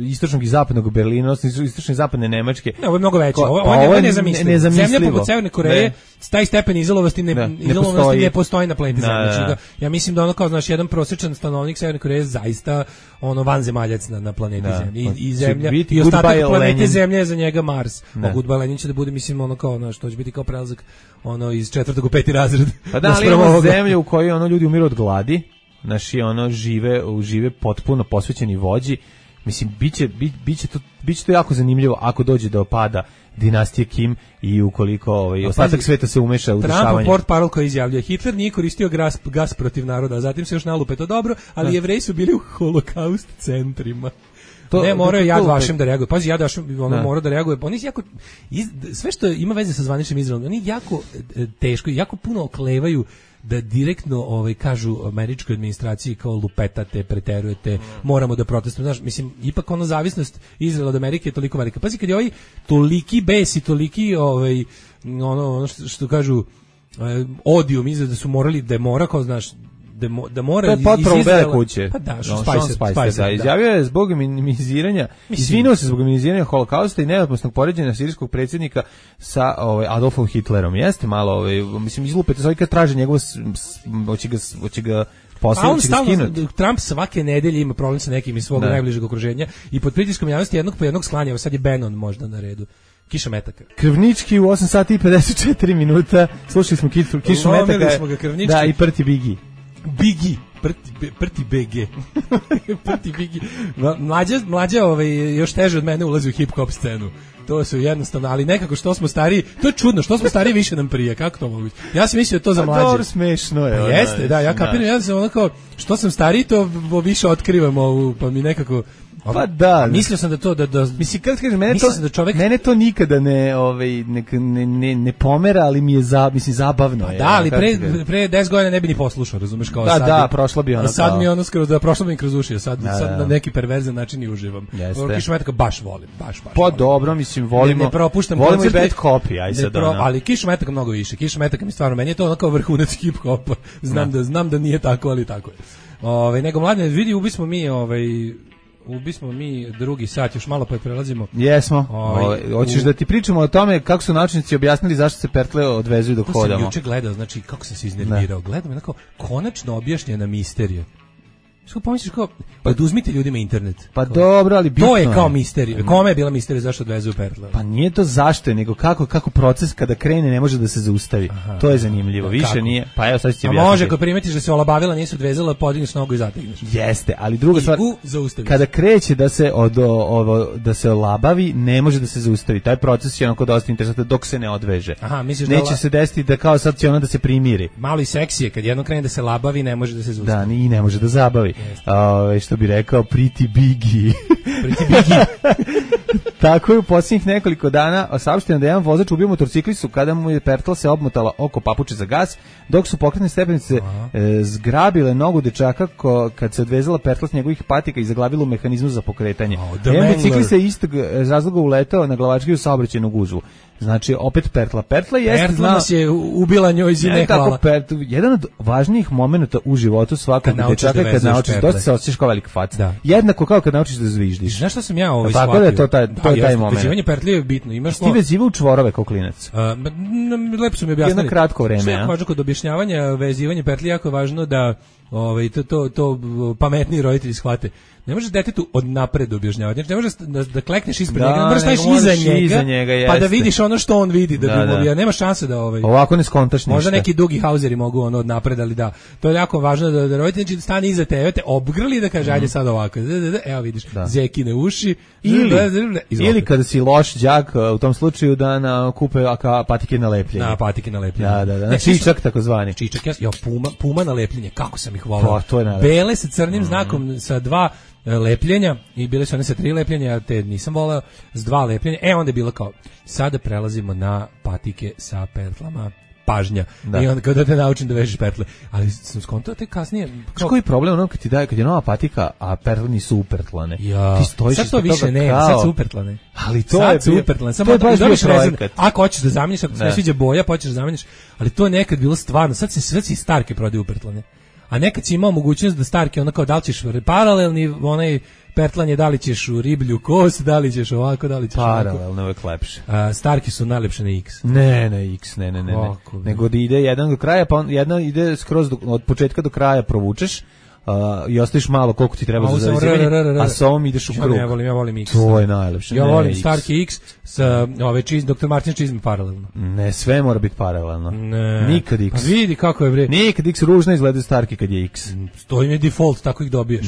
[SPEAKER 7] istočnog i zapadnog Berlina, odnosno istočne i zapadne Nemačke.
[SPEAKER 8] Ne, ovo je mnogo veće. Ovo je nezamislivo. Zemlja poput Severne Koreje, taj stepen izolovanosti ne postoji na planeti Zemlji. Ja mislim da ono kao, znaš, jedan prosječan stanovnik Severne Koreje zaista vanzemaljac na planeti Zemlji. I Zemlja i ostatak planete Zemlje je za njega Mars. A Goodbye Lenin će da bude, mislim, ono kao, znaš, to će biti kao prelazak iz 4. u 5. razred.
[SPEAKER 7] Pa da, ali imamo zemlju u kojoj ljudi umiru od gladi, naši žive potpuno posvećeni vođi. Mislim, biće to jako zanimljivo ako dođe do pada dinastije Kim i ukoliko ostatak sveta se umeša u dešavanje.
[SPEAKER 8] Trump portparol koji izjavljuje: Hitler nije koristio gas protiv naroda, a zatim se još nalupe, to dobro, ali Jevreji su bili u holokaust centrima. Ne, morao je Yad Vashem da reaguje. Pazi, Yad Vashem mora da reaguje. Oni jako, sve što ima veze sa zvaničnim Izraelom, oni jako teško i jako puno oklevaju da direktno kažu američkoj administraciji kao lupetate, preterujete, moramo da protestujemo. Znaš, mislim, ipak zavisnost Izraela od Amerike je toliko velika. Pazi, kad je toliki bes i toliki ono što kažu odijum, da su morali, da je mora, kao, znaš, da mora
[SPEAKER 7] To je potpuno
[SPEAKER 8] iz
[SPEAKER 7] Bele
[SPEAKER 8] Izraela-
[SPEAKER 7] kuće.
[SPEAKER 8] Pa da,
[SPEAKER 7] Sean
[SPEAKER 8] Spicer,
[SPEAKER 7] da, izjavio je zbog minimiziranja, izvinuo se zbog minimiziranja holokausta i neopasnog poređenja sirijskog predsjednika sa Adolfom Hitlerom. Jeste malo, mislim, izlupete se kad traže njegovo, hoće ga posle,
[SPEAKER 8] on
[SPEAKER 7] hoće ga
[SPEAKER 8] stalno,
[SPEAKER 7] skinuti.
[SPEAKER 8] Trump svake nedelje ima problem sa nekim iz svog najbližeg okruženja i pod pritiskom javnosti jednog po jednog sklanja, sad je Bannon možda na redu. Kiša metaka.
[SPEAKER 7] Krvnički u 8 sati i 54 minuta. Slušali smo Kišu metaka.
[SPEAKER 8] Smo ga krvnički.
[SPEAKER 7] Da, i Prti Bigi.
[SPEAKER 8] Bigi. Prti BG. Prti Bigi. Mlađa još teže od mene ulazi u hip-hop scenu. To su jednostavno, ali nekako što smo stariji, to je čudno, što smo stariji više nam prije, kako to mogu biti? Ja sam mislio to za mlađe.
[SPEAKER 7] Dobro, smešno je.
[SPEAKER 8] Pa jeste, da, ja kapiram, ja sam onako, što sam stariji, to više otkrivam pa mi nekako...
[SPEAKER 7] Pa da.
[SPEAKER 8] Mislio sam da to
[SPEAKER 7] mislim kad kažem mene to nikada ne pomera, ali mi je zabavno je.
[SPEAKER 8] Da, ali pre 10 godina ne bi ni poslušao, razumeš, kao sad.
[SPEAKER 7] Da, prošla bi ona.
[SPEAKER 8] Sad mi ono skoro prošla mi kroz uši, sad na neki perverzan način i uživam. Kišu metaka baš volim, baš.
[SPEAKER 7] Pa dobro, mislim volimo.
[SPEAKER 8] Ne propuštam
[SPEAKER 7] volimo i bad copy, aj sad ona.
[SPEAKER 8] Ali Kišu metaka mnogo više. Kišu metaka mi stvarno, meni je to onako vrhunac hip hopa. Znam da nije tako, ali tako je. Nego mladine, vidi, ubismo mi drugi sat, još malo pa prelazimo.
[SPEAKER 7] Jesmo. Hoćeš da ti pričamo o tome kako su naučnici objasnili zašto se pertle odvezuju dok hodamo.
[SPEAKER 8] To sam juče gledao, znači kako sam se iznervirao. Gledam onako konačno objašnjena misterija. Što pomisliš kao, oduzmite ljudima internet.
[SPEAKER 7] Pa dobro, ali bitno
[SPEAKER 8] to je kao misterija. Kome je bila misterija zašto odvezuju pertle?
[SPEAKER 7] Pa nije to zašto je, nego kako proces kada krene ne može da se zaustavi.
[SPEAKER 8] Aha,
[SPEAKER 7] to je zanimljivo. Više kako? Nije. Pa evo sad ću ti objasniti.
[SPEAKER 8] A može ako primetiš da se olabavila, nije se odvezala, podigneš nogu i zategneš.
[SPEAKER 7] Jeste, ali druga stvar, kada kreće da se olabavi, ne može da se zaustavi. Taj proces je onako dosta interesantan dok se ne odveže.
[SPEAKER 8] Aha, misliš
[SPEAKER 7] neće se desiti da kao sad će ona da se primiri.
[SPEAKER 8] Malo i seksije, kad jedno krene da se labavi, ne može da se zaustavi.
[SPEAKER 7] Da, i ne može da zabavi. Što bi rekao Pretty Biggie.
[SPEAKER 8] Pretty Biggie.
[SPEAKER 7] Tako je u posljednjih nekoliko dana saopšteno da jedan vozač ubio motorciklistu kada mu je pertla se obmotala oko papuče za gas, dok su pokretne stepenice zgrabile nogu dečaka kad se odvezala pertla s njegovih patika i zaglavila u mehanizmu za pokretanje. Jedan biciklista je istog razloga uletao na glavačke u saobraćajnu gužvu. Znači, opet pertla. Pertla
[SPEAKER 8] nas je ubila njoj zine hvala.
[SPEAKER 7] Jedan od važnijih momenata u životu svakog dečaka je kad naučiš, dosta se osjećaš kao velik fac. Jednako kao kad naučiš da zviždiš.
[SPEAKER 8] Znaš što sam ja shvatio?
[SPEAKER 7] Tako da je to taj moment.
[SPEAKER 8] Vezivanje pertli je bitno.
[SPEAKER 7] Ti vezivao u čvorove kao klinac?
[SPEAKER 8] Lepo su mi objasnili.
[SPEAKER 7] Jedno kratko vreme.
[SPEAKER 8] Što je važno kod objašnjavanja vezivanje pertli, jako je važno da to pametniji roditelji shvate. Ne možeš detetu odnapred objašnjavati. Znači, ne možeš da klekneš ispred njega, možeš staviš iza njega pa da vidiš ono što on vidi, nema šanse da
[SPEAKER 7] ovako ne skontaš ništa.
[SPEAKER 8] Možda neki dugi hauzeri mogu odnapred, ali da. To je jako važno da roditelj znači stane iza tebe, te obgrli da kaže ajde sad ovako. Evo vidiš, zekine uši
[SPEAKER 7] ili kada si loš đak u tom slučaju da kupe patike na lepljenje.
[SPEAKER 8] Na patike na lepljenje.
[SPEAKER 7] Da. Čičak takozvani.
[SPEAKER 8] Čičak, puma na lepljenje. Kako sam ih volao. Bele sa crnim znakom sa 2 lepljenja i bile su one sa 3 lepljenja, te nisam voleo, s 2 lepljenja. Onda je bilo kao, sada prelazimo na patike sa pertlama, pažnja. I onda kao da te naučim da vežeš pertle. Ali sam skontao te kasnije.
[SPEAKER 7] Koji problem ono kad je nova patika, a pertle nisu upertlane.
[SPEAKER 8] Ti stojiš sad to više ne, sad su upertlane.
[SPEAKER 7] Ali to je
[SPEAKER 8] upertlane. Samo da dobiš projekat. Ako hoćeš da zameniš, ako se ne sviđa boja, pa hoćeš da zameniš, ali to je nekad bilo stvarno. Sad se starke prodaju upertlane. A nekad si imao mogućnost da starke, ono kao da li ćeš paralelni, onaj pertlanje, da li ćeš u riblju kost, da li ćeš ovako, da li ćeš
[SPEAKER 7] paralelno, uvek lepše.
[SPEAKER 8] Starke su najlepše na X.
[SPEAKER 7] Ne, X, ne. Nego da ide jedan do kraja, pa jedna ide skroz od početka do kraja provučeš, i ostaviš malo koliko ti treba za zavezivanje, a sa ovom ideš u krug.
[SPEAKER 8] Ja volim X.
[SPEAKER 7] To je najlepše.
[SPEAKER 8] Ja volim Starke X sa Dr. Martin čizme paralelno.
[SPEAKER 7] Ne, sve mora biti paralelno. Nikad X.
[SPEAKER 8] Pa vidi kako je bre.
[SPEAKER 7] Nikad X ružno izgleda Starke kad je X.
[SPEAKER 8] To im je default, tako ih dobiješ.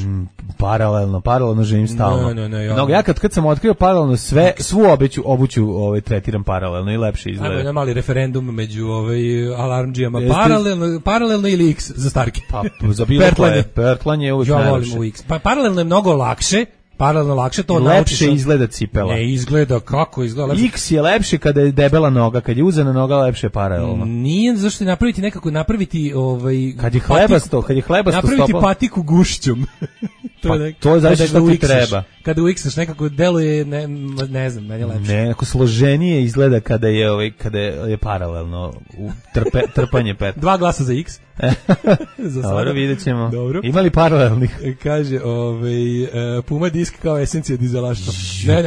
[SPEAKER 7] Paralelno živim stalno. Ja kad sam otkrio paralelno svu obuću tretiram paralelno i lepše izgleda.
[SPEAKER 8] Ajmo, mali referendum među alarmdžijama. Paralelno ili X za Starke.
[SPEAKER 7] Pa za bilo koje. Pertlanje je uvijek najlepše.
[SPEAKER 8] Ja volim u X. Pa paralelno je mnogo lakše. To
[SPEAKER 7] lepše izgleda cipela.
[SPEAKER 8] Ne izgleda, kako izgleda lepše.
[SPEAKER 7] X je lepše kada je debela noga, kad je uzena noga lepše je paralelno.
[SPEAKER 8] Nije, zašto napraviti
[SPEAKER 7] kad je hlebasto
[SPEAKER 8] napraviti patiku gušćom.
[SPEAKER 7] To je zaista što ti treba.
[SPEAKER 8] Kada u X-aš nekako deluje, ne znam, meni je lepše.
[SPEAKER 7] Ne, ako složenije izgleda kada je paralelno trpanje pertla.
[SPEAKER 8] 2 glasa za X. Za
[SPEAKER 7] Dobro, vidjet ćemo.
[SPEAKER 8] Dobro.
[SPEAKER 7] Ima li paralelnih?
[SPEAKER 8] Kaže, Puma disk kao esencija dizelaštva.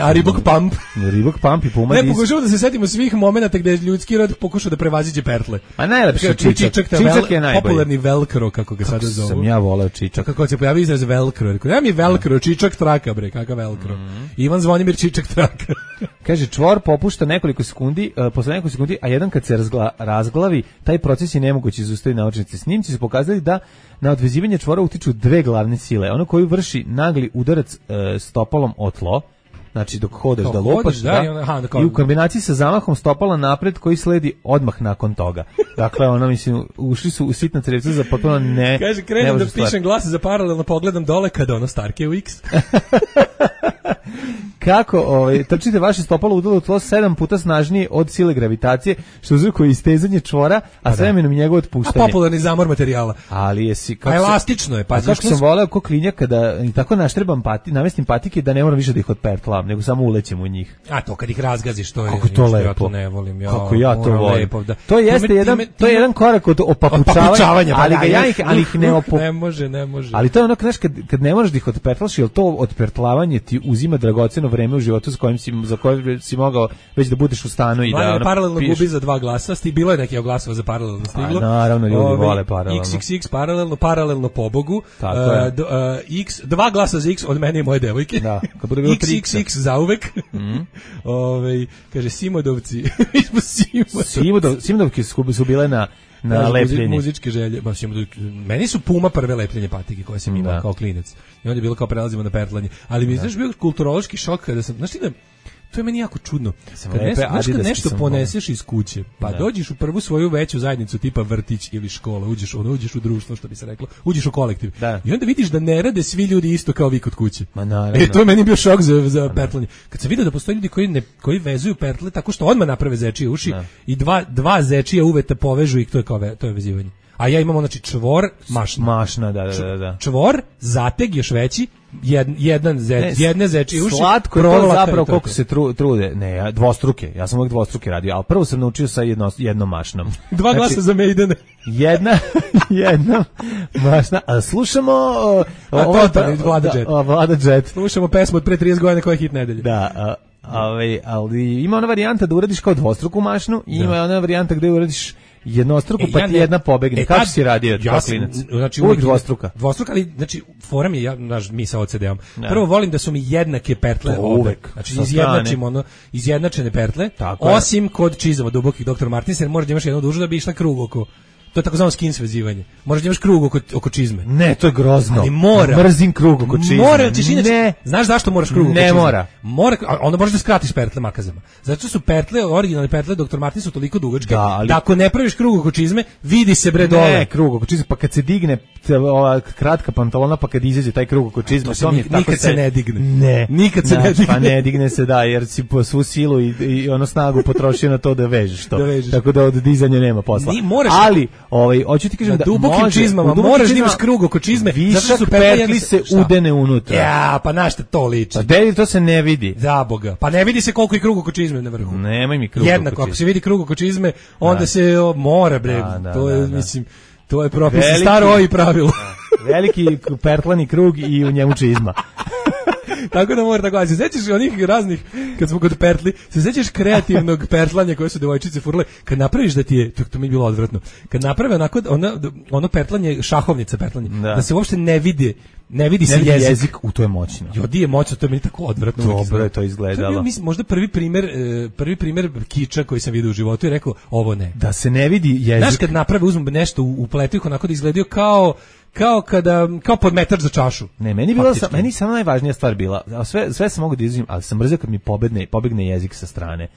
[SPEAKER 8] A Reebok Pump.
[SPEAKER 7] Reebok Pump i Puma disk.
[SPEAKER 8] Ne, pokušamo da se setimo svih momenata gde je ljudski rod pokušao da prevaziđe pertle.
[SPEAKER 7] A najlepše čičak. Čičak je najbolji.
[SPEAKER 8] Popularni velcro, kako ga sada zovu.
[SPEAKER 7] Sam ja voleo čičak.
[SPEAKER 8] Kako se pojavi izraz velcro. Ja mi velcro, čičak traka, bre, kakav velcro. Ivan Zvonimir čičak traka.
[SPEAKER 7] Kaže, čvor popušta nekoliko sekundi, posle nekoliko sekundi, a jedan kad se razglavi, taj proces je nemoguće zaustaviti naučnici. Snimci su pokazali da na odvezivanje čvora utiču dve glavne sile. Ono koji vrši nagli udarac stopalom o tlo, znači dok hodeš da lupaš, i u kombinaciji sa zamahom stopala napred koji sledi odmah nakon toga. Dakle, ono, mislim, ušli su u sitna crevca za potpuno ne...
[SPEAKER 8] Kaže, krenem da pišem glas za paralelno pogledam dole kada ono Starke u X.
[SPEAKER 7] Kako trčite vaše stopalo udalo u tlo 7 puta snažnije od sile gravitacije, što uzrokuje istezanje čvora, a s vremenom i njegovo otpuštanje.
[SPEAKER 8] A popularni zamor materijala.
[SPEAKER 7] Ali jesi...
[SPEAKER 8] A elastično je.
[SPEAKER 7] Pa kako sam voleo ko klinjak kada i tako naštrebam namestim patike da ne moram više da ih otpertlam, nego samo ulećem u njih.
[SPEAKER 8] A to kad ih razgaziš, to je...
[SPEAKER 7] Kako to lepo.
[SPEAKER 8] Ja to ne volim.
[SPEAKER 7] Kako ja to volim. To jeste jedan korak od opapučavanja, ali ih ne opu...
[SPEAKER 8] Ne može.
[SPEAKER 7] Ali to je ono, kad ne možeš da ih otpertlaš, jer to otpertlavanje ti uzima dragoceno vreme u životu za koje si mogao već da budeš u stanu i da
[SPEAKER 8] paralelno gubi za 2 glasa. Bilo je neki glasova za paralelno stiglo.
[SPEAKER 7] A naravno, ljudi vole paralelno.
[SPEAKER 8] XXX paralelno pobogu. X 2 glasa za X od mene i moje devojke.
[SPEAKER 7] Da, kad bude bilo 3
[SPEAKER 8] XXX zauvek. Kaže Simodovci. Mi smo
[SPEAKER 7] Simodovke su bile na lepljenje.
[SPEAKER 8] Muzičke želje. Meni su Puma prve lepljenje patike koje sam imao kao klinac. I onda je bilo kao prelazimo na pertlanje. Ali mi je znaš bio kulturološki šok kada sam, znaš ti da, to je meni jako čudno. Kad nešto poneseš iz kuće, pa dođeš u prvu svoju veću zajednicu tipa vrtić ili škola, uđeš u društvo, što bi se reklo, uđeš u kolektiv. I onda vidiš da ne rade svi ljudi isto kao vi kod kuće. To je meni bio šok za pertlanje. Kad sam vidio da postoje ljudi koji vezuju pertle tako što odmah naprave zečije uši i dva zečije uveta povežu i to je vezivanje. A ja imam znači čvor, mašna.
[SPEAKER 7] Da.
[SPEAKER 8] Čvor, zateg još veći, jedne zečije uši.
[SPEAKER 7] Slatko je to zapravo koliko se trude. Ne, dvostruke. Ja sam uvijek dvostruke radio, ali prvo sam naučio sa jednom mašnom.
[SPEAKER 8] 2 glasa za Maidene.
[SPEAKER 7] Jedna mašna. A slušamo Vlada Jet.
[SPEAKER 8] Slušamo pesmu od pre 30 godina koja je hit nedelje.
[SPEAKER 7] Da, ali ima ona varijanta da uradiš kao dvostruku mašnu i ima ona varijanta gde uradiš jednostruku, pa ti jedna pobegne. Kako si radio kao klinac?
[SPEAKER 8] Znači,
[SPEAKER 7] uvijek dvostruka.
[SPEAKER 8] Dvostruka, ali, znači, fora mi je, mi sa OCD-om. Prvo volim da su mi jednake pertle uvek. Znači, izjednačene pertle, osim kod čizama dubokih Dr. Martins, jer možeš da imaš jednu dužu da bi išla krug oko... To je takozvano skin svezivanje. Možeš da imaš krug oko čizme.
[SPEAKER 7] Ne, to je grozno.
[SPEAKER 8] Ali mora.
[SPEAKER 7] Mrzim krug oko čizme.
[SPEAKER 8] Mora, ne. Znaš zašto moraš krug oko čizme?
[SPEAKER 7] Ne mora.
[SPEAKER 8] Onda možeš da skratiš pertle makazama. Zato su pertle, originalne pertle Dr. Martin su toliko dugačke da ako ne praviš krug oko čizme, vidi se bre dole.
[SPEAKER 7] Ne, krug oko čizme, pa kad se digne ova kratka pantalona, pa kad izađe taj krug oko čizme, to mi je tako
[SPEAKER 8] nikad se ne digne.
[SPEAKER 7] Ne.
[SPEAKER 8] Nikad se ne digne.
[SPEAKER 7] Pa ne digne se, da, jer si po svu silu i ono snagu potrošio na to da vežeš to. Tako da od dizanja nema posla. Ali, hoću ti kažem da
[SPEAKER 8] dubokim čizmama moraš da imaš krug oko čizme,
[SPEAKER 7] zato su pertli se udene unutra.
[SPEAKER 8] Ja, pa na šta to liči?
[SPEAKER 7] Pa deli, to se ne vidi.
[SPEAKER 8] Za Boga. Pa ne vidi se koliko je krug oko čizme na vrhu.
[SPEAKER 7] Nemoj mi krug oko čizme.
[SPEAKER 8] Jednako, ako se vidi krug oko čizme, onda se mora, bre. To je, mislim, to je propis staro i pravilo.
[SPEAKER 7] Veliki pertlani krug i u njemu čizma.
[SPEAKER 8] Tako da mora tako. Se sećaš onih raznih, kad smo kod pertli, se sećaš kreativnog pertlanja koje su devojčice furale, kad napraviš da ti je, to mi je bilo odvratno, kad naprave onako, ono pertlanje, šahovnica pertlanje, da se uopšte ne vidi se jezik.
[SPEAKER 7] To je moćno.
[SPEAKER 8] Jodi je moćno, to je meni tako odvratno.
[SPEAKER 7] Dobro je to izgledalo.
[SPEAKER 8] To je bio, možda prvi primer kiča koji sam vidio u životu i rekao, ovo ne.
[SPEAKER 7] Da se ne vidi jezik.
[SPEAKER 8] Znaš, kad naprave, uzmu nešto, upletu ih onako da izgledaju kao podmetač za čašu.
[SPEAKER 7] Ne, meni samo najvažnija stvar bila, sve sam mogu da izuzim, ali sam mrzio kad mi pobegne jezik sa strane.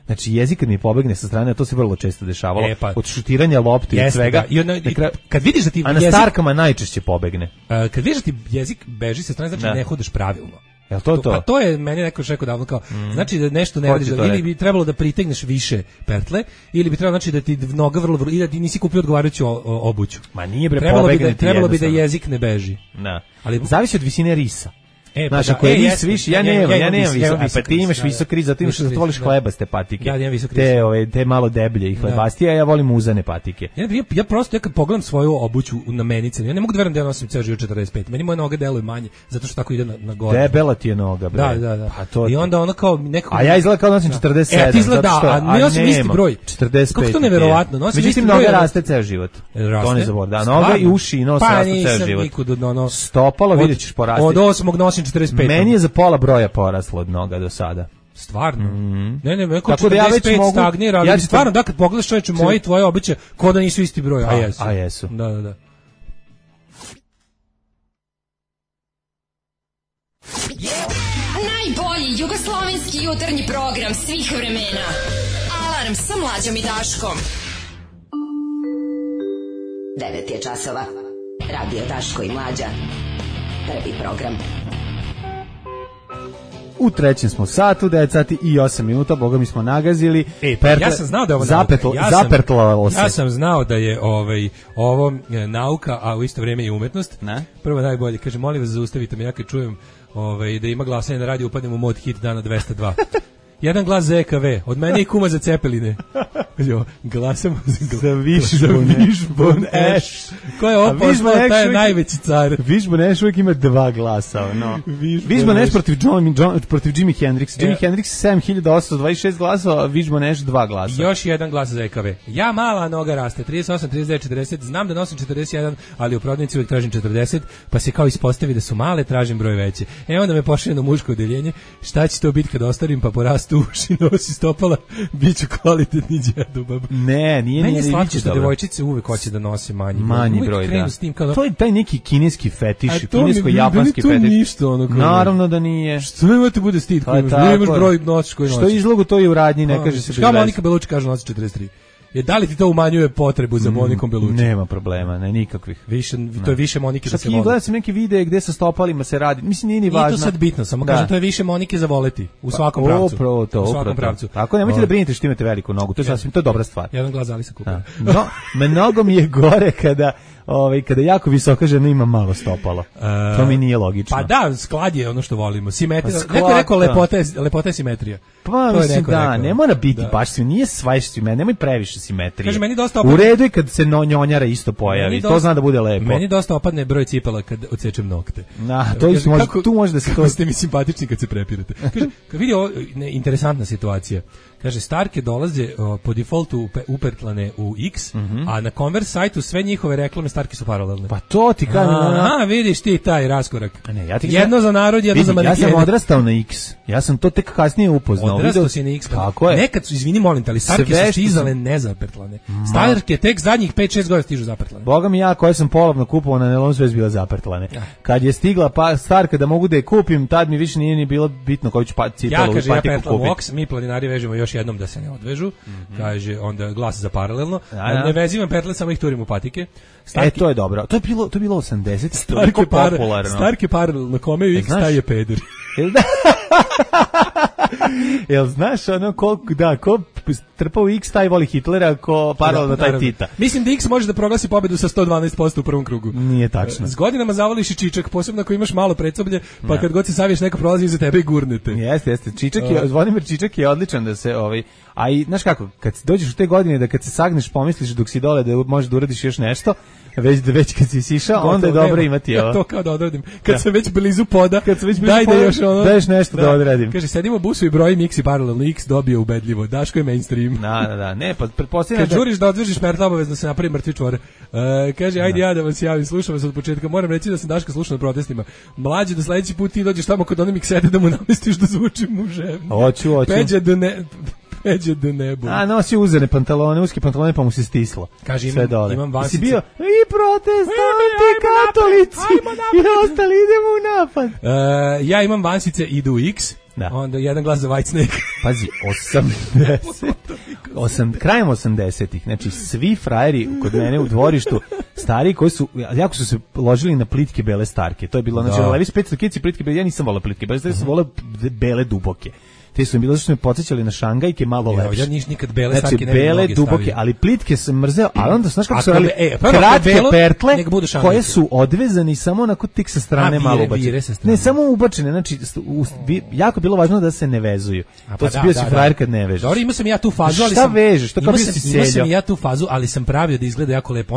[SPEAKER 7] Znači, jezik kad mi pobegne sa strane, to se vrlo često dešavalo, od šutiranja lopte i svega.
[SPEAKER 8] Kad vidiš da ti
[SPEAKER 7] a na starkama najčešće pobegne.
[SPEAKER 8] Kad vidiš da ti jezik beži sa strane, znači ne hodeš pravilno.
[SPEAKER 7] Jel to?
[SPEAKER 8] Pa to je meni neko rekao davno kao, znači da nešto ne radiš, ili bi trebalo da pritegneš više pertle, ili bi trebalo znači da ti noga vrlo ili da ti nisi kupio odgovarajuću obuću.
[SPEAKER 7] Ma nije bre,
[SPEAKER 8] trebalo bi da jezik ne beži.
[SPEAKER 7] Da. Ali zavisi od visine risa. Znaš, ako je vis više, ja nemam visok, pa ti imaš visok riz, zato imaš da voliš hlebaste patike.
[SPEAKER 8] Ja imam visok riz.
[SPEAKER 7] Te malo deblje i hlebastije, a ja volim uzane patike.
[SPEAKER 8] Ja prosto, kad pogledam svoju obuću na menice, ja ne mogu da verujem da ja nosim ceo život 45. Meni moje noge deluju manje, zato što tako ide na gore.
[SPEAKER 7] Debela ti je noga, bre.
[SPEAKER 8] Da. I onda ona kao nekako...
[SPEAKER 7] A ja izgleda kao nosim 47.
[SPEAKER 8] Ti izgleda, a ne nosim isti broj.
[SPEAKER 7] 45.
[SPEAKER 8] Kako to neverovatno?
[SPEAKER 7] Međutim, noga raste ceo život. To ne zaboravim. Da, noga i uši i nos rastu ceo život. Stopalo, vidjet ćeš porasti.
[SPEAKER 8] Od 8. nosim 45.
[SPEAKER 7] Meni je za pola broja poraslo od noga do sada.
[SPEAKER 8] Stvarno? Ne, neko 45 stagnira, ali stvarno, da, kad pogledaš čovječe moje i tvoje običe, ko da nisu isti broj, a jesu. Da.
[SPEAKER 6] Najbolji jugoslovenski jutarnji program svih vremena. Alarm sa Mlađom i Daškom.
[SPEAKER 1] 9 je časova. Radio Daško i Mlađa. Prvi program.
[SPEAKER 7] U trećem smo satu, 9 sati i 8 minuta, boga mi smo nagazili.
[SPEAKER 8] Ja sam znao da je ovo
[SPEAKER 7] zapetlalo se.
[SPEAKER 8] Ja sam znao da je ovo nauka, a u isto vrijeme i umetnost.
[SPEAKER 7] Ne?
[SPEAKER 8] Prvo najbolje, kaže, molim vas zaustavite me, ja kad čujem da ima glasanje na radiju, upadnem u mod hit dana 202. Jedan glas za EKV, od mene i kuma za Cepeline. Glasam za Wishbone Ash. Ko je ovo poslao, taj je najveći car.
[SPEAKER 7] Wishbone Ash uvijek ima 2 glasa. Wishbone Ash protiv Jimi Hendrixa. Jimi Hendrix 7826 glasova, a Wishbone Ash 2 glasa.
[SPEAKER 8] Još jedan glas za EKV. Ja mala noga raste, 38, 39, 40, znam da nosim 41, ali u prodavnici uvijek tražim 40, pa se kao ispostavi da su male, tražim broj veće. Onda me pošalje na muško odeljenje, šta će to biti kad ostarim, pa porastu uši, nosi stopala, bit ću kvalitetni djedobab.
[SPEAKER 7] Ne, nije.
[SPEAKER 8] Meni je slatko što devojčice uvek hoće da nose manji broj,
[SPEAKER 7] da.
[SPEAKER 8] S tim kao
[SPEAKER 7] to je taj neki kineski fetiš, kinesko-japanski fetiš.
[SPEAKER 8] Ništa,
[SPEAKER 7] naravno da nije.
[SPEAKER 8] Što nemate bude stid, koji imaš broj nosiš koji nosiš.
[SPEAKER 7] Što izlogu to je u radnji, ne kaže se bez veze.
[SPEAKER 8] Kao Monika Belucci kaže nosi 43. Da li ti to umanjuje potrebu za Monikom Belucci?
[SPEAKER 7] Nema problema, ne, nikakvih.
[SPEAKER 8] To je više Monike da se voli.
[SPEAKER 7] Gledam sam neki videe gde sa stopalima se radi. Mislim, nije ni važno.
[SPEAKER 8] Nije to sad bitno, samo kažem, to je više Monike za voleti. U svakom pravcu.
[SPEAKER 7] U svakom pravcu. Tako, nemojte da brinete što imate veliku nogu. To je sasvim, to je dobra stvar.
[SPEAKER 8] Jedan glas Alisa Cooper.
[SPEAKER 7] No, mnogo mi je gore kada jako visoka žena ima malo stopalo. To mi nije logično.
[SPEAKER 8] Pa da, sklad je ono što volimo. Simetrija. Neko je rekao lepota je simetrija.
[SPEAKER 7] Pa mislim da, ne mora biti baš svi, nije svaš simetrija, nemoj previše simetrije.
[SPEAKER 8] Kaže, meni dosta
[SPEAKER 7] u redu je kad se njonjara isto pojavi, to zna da bude lepo.
[SPEAKER 8] Meni dosta opadne broj cipela kad odsečem nokte.
[SPEAKER 7] Tu može da se
[SPEAKER 8] to... ste mi simpatični kad se prepirate. Kaže, kad vidi ovo, interesantna situacija. Kaže, Starke dolaze po defaultu upertlane u X, a na Converse sajtu sve njihove reklame Starke su paralelne.
[SPEAKER 7] Pa to ti kažem.
[SPEAKER 8] Aha, vidiš ti taj raskorak. Jedno za narod, jedno za manekene.
[SPEAKER 7] Ja sam odrastao na X. Ja sam to tek kasnije upoznao.
[SPEAKER 8] Odrastao si na X.
[SPEAKER 7] Tako je.
[SPEAKER 8] Nekad su, izvini molim te, ali Starke su stizale nezapertlane. Starke tek zadnjih 5-6 godina stižu zapertlane.
[SPEAKER 7] Boga mi, ja koje sam polovno kupovao na nelonu sve bila zapertlane. Kad je stigla Starka da mogu da je kupim, tad mi više nije ni bilo bitno koju ću cipelu patiku kupiti.
[SPEAKER 8] Ja pertlam Ox, mi planinari vežemo još jednom da se ne odvežu. Kaže, onda glas za paralelno. Ne vezivam petle, samo ih turim u patike.
[SPEAKER 7] To je dobro. To je bilo 80. Toliko popularno.
[SPEAKER 8] Starke paralelno, kome u X taj je peder.
[SPEAKER 7] Jel znaš ono ko trpa u X taj voli Hitlera, ko paralelno taj Tita.
[SPEAKER 8] Mislim da X može da proglasi pobedu sa 112% u prvom krugu.
[SPEAKER 7] Nije tačno.
[SPEAKER 8] S godinama zavoliš i čičak, posebno ako imaš malo predsoblje, pa kad god se saviješ neko prolazi iza tebe i gurnete.
[SPEAKER 7] Jeste. Zvonimir Čičak je odličan da se a i znaš kako, kad dođeš u te godine da kad se sagneš pomisliš dok si dole da možeš da uradiš još nešto, već kad si sišao, onda je dobro imati ovo.
[SPEAKER 8] Ja to kao da odradim. Kad sam već blizu poda,
[SPEAKER 7] daješ nešto da odradim.
[SPEAKER 8] Kaže, sedim u busu i brojim X i paralelno X dobio ubedljivo. Daško je mainstream.
[SPEAKER 7] Da. Ne, pa pretpostavljam
[SPEAKER 8] kad žuriš da odvežiš Merta, obavezno se napravi mrtvi čvor. Kaže, ajde ja da vas javim, slušam vas od početka. Moram reći da sam Daška slušao na protestima. Mlađe, da sledeći put ti dođeš tamo kod onih sede da mu namestiš da zvuči muževno.
[SPEAKER 7] Hoću.
[SPEAKER 8] Peđe do nebu.
[SPEAKER 7] A nosi uzene pantalone, uske pantalone, pa mu se stislo.
[SPEAKER 8] Kaže, imam vansice.
[SPEAKER 7] Si bio i protestanti, katolici i ostali, idemo u napad.
[SPEAKER 8] Ja imam vansice, idu u X. Da. Onda jedan glas za Whitesnake.
[SPEAKER 7] Pazi, krajem 80-ih, znači svi frajeri kod mene u dvorištu, stari koji su, jako su se ložili na plitke bele Starke. To je bilo, znači, Levi's 500 kici plitke bele, ja nisam volao plitke bele, ja sam volao bele duboke. te su mi bile što me podsjećali na Šangajke malo lepše.
[SPEAKER 8] Ja nikad bele
[SPEAKER 7] znači,
[SPEAKER 8] stavke ne bi
[SPEAKER 7] bele,
[SPEAKER 8] mnoge
[SPEAKER 7] duboke,
[SPEAKER 8] stavio.
[SPEAKER 7] ali plitke sam mrzeo, ali onda znaš kako su radili
[SPEAKER 8] prvo
[SPEAKER 7] kratke
[SPEAKER 8] belo,
[SPEAKER 7] pertle
[SPEAKER 8] nek budu Šangajke.
[SPEAKER 7] koje su odvezani samo onako tik sa strane malo ubačene. Ne, samo ubačene, znači jako je bilo važno da se ne vezuju. To si bio si frajer kad ne vežeš.
[SPEAKER 8] Dobro, imao sam ja tu fazu, ali
[SPEAKER 7] šta vežeš? To kao bio si
[SPEAKER 8] imao sam ja tu fazu, ali sam pravio da izgleda jako lepo.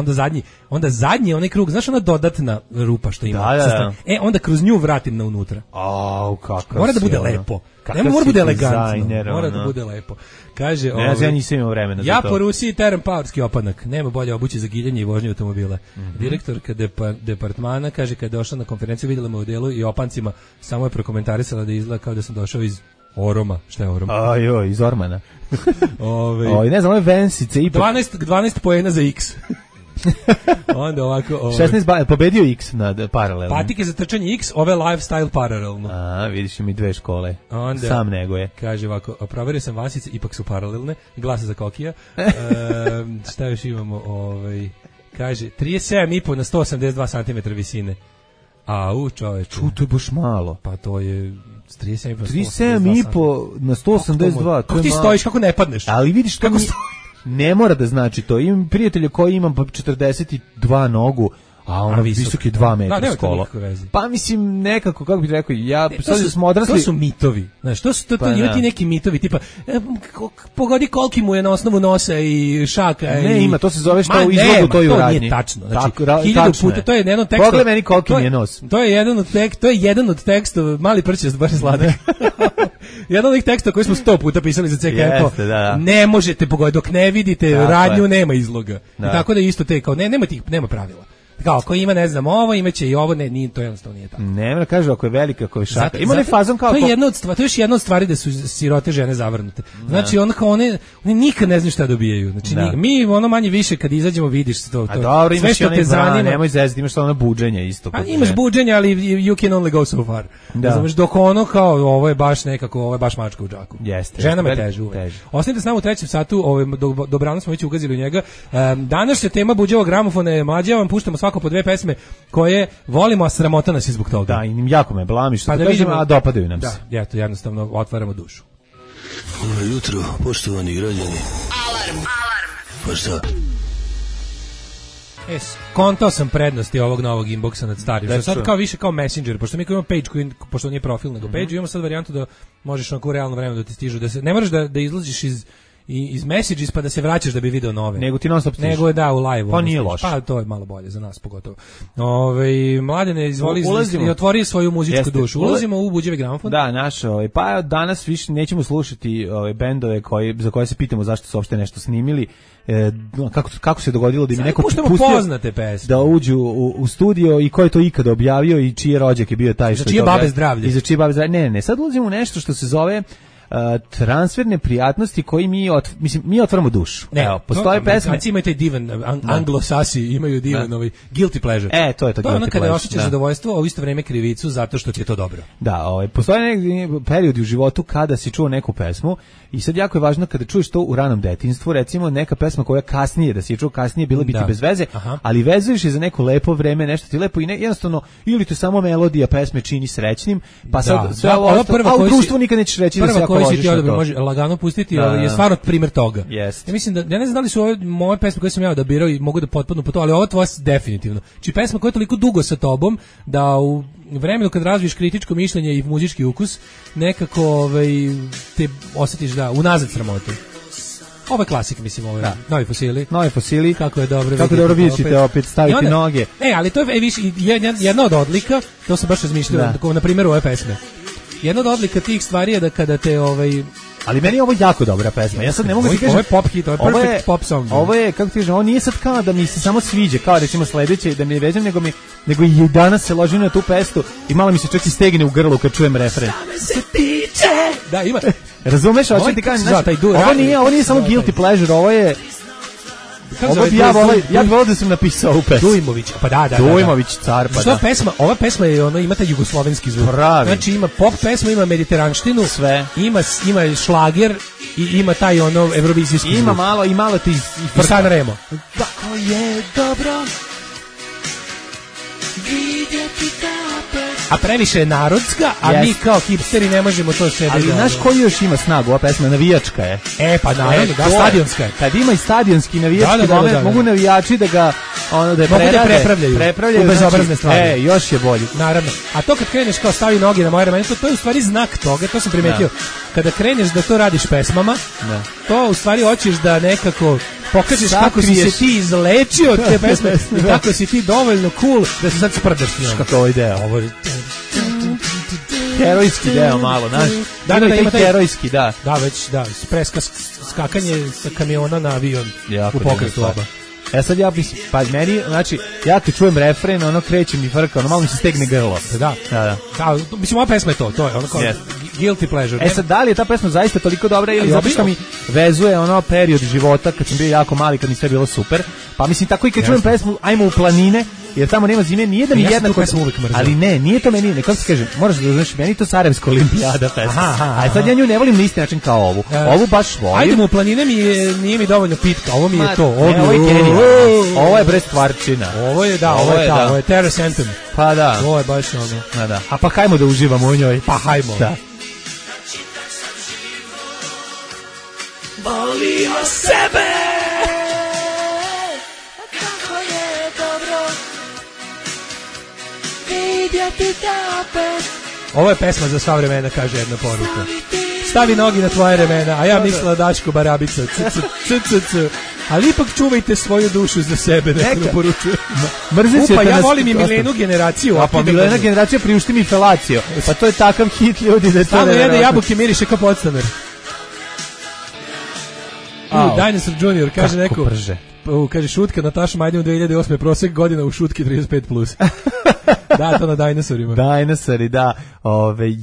[SPEAKER 8] Onda zadnji onaj krug, znaš ona dodatna rupa što ima.
[SPEAKER 7] Da.
[SPEAKER 8] Onda kroz nju vratim na unutra.
[SPEAKER 7] Au, kakav.
[SPEAKER 8] Mora da bude lepo. Ne mora bude elegantno. Mora da bude lepo. Kaže,
[SPEAKER 7] ja nisam imao vremena za to.
[SPEAKER 8] Ja po Rusiji teram paorski opanak. Nema bolje obuće za giljanje i vožnje automobila. Direktorka departmana kaže kad je došla na konferenciju videla me u delu i opancima, samo je prokomentarisala da izgleda kao da sam došao iz Oroma. Šta je Orom?
[SPEAKER 7] Ajoj, iz Ormana. Ne znam, ove vensice ipak.
[SPEAKER 8] 12 poena za X. Onda ovako
[SPEAKER 7] 16 pobedio X na paralelno.
[SPEAKER 8] Patike za trčanje X, ove lifestyle paralelno.
[SPEAKER 7] Vidiš mi dve škole.
[SPEAKER 8] Onda,
[SPEAKER 7] sam nego je.
[SPEAKER 8] Kaže ovako, proverio sam vasice, ipak su paralelne. Glasa za Kokija. Šta još imamo? Kaže 37,5 na 182 cm visine. Čoveče.
[SPEAKER 7] To je baš malo.
[SPEAKER 8] Pa to je
[SPEAKER 7] 37,5 na 182.
[SPEAKER 8] Kako ti stojiš, kako ne padneš?
[SPEAKER 7] Ali vidiš kako ne mora da znači to. Imam prijatelja koji imam 42 nogu, a ona visoki 2 metra skolo. Pa mislim nekako, kako bih rekao, sad smo odrasli.
[SPEAKER 8] To su mitovi. Znaš, to ima ti neki mitovi, tipa pogodi koliki mu je na osnovu nosa i šaka.
[SPEAKER 7] Ne, ima, to se zove što u izlogu to je u radnji.
[SPEAKER 8] To nije tačno. Znači, 1000 puta, to je jedan od tekstova.
[SPEAKER 7] Pogledaj meni koliki mi je nos.
[SPEAKER 8] To je jedan od tekstova, mali prčest, baš je sladak. Jedan od ovih teksta koji smo 100 puta pisali za CKF, ne možete pogoditi, dok ne vidite radnju, nema izloga. I tako da isto te, kao, nema pravila. Kao, ako ima, ne znam, ovo, imaće i ovo, to jednostavno nije tako.
[SPEAKER 7] Ne, mora kaže, ako je velika, ako je šaka. Ima ne fazom kao...
[SPEAKER 8] To je još jedna od stvari da su sirote žene zavrnute. Znači, one nikad ne znaju šta dobijaju. Znači, mi manje više kad izađemo vidiš to.
[SPEAKER 7] A dobro, imaš i onaj bran, nemoj zezati, imaš ono buđenje isto.
[SPEAKER 8] A imaš buđenje, ali you can only go so far. Znaš, dok ono kao, ovo je baš nekako, ovo je baš mačka u džaku. Žena me teže uvek. Ostanite s nama u 3. satu, dobrano smo već ugazili u njega. Danas se tema buđevog gramofona je mlađa, vam puštamo svako po 2 pesme koje volimo, a sramota nas je zbog toga.
[SPEAKER 7] Da, i jako me blami što da kažem, a dopadaju nam se.
[SPEAKER 8] Da, to jednostavno otvaramo dušu.
[SPEAKER 10] Dobro jutro, poštovani građani.
[SPEAKER 6] Alarm.
[SPEAKER 10] Pa šta?
[SPEAKER 8] Kontao sam prednosti ovog novog inboxa nad starim. Sad kao više kao Messenger, pošto mi imamo page koji, pošto nije profil nego page, imamo sad varijantu da možeš onako u realno vreme da ti stižu, ne moraš da izlaziš iz Messages pa da se vraćaš da bi video nove.
[SPEAKER 7] Nego ti non stop stiže.
[SPEAKER 8] Nego je u live.
[SPEAKER 7] Pa nije loše.
[SPEAKER 8] Pa to je malo bolje za nas pogotovo. Mladene, izvoli i otvori svoju muzičku dušu. Ulazimo u buđevi gramofon.
[SPEAKER 7] Da, pa danas više nećemo slušati bendove za koje se pitamo zašto su uopšte nešto snimili. Kako se dogodilo da im neko pustio da uđu u studio i ko je to ikada objavio i čiji rođak je bio taj što je to.
[SPEAKER 8] Za čije babe zdravlje.
[SPEAKER 7] I za čije babe zdravlje. Ne, sad ulazimo u nešto što se zove transferne prijatnosti koji mi otvaramo dušu.
[SPEAKER 8] Evo, postoje pesme. Znači imaju taj divan anglosasi, imaju divan guilty pleasure.
[SPEAKER 7] To je to guilty pleasure.
[SPEAKER 8] To ono kada osjećaš zadovoljstvo, a u isto vrijeme krivicu zato što ti je to dobro.
[SPEAKER 7] Da, postoje neki periodi u životu kada si čuo neku pesmu i sad jako je važno kada čuješ to u ranom detinjstvu, recimo neka pesma koja kasnije, da si je čuo kasnije, bila biti bez veze, ali vezuješ je za neko lepo vreme, nešto ti lepo i jednostavno ili te samo melodija pesme čini srećnim, pa sad sve ovo, a u društvu nikad nećeš reći da se jako ložiš na to.
[SPEAKER 8] Može lagano pustiti, je stvarno primjer toga. Ja mislim da, ja ne znam da li su ove moje pesme koje sam ja odabirao i mogu da potpadnu po to, ali ovo tvoja definitivno. Či pesma koja je toliko dugo sa tobom da u vremenu kad razviješ kritičko mišljenje i muzički ukus, nekako te osjetiš unazad sramotu. Ovo je klasik, mislim, ovo je Novi fosili. Kako je dobro vidite opet staviti noge. Ali to je jedna od odlika, to sam baš razmišljao, na primjer ove pesme. Jedna od odlika tih stvari je da kada te
[SPEAKER 7] ali meni je ovo jako dobra pesma. Ja sad ne mogu da kažem.
[SPEAKER 8] Ovo je pop hit, ovo je perfect pop song.
[SPEAKER 7] Ovo je, kako ti kažem, ovo nije sad kao da mi se samo sviđa, kao recimo sledeće, da mi ne vežem, nego i danas se ložim na tu pestu i malo mi se čak i stegne u grlu kad čujem refren.
[SPEAKER 8] Da, ima.
[SPEAKER 7] Razumeš, hoćeš ti kažem, ovo nije samo guilty pleasure, ovo je ja bih volio da sam napisao ovu pesmu.
[SPEAKER 8] Dujmović, pa da.
[SPEAKER 7] Dujmović, car, pa da.
[SPEAKER 8] Ova pesma je, ima taj jugoslovenski zvuk.
[SPEAKER 7] Pravi.
[SPEAKER 8] Znači ima pop pesmu, ima mediteranštinu,
[SPEAKER 7] sve.
[SPEAKER 8] Ima šlager i ima taj evrovizijski zvuk.
[SPEAKER 7] Ima malo ti
[SPEAKER 8] i San Remo.
[SPEAKER 10] Tako je dobro vidjeti te opet.
[SPEAKER 8] a previše je narodska, a mi kao hipsteri ne možemo to sebi.
[SPEAKER 7] Ali znaš koji još ima snagu, ova pesma, navijačka je.
[SPEAKER 8] Pa naravno, da, stadionska je.
[SPEAKER 7] Kad ima i stadionski navijački moment, mogu navijači da ga prepravljaju
[SPEAKER 8] u bezobrazne stvari.
[SPEAKER 7] Još je bolji.
[SPEAKER 8] Naravno. A to kad kreneš kao stavi noge na moje ramena, to je u stvari znak toga, to sam primetio. Kada kreneš da to radiš pesmama, to u stvari hoćeš da nekako pokažeš kako si se ti izlečio od te pesme i kako si ti dovoljno cool da se sad sprdaš s njom.
[SPEAKER 7] Kako ovaj deo? Ovo je herojski deo malo, znaš?
[SPEAKER 8] Ima taj
[SPEAKER 7] herojski, da.
[SPEAKER 8] Da, već, preska skakanje sa kamiona na avion u pokretu oba.
[SPEAKER 7] Sad ja mislim, pa meni, znači, ja te čujem refren, ono kreće mi frka, ono malo mi se stegne grlo.
[SPEAKER 8] Da. Mislim, ova pesma je to je ono kao guilty pleasure.
[SPEAKER 7] Sad, da li je ta pesma zaista toliko dobra ili zato što mi vezuje ono period života kad sam bio jako mali, kad mi sve bilo super, pa mislim tako i kad čujem pesmu Ajmo u planine, jer tamo nema zime, nije da mi jednako, ali nije to meni, kako se kaže, moraš da znaš, meni to Sarajevska olimpijada pesma. A sad ja nju ne volim na isti način kao ovu. Ovu baš volim.
[SPEAKER 8] Ajdemo u planine nije mi dovoljno pitka, ovo mi je to.
[SPEAKER 7] Ovo je genijalno. Ovo je bre stvarčina.
[SPEAKER 8] Ovo je Terrace Anthem.
[SPEAKER 7] Pa da.
[SPEAKER 8] Ovo je baš ono.
[SPEAKER 7] Da. A pa hajmo da uživamo u njoj.
[SPEAKER 8] Pa hajmo.
[SPEAKER 7] Da.
[SPEAKER 10] Volio sebe.
[SPEAKER 12] Kako je dobro vidjeti te opet.
[SPEAKER 8] Ovo je pesma za sva vremena, kaže jedna poruka. Stavi nogi na tvoje remena, a ja mislila Daško Barabica. Ali ipak čuvajte svoju dušu za sebe, neko poručuje. Ja volim i Milenu generaciju.
[SPEAKER 7] Pa Milena generacija priušti mi felaciju. Pa to je takav hit, ljudi, da je to
[SPEAKER 8] nevjerojatno. Samo jede jabuke miriše kao podstanar. Dinosaur Junior, kaže neko. Kaže šutka Nataša Majdin u 2008. prosek godina u šutki 35+. Da, to na dinosaurima.
[SPEAKER 7] Dinosauri, da.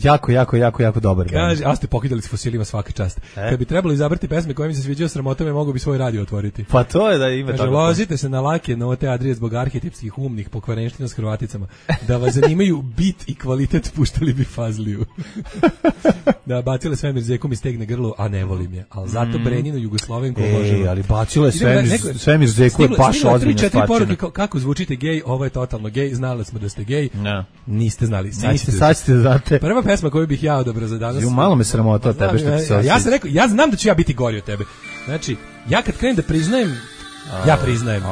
[SPEAKER 7] Jako dobar.
[SPEAKER 8] Kaže, a ste pokidali s fosilima svaka čast. Kad bi trebalo izabrati pesme koje mi se sviđaju sramotama, mogu bi svoj radio otvoriti.
[SPEAKER 7] Pa to je da ima
[SPEAKER 8] tako. Kaže, lozite se na lake note Adrije zbog arhetipskih umnih pokvarenština s Hrvaticama. Da vas zanimaju bit i kvalitet, puštali bi Fazliju. Da, bacile svemir zekom i stegne grlo, a ne volim je. Ali zato Breninu Jugoslovenku možemo.
[SPEAKER 7] Ali bacile svemir zeku je baš ozbiljna stvar.
[SPEAKER 8] Kako zvučite gej, ovo je totalno gej, znali smo da ste gej.
[SPEAKER 7] No.
[SPEAKER 8] Niste znali.
[SPEAKER 7] Sad ćete znate.
[SPEAKER 8] Prva pesma koju bih ja odabrao za danas.
[SPEAKER 7] Malo me sramota od tebe što ti se osjeća.
[SPEAKER 8] Ja sam rekao, ja znam da ću ja biti gori od tebe. Znači, ja kad krenem da priznajem, ja priznajem.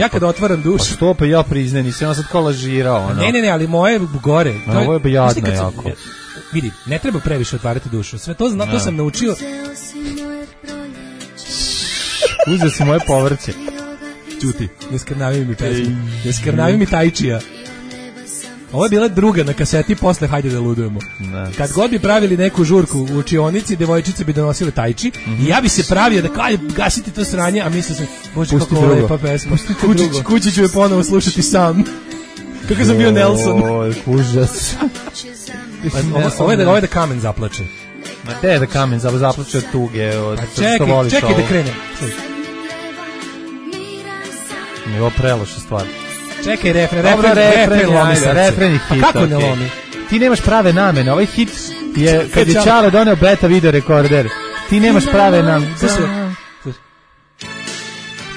[SPEAKER 8] Ja kad otvaram dušu.
[SPEAKER 7] Pa što pa ja priznajem, nisam sad kao lažirao.
[SPEAKER 8] Ne, ali moje gore.
[SPEAKER 7] Ovo je bejadno jako.
[SPEAKER 8] Vidi, ne treba previše otvarati dušu. Sve to to sam naučio.
[SPEAKER 7] Uzeo si moje povrće.
[SPEAKER 8] Čuti, ne skrnavi mi pesmu. Ne skrnavi mi tajčija. Ovo je bila druga na kaseti, posle Hajde da ludujemo. Kad god bi pravili neku žurku u učionici, devojčice bi donosile tajči i ja bi se pravio da kao gasiti to sranje, a mislio sam, bože kako lepa pesma. Kući ću je ponovo slušati kako sam bio Nelson.
[SPEAKER 7] Užas.
[SPEAKER 8] Ovo je da kamen zaplače.
[SPEAKER 7] Ma gde je da kamen zaplače od tuge?
[SPEAKER 8] Čekaj da krenem.
[SPEAKER 7] Ovo preloša stvar.
[SPEAKER 8] Čekaj, refren
[SPEAKER 7] je hit.
[SPEAKER 8] Pa kako ne lomi?
[SPEAKER 7] Ti nemaš prave namene. Ovaj hit je, kad je Čale doneo beta video rekorder, ti nemaš prave namene.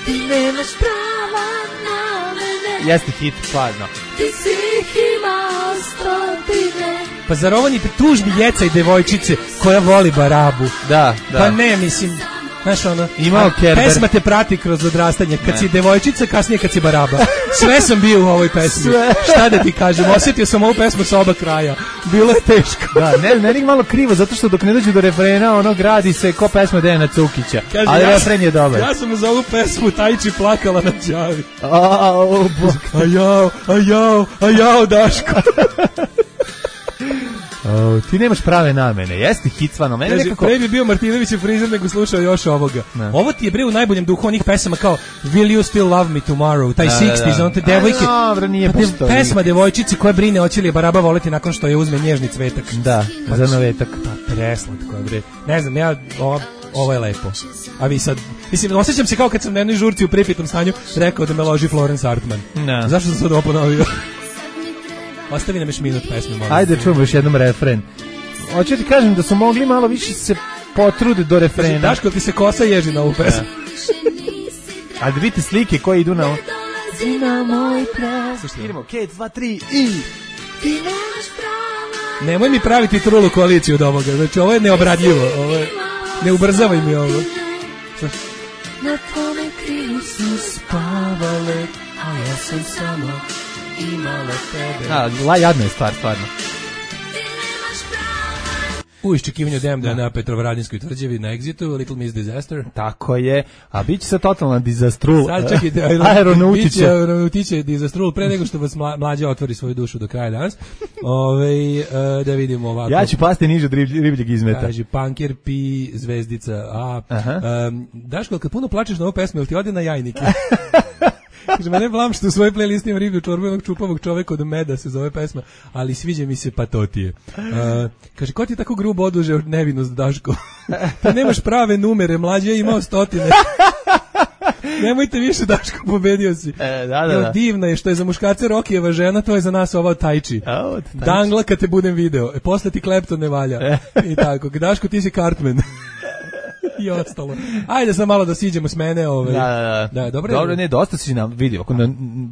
[SPEAKER 12] Ti nemaš prava namene.
[SPEAKER 7] Jeste hit, stvarno.
[SPEAKER 12] Ti si ih imao stotine.
[SPEAKER 8] Pa zar ovo ni tužbi jeca i devojčice koja voli barabu?
[SPEAKER 7] Da.
[SPEAKER 8] Pa ne, mislim... Znaš ono,
[SPEAKER 7] pesma
[SPEAKER 8] te prati kroz odrastanje. Kad si devojčica, kasnije kad si baraba. Sve sam bio u ovoj pesmi. Šta da ti kažem, osjetio sam ovu pesmu sa oba kraja. Bilo je teško.
[SPEAKER 7] Da, meni malo krivo, zato što dok ne dođe do refrena, ono gradi se ko pesma Dejana Cukića.
[SPEAKER 8] Kaže,
[SPEAKER 7] ali refren je dobar.
[SPEAKER 8] Ja sam za ovu pesmu Tajči plakala na đavi. A jao, Daško.
[SPEAKER 7] Ti nemaš prave namene, jeste hit stvarno.
[SPEAKER 8] Pre bi bio Martinović frizer nego slušao još ovoga. Ovo ti je bre u najboljem duhu onih pesama kao Will You Still Love Me Tomorrow, taj 60s, on te devojke. Pesma devojčici koja brine hoće li baraba voleti nakon što je uzme nježni cvetak.
[SPEAKER 7] Da, za navetak.
[SPEAKER 8] Pa preslatko je bre. Ne znam, ja ovo je lepo. A vi sad, mislim, osjećam se kao kad sam na jednoj žurci u pripitom stanju rekao da me loži Florence Hartman. Zašto sam sad ovo ponovio? Ostavi nam još minut pesme, molim.
[SPEAKER 7] Ajde, čujemo još jednom refren. Hoću ti kažem da su mogli malo više se potrude do refrena.
[SPEAKER 8] Daško, ti se kosa ježi na ovu pesmu.
[SPEAKER 7] Ali da vidite slike koje idu na ovo.
[SPEAKER 12] Na moj ples.
[SPEAKER 7] Idemo, 1, 2, 3 i...
[SPEAKER 12] Ti nemaš prava.
[SPEAKER 8] Nemoj mi praviti trulu koaliciju od ovoga. Znači, ovo je neobradljivo. Ovo je... Ne ubrzavaj mi ovo.
[SPEAKER 12] Na tvome krilu su spavale, a ja sam samo imala tebe.
[SPEAKER 7] Jadna je stvar, stvarno.
[SPEAKER 8] U iščekivanju Demda na Petrovaradinskoj tvrđavi na Exitu, Little Miss Disaster.
[SPEAKER 7] Tako je, a bit će se totalna dizastrul.
[SPEAKER 8] Sad čekajte, aeronautiće dizastrul pre nego što vas mlađa otvori svoju dušu do kraja danas. Da vidimo ovako.
[SPEAKER 7] Ja ću pasti niže od ribljeg izmeta.
[SPEAKER 8] Kaže, Punker, Pi, Zvezdica, A. Daško, kad puno plačeš na ovu pesmu, ili ti ode na jajnike? Kaže, mene blam što u svojoj playlisti imam riblju čorbu jednog čupavog čoveka od meda se zove pesma, ali sviđa mi se patotije. Kaže, ko ti tako grubo oduže nevinost, Daško? Ti nemaš prave numere, mlađe je imao 100. Nemojte više, Daško, pobedio si.
[SPEAKER 7] Da.
[SPEAKER 8] Divna je što je za muškarce Rokijeva žena, to je za nas ova Tajči. Dangla kad te budem video. Posle ti Klepton ne valja. I tako. Daško, ti si Cartman. I ostalo. Ajde sad malo da siđemo s mene. Da,
[SPEAKER 7] dobro, ne, dosta si nam vidio.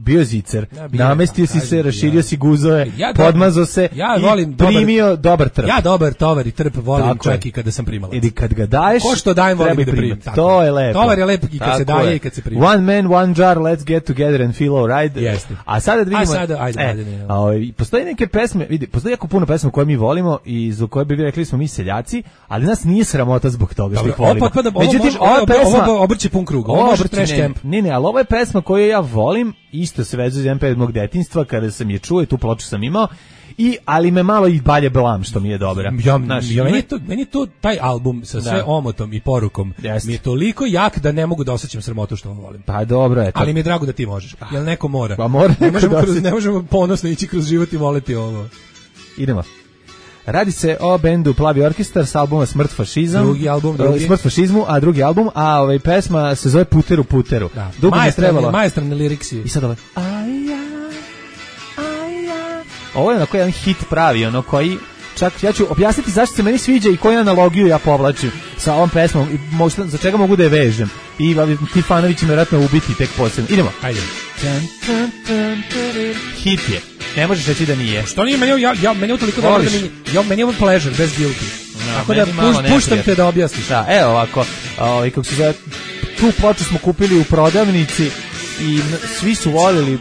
[SPEAKER 7] Bio zicer, namestio si se, raširio si guzove, podmazao se i primio dobar trp.
[SPEAKER 8] Ja dobar tovar i trp volim čak i kada sam primalac.
[SPEAKER 7] Ili kad ga daješ,
[SPEAKER 8] ko što dajem volim da primim.
[SPEAKER 7] To je lepo.
[SPEAKER 8] Tovar je lep i kad se daje i kad se prima.
[SPEAKER 7] One man, one jar, let's get together and feel alright.
[SPEAKER 8] Jeste.
[SPEAKER 7] A sada da vidimo.
[SPEAKER 8] Ajde.
[SPEAKER 7] Postoji neke pesme, vidi, postoji jako puno pesma koje mi volimo i za koje bi rekli smo mi seljaci, ali nas nije sramota zbog toga što ih volimo.
[SPEAKER 8] Međutim, ova pesma obrće pun krug. Ovo može trash camp.
[SPEAKER 7] Ne, ali ovo je pesma koju ja volim, isto se vezuje za jedan period mog detinjstva kada sam je čuo i tu ploču sam imao. Ali me malo i balje blam što mi je dobra.
[SPEAKER 8] Meni je to taj album sa sve omotom i porukom mi je toliko jak da ne mogu da osjećam sramotu što ovo volim.
[SPEAKER 7] Pa dobro je to.
[SPEAKER 8] Ali mi je drago da ti možeš. Jel neko mora?
[SPEAKER 7] Pa mora.
[SPEAKER 8] Ne možemo ponosno ići kroz život i voleti ovo.
[SPEAKER 7] Idemo. Radi se o bendu Plavi orkestar s albuma Smrt fašizam.
[SPEAKER 8] Drugi album,
[SPEAKER 7] Smrt fašizmu, a drugi album, a pesma se zove Puteru Puteru.
[SPEAKER 8] Da. Dugo mi je trebalo. Maestralni liriksi.
[SPEAKER 7] I sad ovo je onako jedan hit pravi, ono koji čak ja ću objasniti zašto se meni sviđa i koju analogiju ja povlačim sa ovom pesmom i možda za čega mogu da je vežem. I ti fanovi će me vjerojatno ubiti tek posebno. Idemo.
[SPEAKER 8] Ajde.
[SPEAKER 7] Hit je. Ne možeš reći da nije.
[SPEAKER 8] Što nije? Meni je toliko dobro da meni je ovo pleasure, bez guilty. Tako da puštam te da objasniš.
[SPEAKER 7] Da, evo ovako, kako se zove, tu ploču smo kupili u prodavnici i svi su voljeli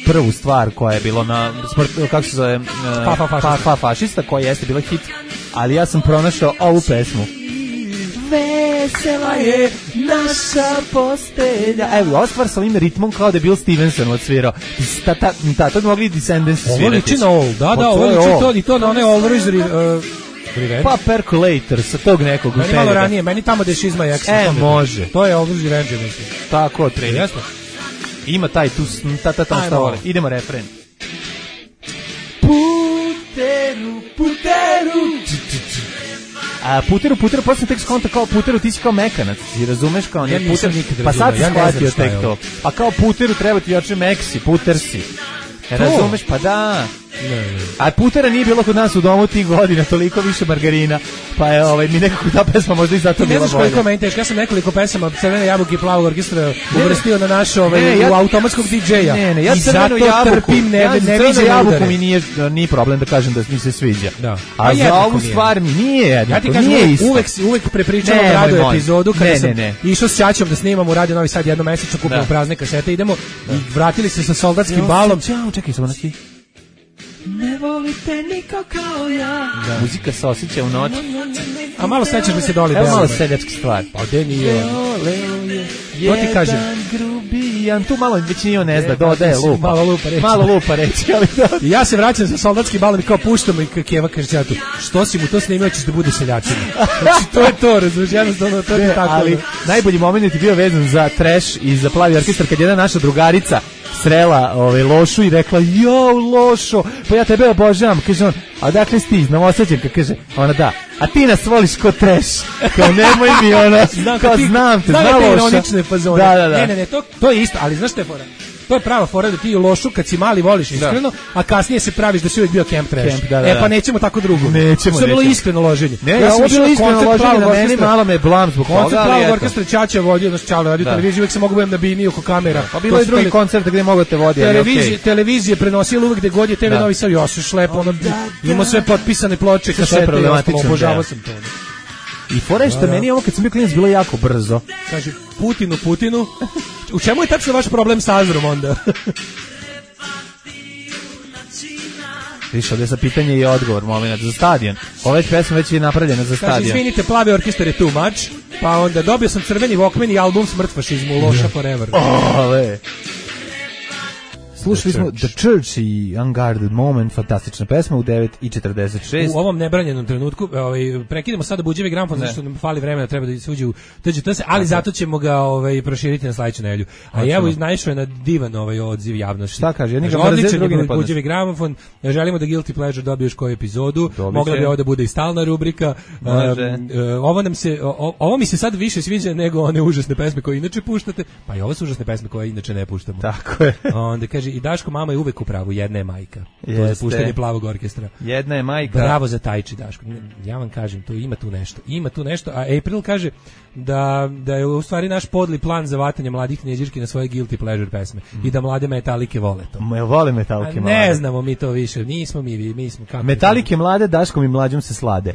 [SPEAKER 7] prvu stvar koja je bilo na kako se zove, fašista, koja jeste bila hit, ali ja sam pronašao ovu pesmu. Vesela je naša postelja. Evo, ova stvar sa ovim ritmom kao da je Bill Stevenson odsvirao. To bi mogli Descendants svirati.
[SPEAKER 8] Ovo liči na ovo, da, ovo liči i to na one Always Revenge.
[SPEAKER 7] Pa Percolator sa tog nekog.
[SPEAKER 8] Meni malo ranije, meni tamo gde Šizma i Action.
[SPEAKER 7] Može.
[SPEAKER 8] To je Always Revenge, mislim.
[SPEAKER 7] Tako, trener. Ima taj tu, šta vole. Idemo refren. Puteru, posle tek skonta kao Puteru, ti si kao mekanac, ti razumeš kao nije Puter, pa sad si shvatio tek to. A kao Puteru treba ti oče meksi, Puter si. Razumeš, pa da. A Putera nije bilo kod nas u domu tih godina, toliko više margarina, pa je mi nekako ta pesma možda i zato bila bolja.
[SPEAKER 8] Ne znaš koliko meni teško, ja sam nekoliko pesama Crvene jabuke i Plavog orkestra uvrstio na naš u automatskog DJ-a.
[SPEAKER 7] Ja Crvenu jabuku mi nije problem da kažem da mi se sviđa. A za ovu stvar mi nije jednako.
[SPEAKER 8] Ja ti kažem, uvek prepričavam radio epizodu kada sam išao s Ćaćom da snimam u Radio Novi Sad jednomesečno, kupimo prazne kasete, idemo i vratili se sa soldatskim balom.
[SPEAKER 7] Čekaj, samo neki.
[SPEAKER 12] Ne volite niko kao ja.
[SPEAKER 7] Muzika se osjeća u noći.
[SPEAKER 8] A malo sećaš mi se doli.
[SPEAKER 7] Evo malo seljačka stvar.
[SPEAKER 8] Pa gde nije? To ti kažem.
[SPEAKER 7] Grubijan, tu malo već nije on ne zna, dodaje lupa.
[SPEAKER 8] Malo
[SPEAKER 7] lupa reći, ali da.
[SPEAKER 8] I ja se vraćam sa soldatskim balom i kao puštam i Keva kaže Ćatu, što si mu to snimio, ćeš da bude seljačina. Znači to je to, razumiješ, jednostavno to je tako.
[SPEAKER 7] Ali najbolji moment je bio vezan za trash i za Plavi orkestar kad jedna naša drugarica srela Lošu i rekla, jao Lošo, pa ja tebe obožavam, kaže on, a dakle si ti, Novosađenka, kaže, ona da, a ti nas voliš ko trash, kao nemoj mi ona, kao znam te, zna Loša.
[SPEAKER 8] Da. Ne, to je isto, ali znaš te fora, To je prava fora da ti lošu kad si mali voliš iskreno, a kasnije se praviš da si uvijek bio camp trash. Pa nećemo tako drugo.
[SPEAKER 7] Nećemo.
[SPEAKER 8] To je bilo iskreno loženje.
[SPEAKER 7] Ja sam bilo iskreno loženje, na meni malo me blam zbog toga.
[SPEAKER 8] Koncert Plavog orkestra Ćaća vodio, znači Čale radio televiziju, uvijek se mogu budem na bini oko kamera.
[SPEAKER 7] Pa bilo je drugi koncert gdje mogu te vodi.
[SPEAKER 8] Televizije prenosili uvijek gdje god je TV Novi Sad, ja se šlepo, imao sve potpisane ploče, kasete, obožavao sam to.
[SPEAKER 7] I fora je što meni ovo kad sam bio klinac bilo jako brzo.
[SPEAKER 8] Kaže, Putinu. U čemu je tačno vaš problem s Azrom onda?
[SPEAKER 7] Više, ovdje sa pitanje i odgovor, moment, za stadion. Ova pesma već je napravljena za stadion.
[SPEAKER 8] Kaže, izvinite, Plavi orkestar je too much, pa onda dobio sam crveni Walkman i album Smrt fašizmu, Loša Forever.
[SPEAKER 7] Ole! Slušali smo The Church i Unguarded Moment, fantastična pesma u 9:46.
[SPEAKER 8] U ovom nebranjenom trenutku prekidamo sada buđevi gramofon, zašto nam fali vremena, treba da se uđe u TGTS, ali zato ćemo ga proširiti na sledeću nedelju. A evo naišao je na divan odziv javnosti.
[SPEAKER 7] Šta kaže?
[SPEAKER 8] Odličan je buđevi gramofon, želimo da Guilty Pleasure dobije još koju epizodu, mogla bi ovo da bude i stalna rubrika. Ovo mi se sad više sviđa nego one užasne pesme koje inače puštate, pa i ovo su užasne pesme koje inače ne puštamo.
[SPEAKER 7] Tako je.
[SPEAKER 8] Onda kaže, i Daško, mama je uvek u pravu, jedna je majka. To je puštanje Plavog orkestra.
[SPEAKER 7] Jedna je majka.
[SPEAKER 8] Bravo za Tajči, Daško. Ja vam kažem, ima tu nešto. A April kaže da je u stvari naš podli plan za vatanje mladih knjeđirki na svoje Guilty Pleasure pesme i da mlade metalike vole to.
[SPEAKER 7] Vole metalike mlade.
[SPEAKER 8] Ne znamo mi to više, nismo mi smo kako.
[SPEAKER 7] Metalike mlade, Daškom i mlađom se slade.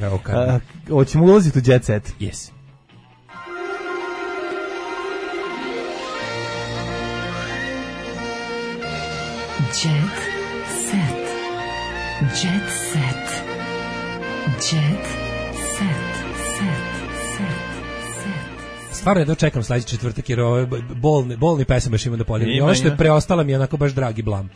[SPEAKER 7] Hoćemo ulaziti u Jet Set?
[SPEAKER 8] Yes.
[SPEAKER 12] Jet set. Jet set. Jet set.
[SPEAKER 8] Stvarno jedno čekam sledeći četvrtak jer ovo bolni pesam baš imam da podijelim. I ovo što je preostala mi je onako baš dragi blam.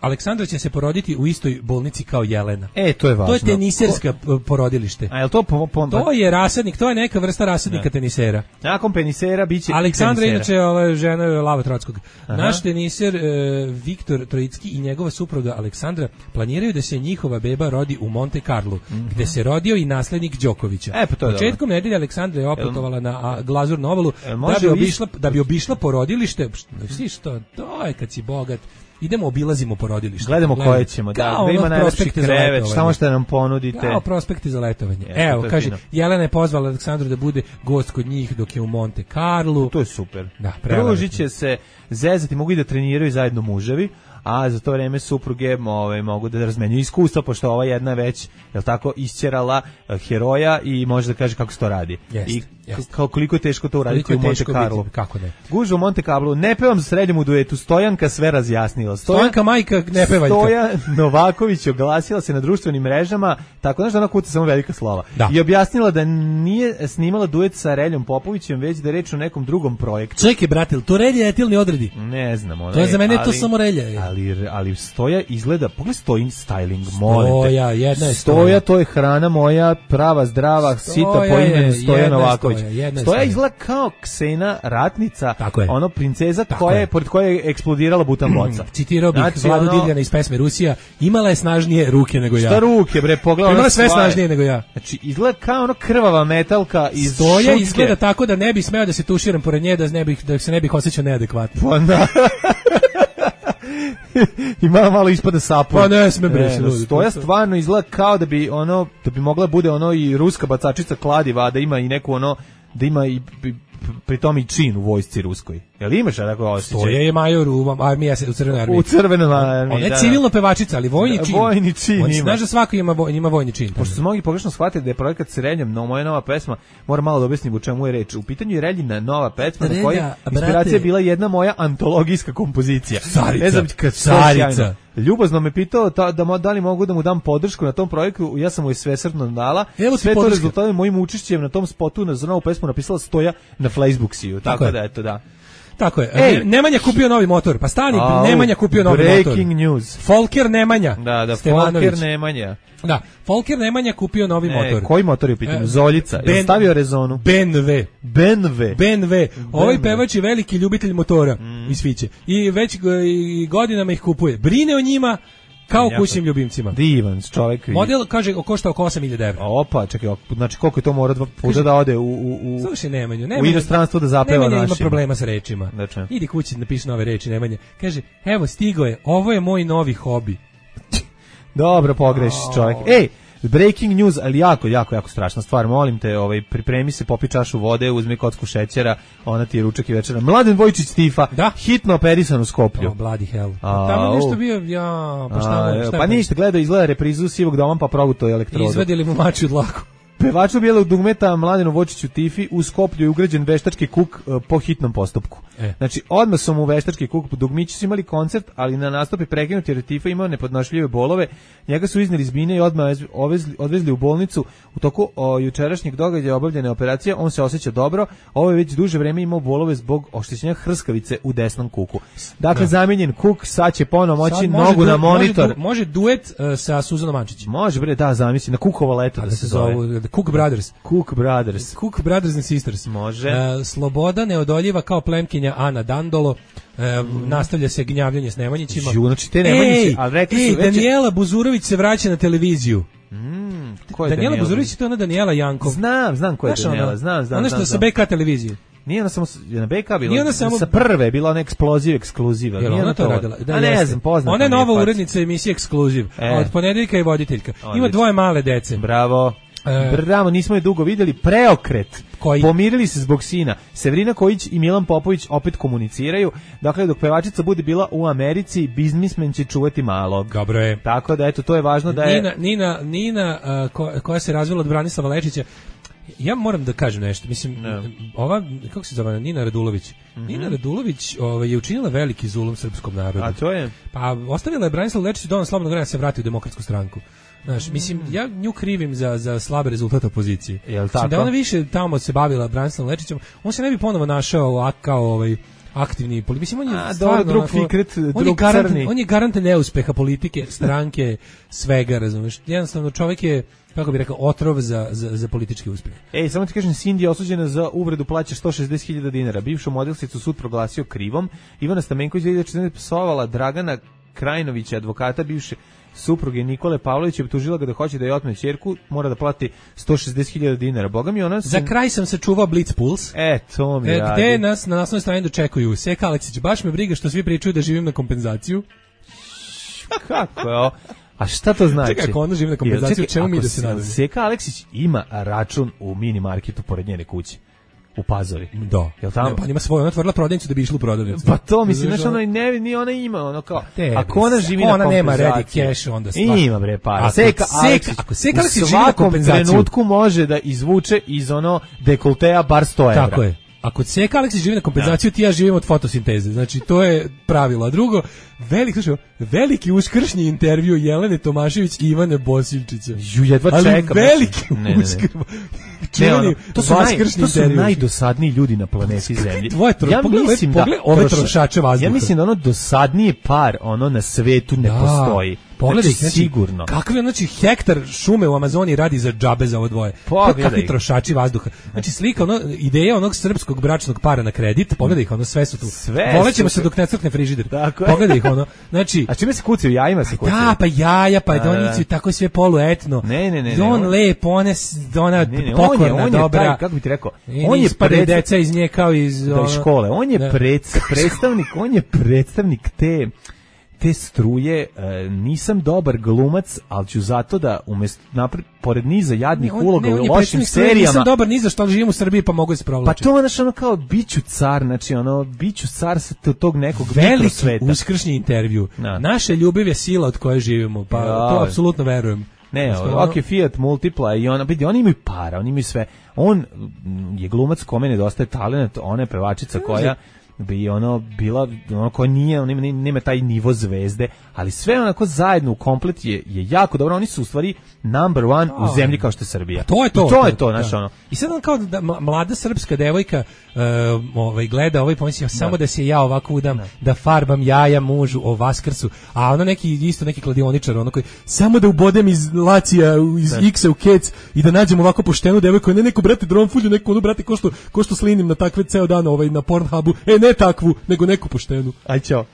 [SPEAKER 8] Aleksandra će se poroditi u istoj bolnici kao Jelena.
[SPEAKER 7] To je važno.
[SPEAKER 8] To je teniserska porodilište.
[SPEAKER 7] A je li to
[SPEAKER 8] To je rasadnik, to je neka vrsta rasadnika tenisera.
[SPEAKER 7] Nakon penisera biće
[SPEAKER 8] Aleksandra inače žena je Lava Trockog. Naš teniser Viktor Trojicki i njegova supruga Aleksandra planiraju da se njihova beba rodi u Monte Carlo, gde se rodio i naslednik Đokovića. Početkom nedelje Aleksandra je oputovala na Glazurnu obalu da bi obišla porodilište. Što? To je kad si bogat. Idemo, obilazimo porodilište.
[SPEAKER 7] Gledamo koje ćemo, da ima najlepši krevet, šta možete nam ponudite.
[SPEAKER 8] Kao prospekti za letovanje. Evo, kaže, Jelena je pozvala Aleksandru da bude gost kod njih dok je u Monte Carlo.
[SPEAKER 7] To je super. Družit će se, zezati, mogu i da treniraju zajedno muževi, a za to vreme supruge mogu da razmenjuju iskustva, pošto ova jedna već, jel tako, isćerala heroja i može da kaže kako se to radi. I koliko je teško to uraditi u Monte Carlo.
[SPEAKER 8] Kako ne?
[SPEAKER 7] Gužva u Monte Carlo, ne pevam srednjem u duetu, Stojanka sve razjasnila.
[SPEAKER 8] Stojanka majka ne pevaljka.
[SPEAKER 7] Stoja Novaković oglasila se na društvenim mrežama, tako da ona kuca samo velika slova. I objasnila da nije snimala duet sa Reljom Popovićem, već da je reč o nekom drugom projektu.
[SPEAKER 8] Čekaj, brate, to Relja etilni odredi?
[SPEAKER 7] Ne znam.
[SPEAKER 8] To je za mene to samo Relja.
[SPEAKER 7] Ali Stoja izgleda, pogledaj Stojin styling,
[SPEAKER 8] Stoja, jedna je
[SPEAKER 7] Stoja, to je hrana moja, prava, zdrava, sita po imenu Stoja Novaković. Stoja izgleda kao Ksena ratnica, ono princeza pored koje je eksplodirala butan boca.
[SPEAKER 8] Citirao bih Vladu Divljana iz pesme Rusija, imala je snažnije ruke nego ja.
[SPEAKER 7] Šta ruke, bre, pogledaj.
[SPEAKER 8] Imala sve snažnije nego ja.
[SPEAKER 7] Znači, izgleda kao ono krvava metalka iz
[SPEAKER 8] Stoja izgleda tako da ne bi smeo da se tuširam pored nje, da se ne bih osjećao neadekvatno.
[SPEAKER 7] Pa da. I malo ispada sapun.
[SPEAKER 8] Pa ne sme bre.
[SPEAKER 7] Stoja stvarno izgleda kao da bi mogla bude i ruska bacačica kladiva, da ima i neku da ima i pri tom i čin u vojsci ruskoj. Jel imaš tako osjećaj?
[SPEAKER 8] Stoja je major u armiji, u Crvenoj armiji.
[SPEAKER 7] U Crvenoj armiji,
[SPEAKER 8] ona je civilno pevačica, ali vojni čin.
[SPEAKER 7] Vojni čin ima.
[SPEAKER 8] Znaš da svako ima vojni čin.
[SPEAKER 7] Pošto su mnogi pogrešno shvatili da je projekat Srednjem, no moja nova pesma, moram malo da objasnim u čemu je reč. U pitanju je Reljina nova pesma, na kojoj inspiracija je bila jedna moja antologijska kompozicija.
[SPEAKER 8] Carica.
[SPEAKER 7] Ljubazno me pitao da li mogu da mu dam podršku na tom projektu, ja sam mu je svesrdno dala. Sve to rezultate mojim učešćem na tom spotu za novu pesmu napisala Stoja na Facebooksiju, tako da eto da.
[SPEAKER 8] Tako je. Nemanja kupio novi motor. Pa stani, Nemanja kupio novi motor.
[SPEAKER 7] Breaking news.
[SPEAKER 8] Folker Nemanja.
[SPEAKER 7] Da, Folker Nemanja.
[SPEAKER 8] Da, Folker Nemanja kupio novi motor.
[SPEAKER 7] Koji motor je u pitanju? Zoljica. Je stavio rezonu?
[SPEAKER 8] BMW. Ovaj pevač je veliki ljubitelj motora i sviće. I već godinama ih kupuje. Brine o njima Kao kućnim ljubimcima.
[SPEAKER 7] Divan čovjek.
[SPEAKER 8] Model, kaže, košta oko 8.000 €.
[SPEAKER 7] Opa, čekaj, znači koliko je to mora 2 puta da ode u
[SPEAKER 8] slušaj, Nemanju,
[SPEAKER 7] u inostranstvo da zapeva našim.
[SPEAKER 8] Nemanja ima problema sa rečima. Idi kući da napiši nove reči, Nemanja. Kaže, evo, stigo je, ovo je moj novi hobi.
[SPEAKER 7] Dobro, pogrešiš čovjek. Ej, breaking news, ali jako strašna stvar. Molim te, pripremi se, popi čašu vode, uzmi kocku šećera, ona ti je ručak i večera. Mladen Vojčić Stifa, hitno operisan u Skoplju.
[SPEAKER 8] Bloody hell. Tamo nešto bio, pa šta
[SPEAKER 7] pa ništa, izgleda reprizu Sivog doma, pa proguto je elektrodu.
[SPEAKER 8] Izvadili mu mači od dlaku.
[SPEAKER 7] Pevaču bijelog dugmeta Mladenu Vočiću Tifi u Skoplju je ugrađen veštački kuk po hitnom postupku. Znači, odmah su mu veštački kuk, dugmići su imali koncert, ali na nastupi prekinuti jer Tifa imao nepodnošljive bolove, njega su izneli iz bine i odmah odvezli u bolnicu. U toku jučerašnjeg događaja obavljene operacije, on se osjeća dobro, ovo je već duže vreme imao bolove zbog oštećenja hrskavice u desnom kuku. Dakle, zamijenjen kuk, sad će ponovo moći nogu na monitor.
[SPEAKER 8] Može duet sa Suzanom Mančić.
[SPEAKER 7] Može, bre, da, zamisli, na kukovo leto da se zove.
[SPEAKER 8] Cook Brothers.
[SPEAKER 7] Cook
[SPEAKER 8] Brothers and Sisters.
[SPEAKER 7] Može.
[SPEAKER 8] Sloboda neodoljiva kao plemkinja Ana Dandolo. Nastavlja se gnjavljanje s Nemanjićima.
[SPEAKER 7] Znači te Nemanjići, ali rekli su već...
[SPEAKER 8] Daniela Buzurović se vraća na televiziju.
[SPEAKER 7] Ko je
[SPEAKER 8] Daniela Buzurović, to je ona Daniela Jankov.
[SPEAKER 7] Znam ko je Daniela, znam.
[SPEAKER 8] Ona što sa BK televizije.
[SPEAKER 7] Nije ona samo na BK bila, sa prve bila ona ekskluziva.
[SPEAKER 8] Nije ona to radila.
[SPEAKER 7] Da, ne znam, poznata.
[SPEAKER 8] Ona je nova urednica emisije Ekskluziv. Od ponedeljka je voditeljka. Ima 2 male dece.
[SPEAKER 7] Bravo, nismo je dugo vidjeli. Preokret. Pomirili se zbog sina. Severina Kojić i Milan Popović opet komuniciraju. Dakle, dok pevačica bude bila u Americi, biznismen će čuvati malog.
[SPEAKER 8] Dobro je.
[SPEAKER 7] Tako da, eto, to je važno da je...
[SPEAKER 8] Nina koja se razvila od Branislava Lečića. Ja moram da kažem nešto. Mislim, ova, kako se zove, Nina Radulović. Nina Radulović je učinila veliki zulum srpskom narodu.
[SPEAKER 7] A to je?
[SPEAKER 8] Pa, ostavila je Branislav Lečić dovoljno slobodnog vremena da se vrati u Demokratsku stranku. Znaš, mislim, ja nju krivim za slabe rezultate opozicije.
[SPEAKER 7] Jel tako?
[SPEAKER 8] Da ona više tamo se bavila Branislavom Lečićem, on se ne bi ponovo našao kao aktivni politik. Mislim, on je stvarno...
[SPEAKER 7] drug fikret, drug crni.
[SPEAKER 8] On je garant neuspeha politike, stranke, svega, razumiješ. Jednostavno, čovjek je, kako bih rekao, otrov za politički uspjeh.
[SPEAKER 7] Ej, samo ti kažem, Cindy je osuđena za uvredu, plaća 160.000 dinara. Bivšu modelsicu sud proglasio krivom. Ivana Stamenković 2014 psovala Dragana Krajnovića, advokata bivše supruge Nikole Pavlovića, optužila ga da hoće da je otme ćerku, mora da plati 160.000 dinara. Boga mi ona...
[SPEAKER 8] Za kraj sam se čuvao Blitz Puls.
[SPEAKER 7] To mi radi.
[SPEAKER 8] Gde nas na naslovnoj strani dočekuju? Seka Aleksić, baš me briga što svi pričaju da živim na kompenzaciju.
[SPEAKER 7] Kako je ovo? A šta to znači?
[SPEAKER 8] Čekaj, ako ona živi na kompenzaciju, čemu mi da se nadamo?
[SPEAKER 7] Seka Aleksić ima račun u mini marketu pored njene kuće. U Pazovi.
[SPEAKER 8] Da.
[SPEAKER 7] Jel tamo?
[SPEAKER 8] Ne, pa ima svoju, ona otvorila prodavnicu da bi išla u prodavnicu.
[SPEAKER 7] Pa to mislim, znači ona ni ona ima, ono kao, ako ona živi na kompenzaciji.
[SPEAKER 8] Ona nema ready cash, onda stvar.
[SPEAKER 7] Ima bre para. Seka Aleksić u svakom trenutku može da izvuče iz ono dekoltea bar 100 evra.
[SPEAKER 8] Tako je. Ako Seka Aleksić živi na kompenzaciju, ti ja živim od fotosinteze. Znači, to je pravilo. A drugo, veliki uskršnji intervju Jelene Tomašević i Ivane Bosiljčića.
[SPEAKER 7] Jedva čekam.
[SPEAKER 8] Ali veliki uskršnji.
[SPEAKER 7] To su najdosadniji ljudi na planeti Zemlji.
[SPEAKER 8] Ja mislim da ove trošače vazduha.
[SPEAKER 7] Ja mislim da ono dosadniji par na svetu ne postoji.
[SPEAKER 8] Pogledaj,
[SPEAKER 7] sigurno.
[SPEAKER 8] Kakve, znači, hektar šume u Amazoniji radi za džabe za ovo dvoje. Kakvi trošači vazduha. Znači, slika, ideja onog srpskog bračnog para na kredit, pogledaj ih, sve su tu. Volećemo se dok ne crkne frižider. Pogledaj ih, znači...
[SPEAKER 7] A čime se kucaju, jajima se kucaju?
[SPEAKER 8] Da, pa jaja, pa donicu, tako sve poluetno.
[SPEAKER 7] Ne.
[SPEAKER 8] On lep, ona pokorna, dobra.
[SPEAKER 7] Kako bi ti rekao?
[SPEAKER 8] On je deca iz nje kao iz
[SPEAKER 7] škole. On je predstavnik te struje. Nisam dobar glumac, ali ću zato da pored niza jadnih uloga u lošim serijama.
[SPEAKER 8] Nisam dobar ni za što, ali živim u Srbiji pa mogu da se provlačiti.
[SPEAKER 7] Pa to je ono kao biću car, znači biću car sa tog nekog
[SPEAKER 8] veliki uskršnji intervju. Naša ljubav je sila od koje živimo, pa to apsolutno verujem.
[SPEAKER 7] Ne, Fiat Multipla i oni imaju para, oni imaju sve. On je glumac kome nedostaje talent, ona je pevačica koja bi bila koja nema taj nivo zvezde, ali sve onako zajedno u komplet je jako dobro. Oni su u stvari number one u zemlji kao što je Srbija.
[SPEAKER 8] To je to,
[SPEAKER 7] znaš ono.
[SPEAKER 8] I sad on kao da mlada srpska devojka gleda ovaj pomisli samo da se ja ovako udam, da farbam jaja mužu o Vaskrsu, a ono neki kladioničar, ono koji samo da ubodem iz Lacija, iz X-a u Kec i da nađem ovako poštenu devojku, ne neko brate dronfulju, neko brate ko što slinim na takve ceo dan na Pornhubu, ne takvu, nego neku poštenu.
[SPEAKER 7] Aj čao.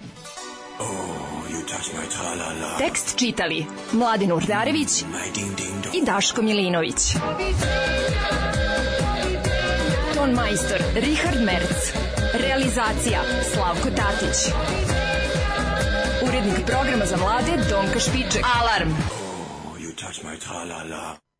[SPEAKER 6] Tekst čitali Mladin Urdarević i Daško Milinović. Ton majstor Richard Merc. Realizacija Slavko Tatić. Urednik programa za mlade Donka Špiček. Alarm!
[SPEAKER 10] You touch my tra-la-la.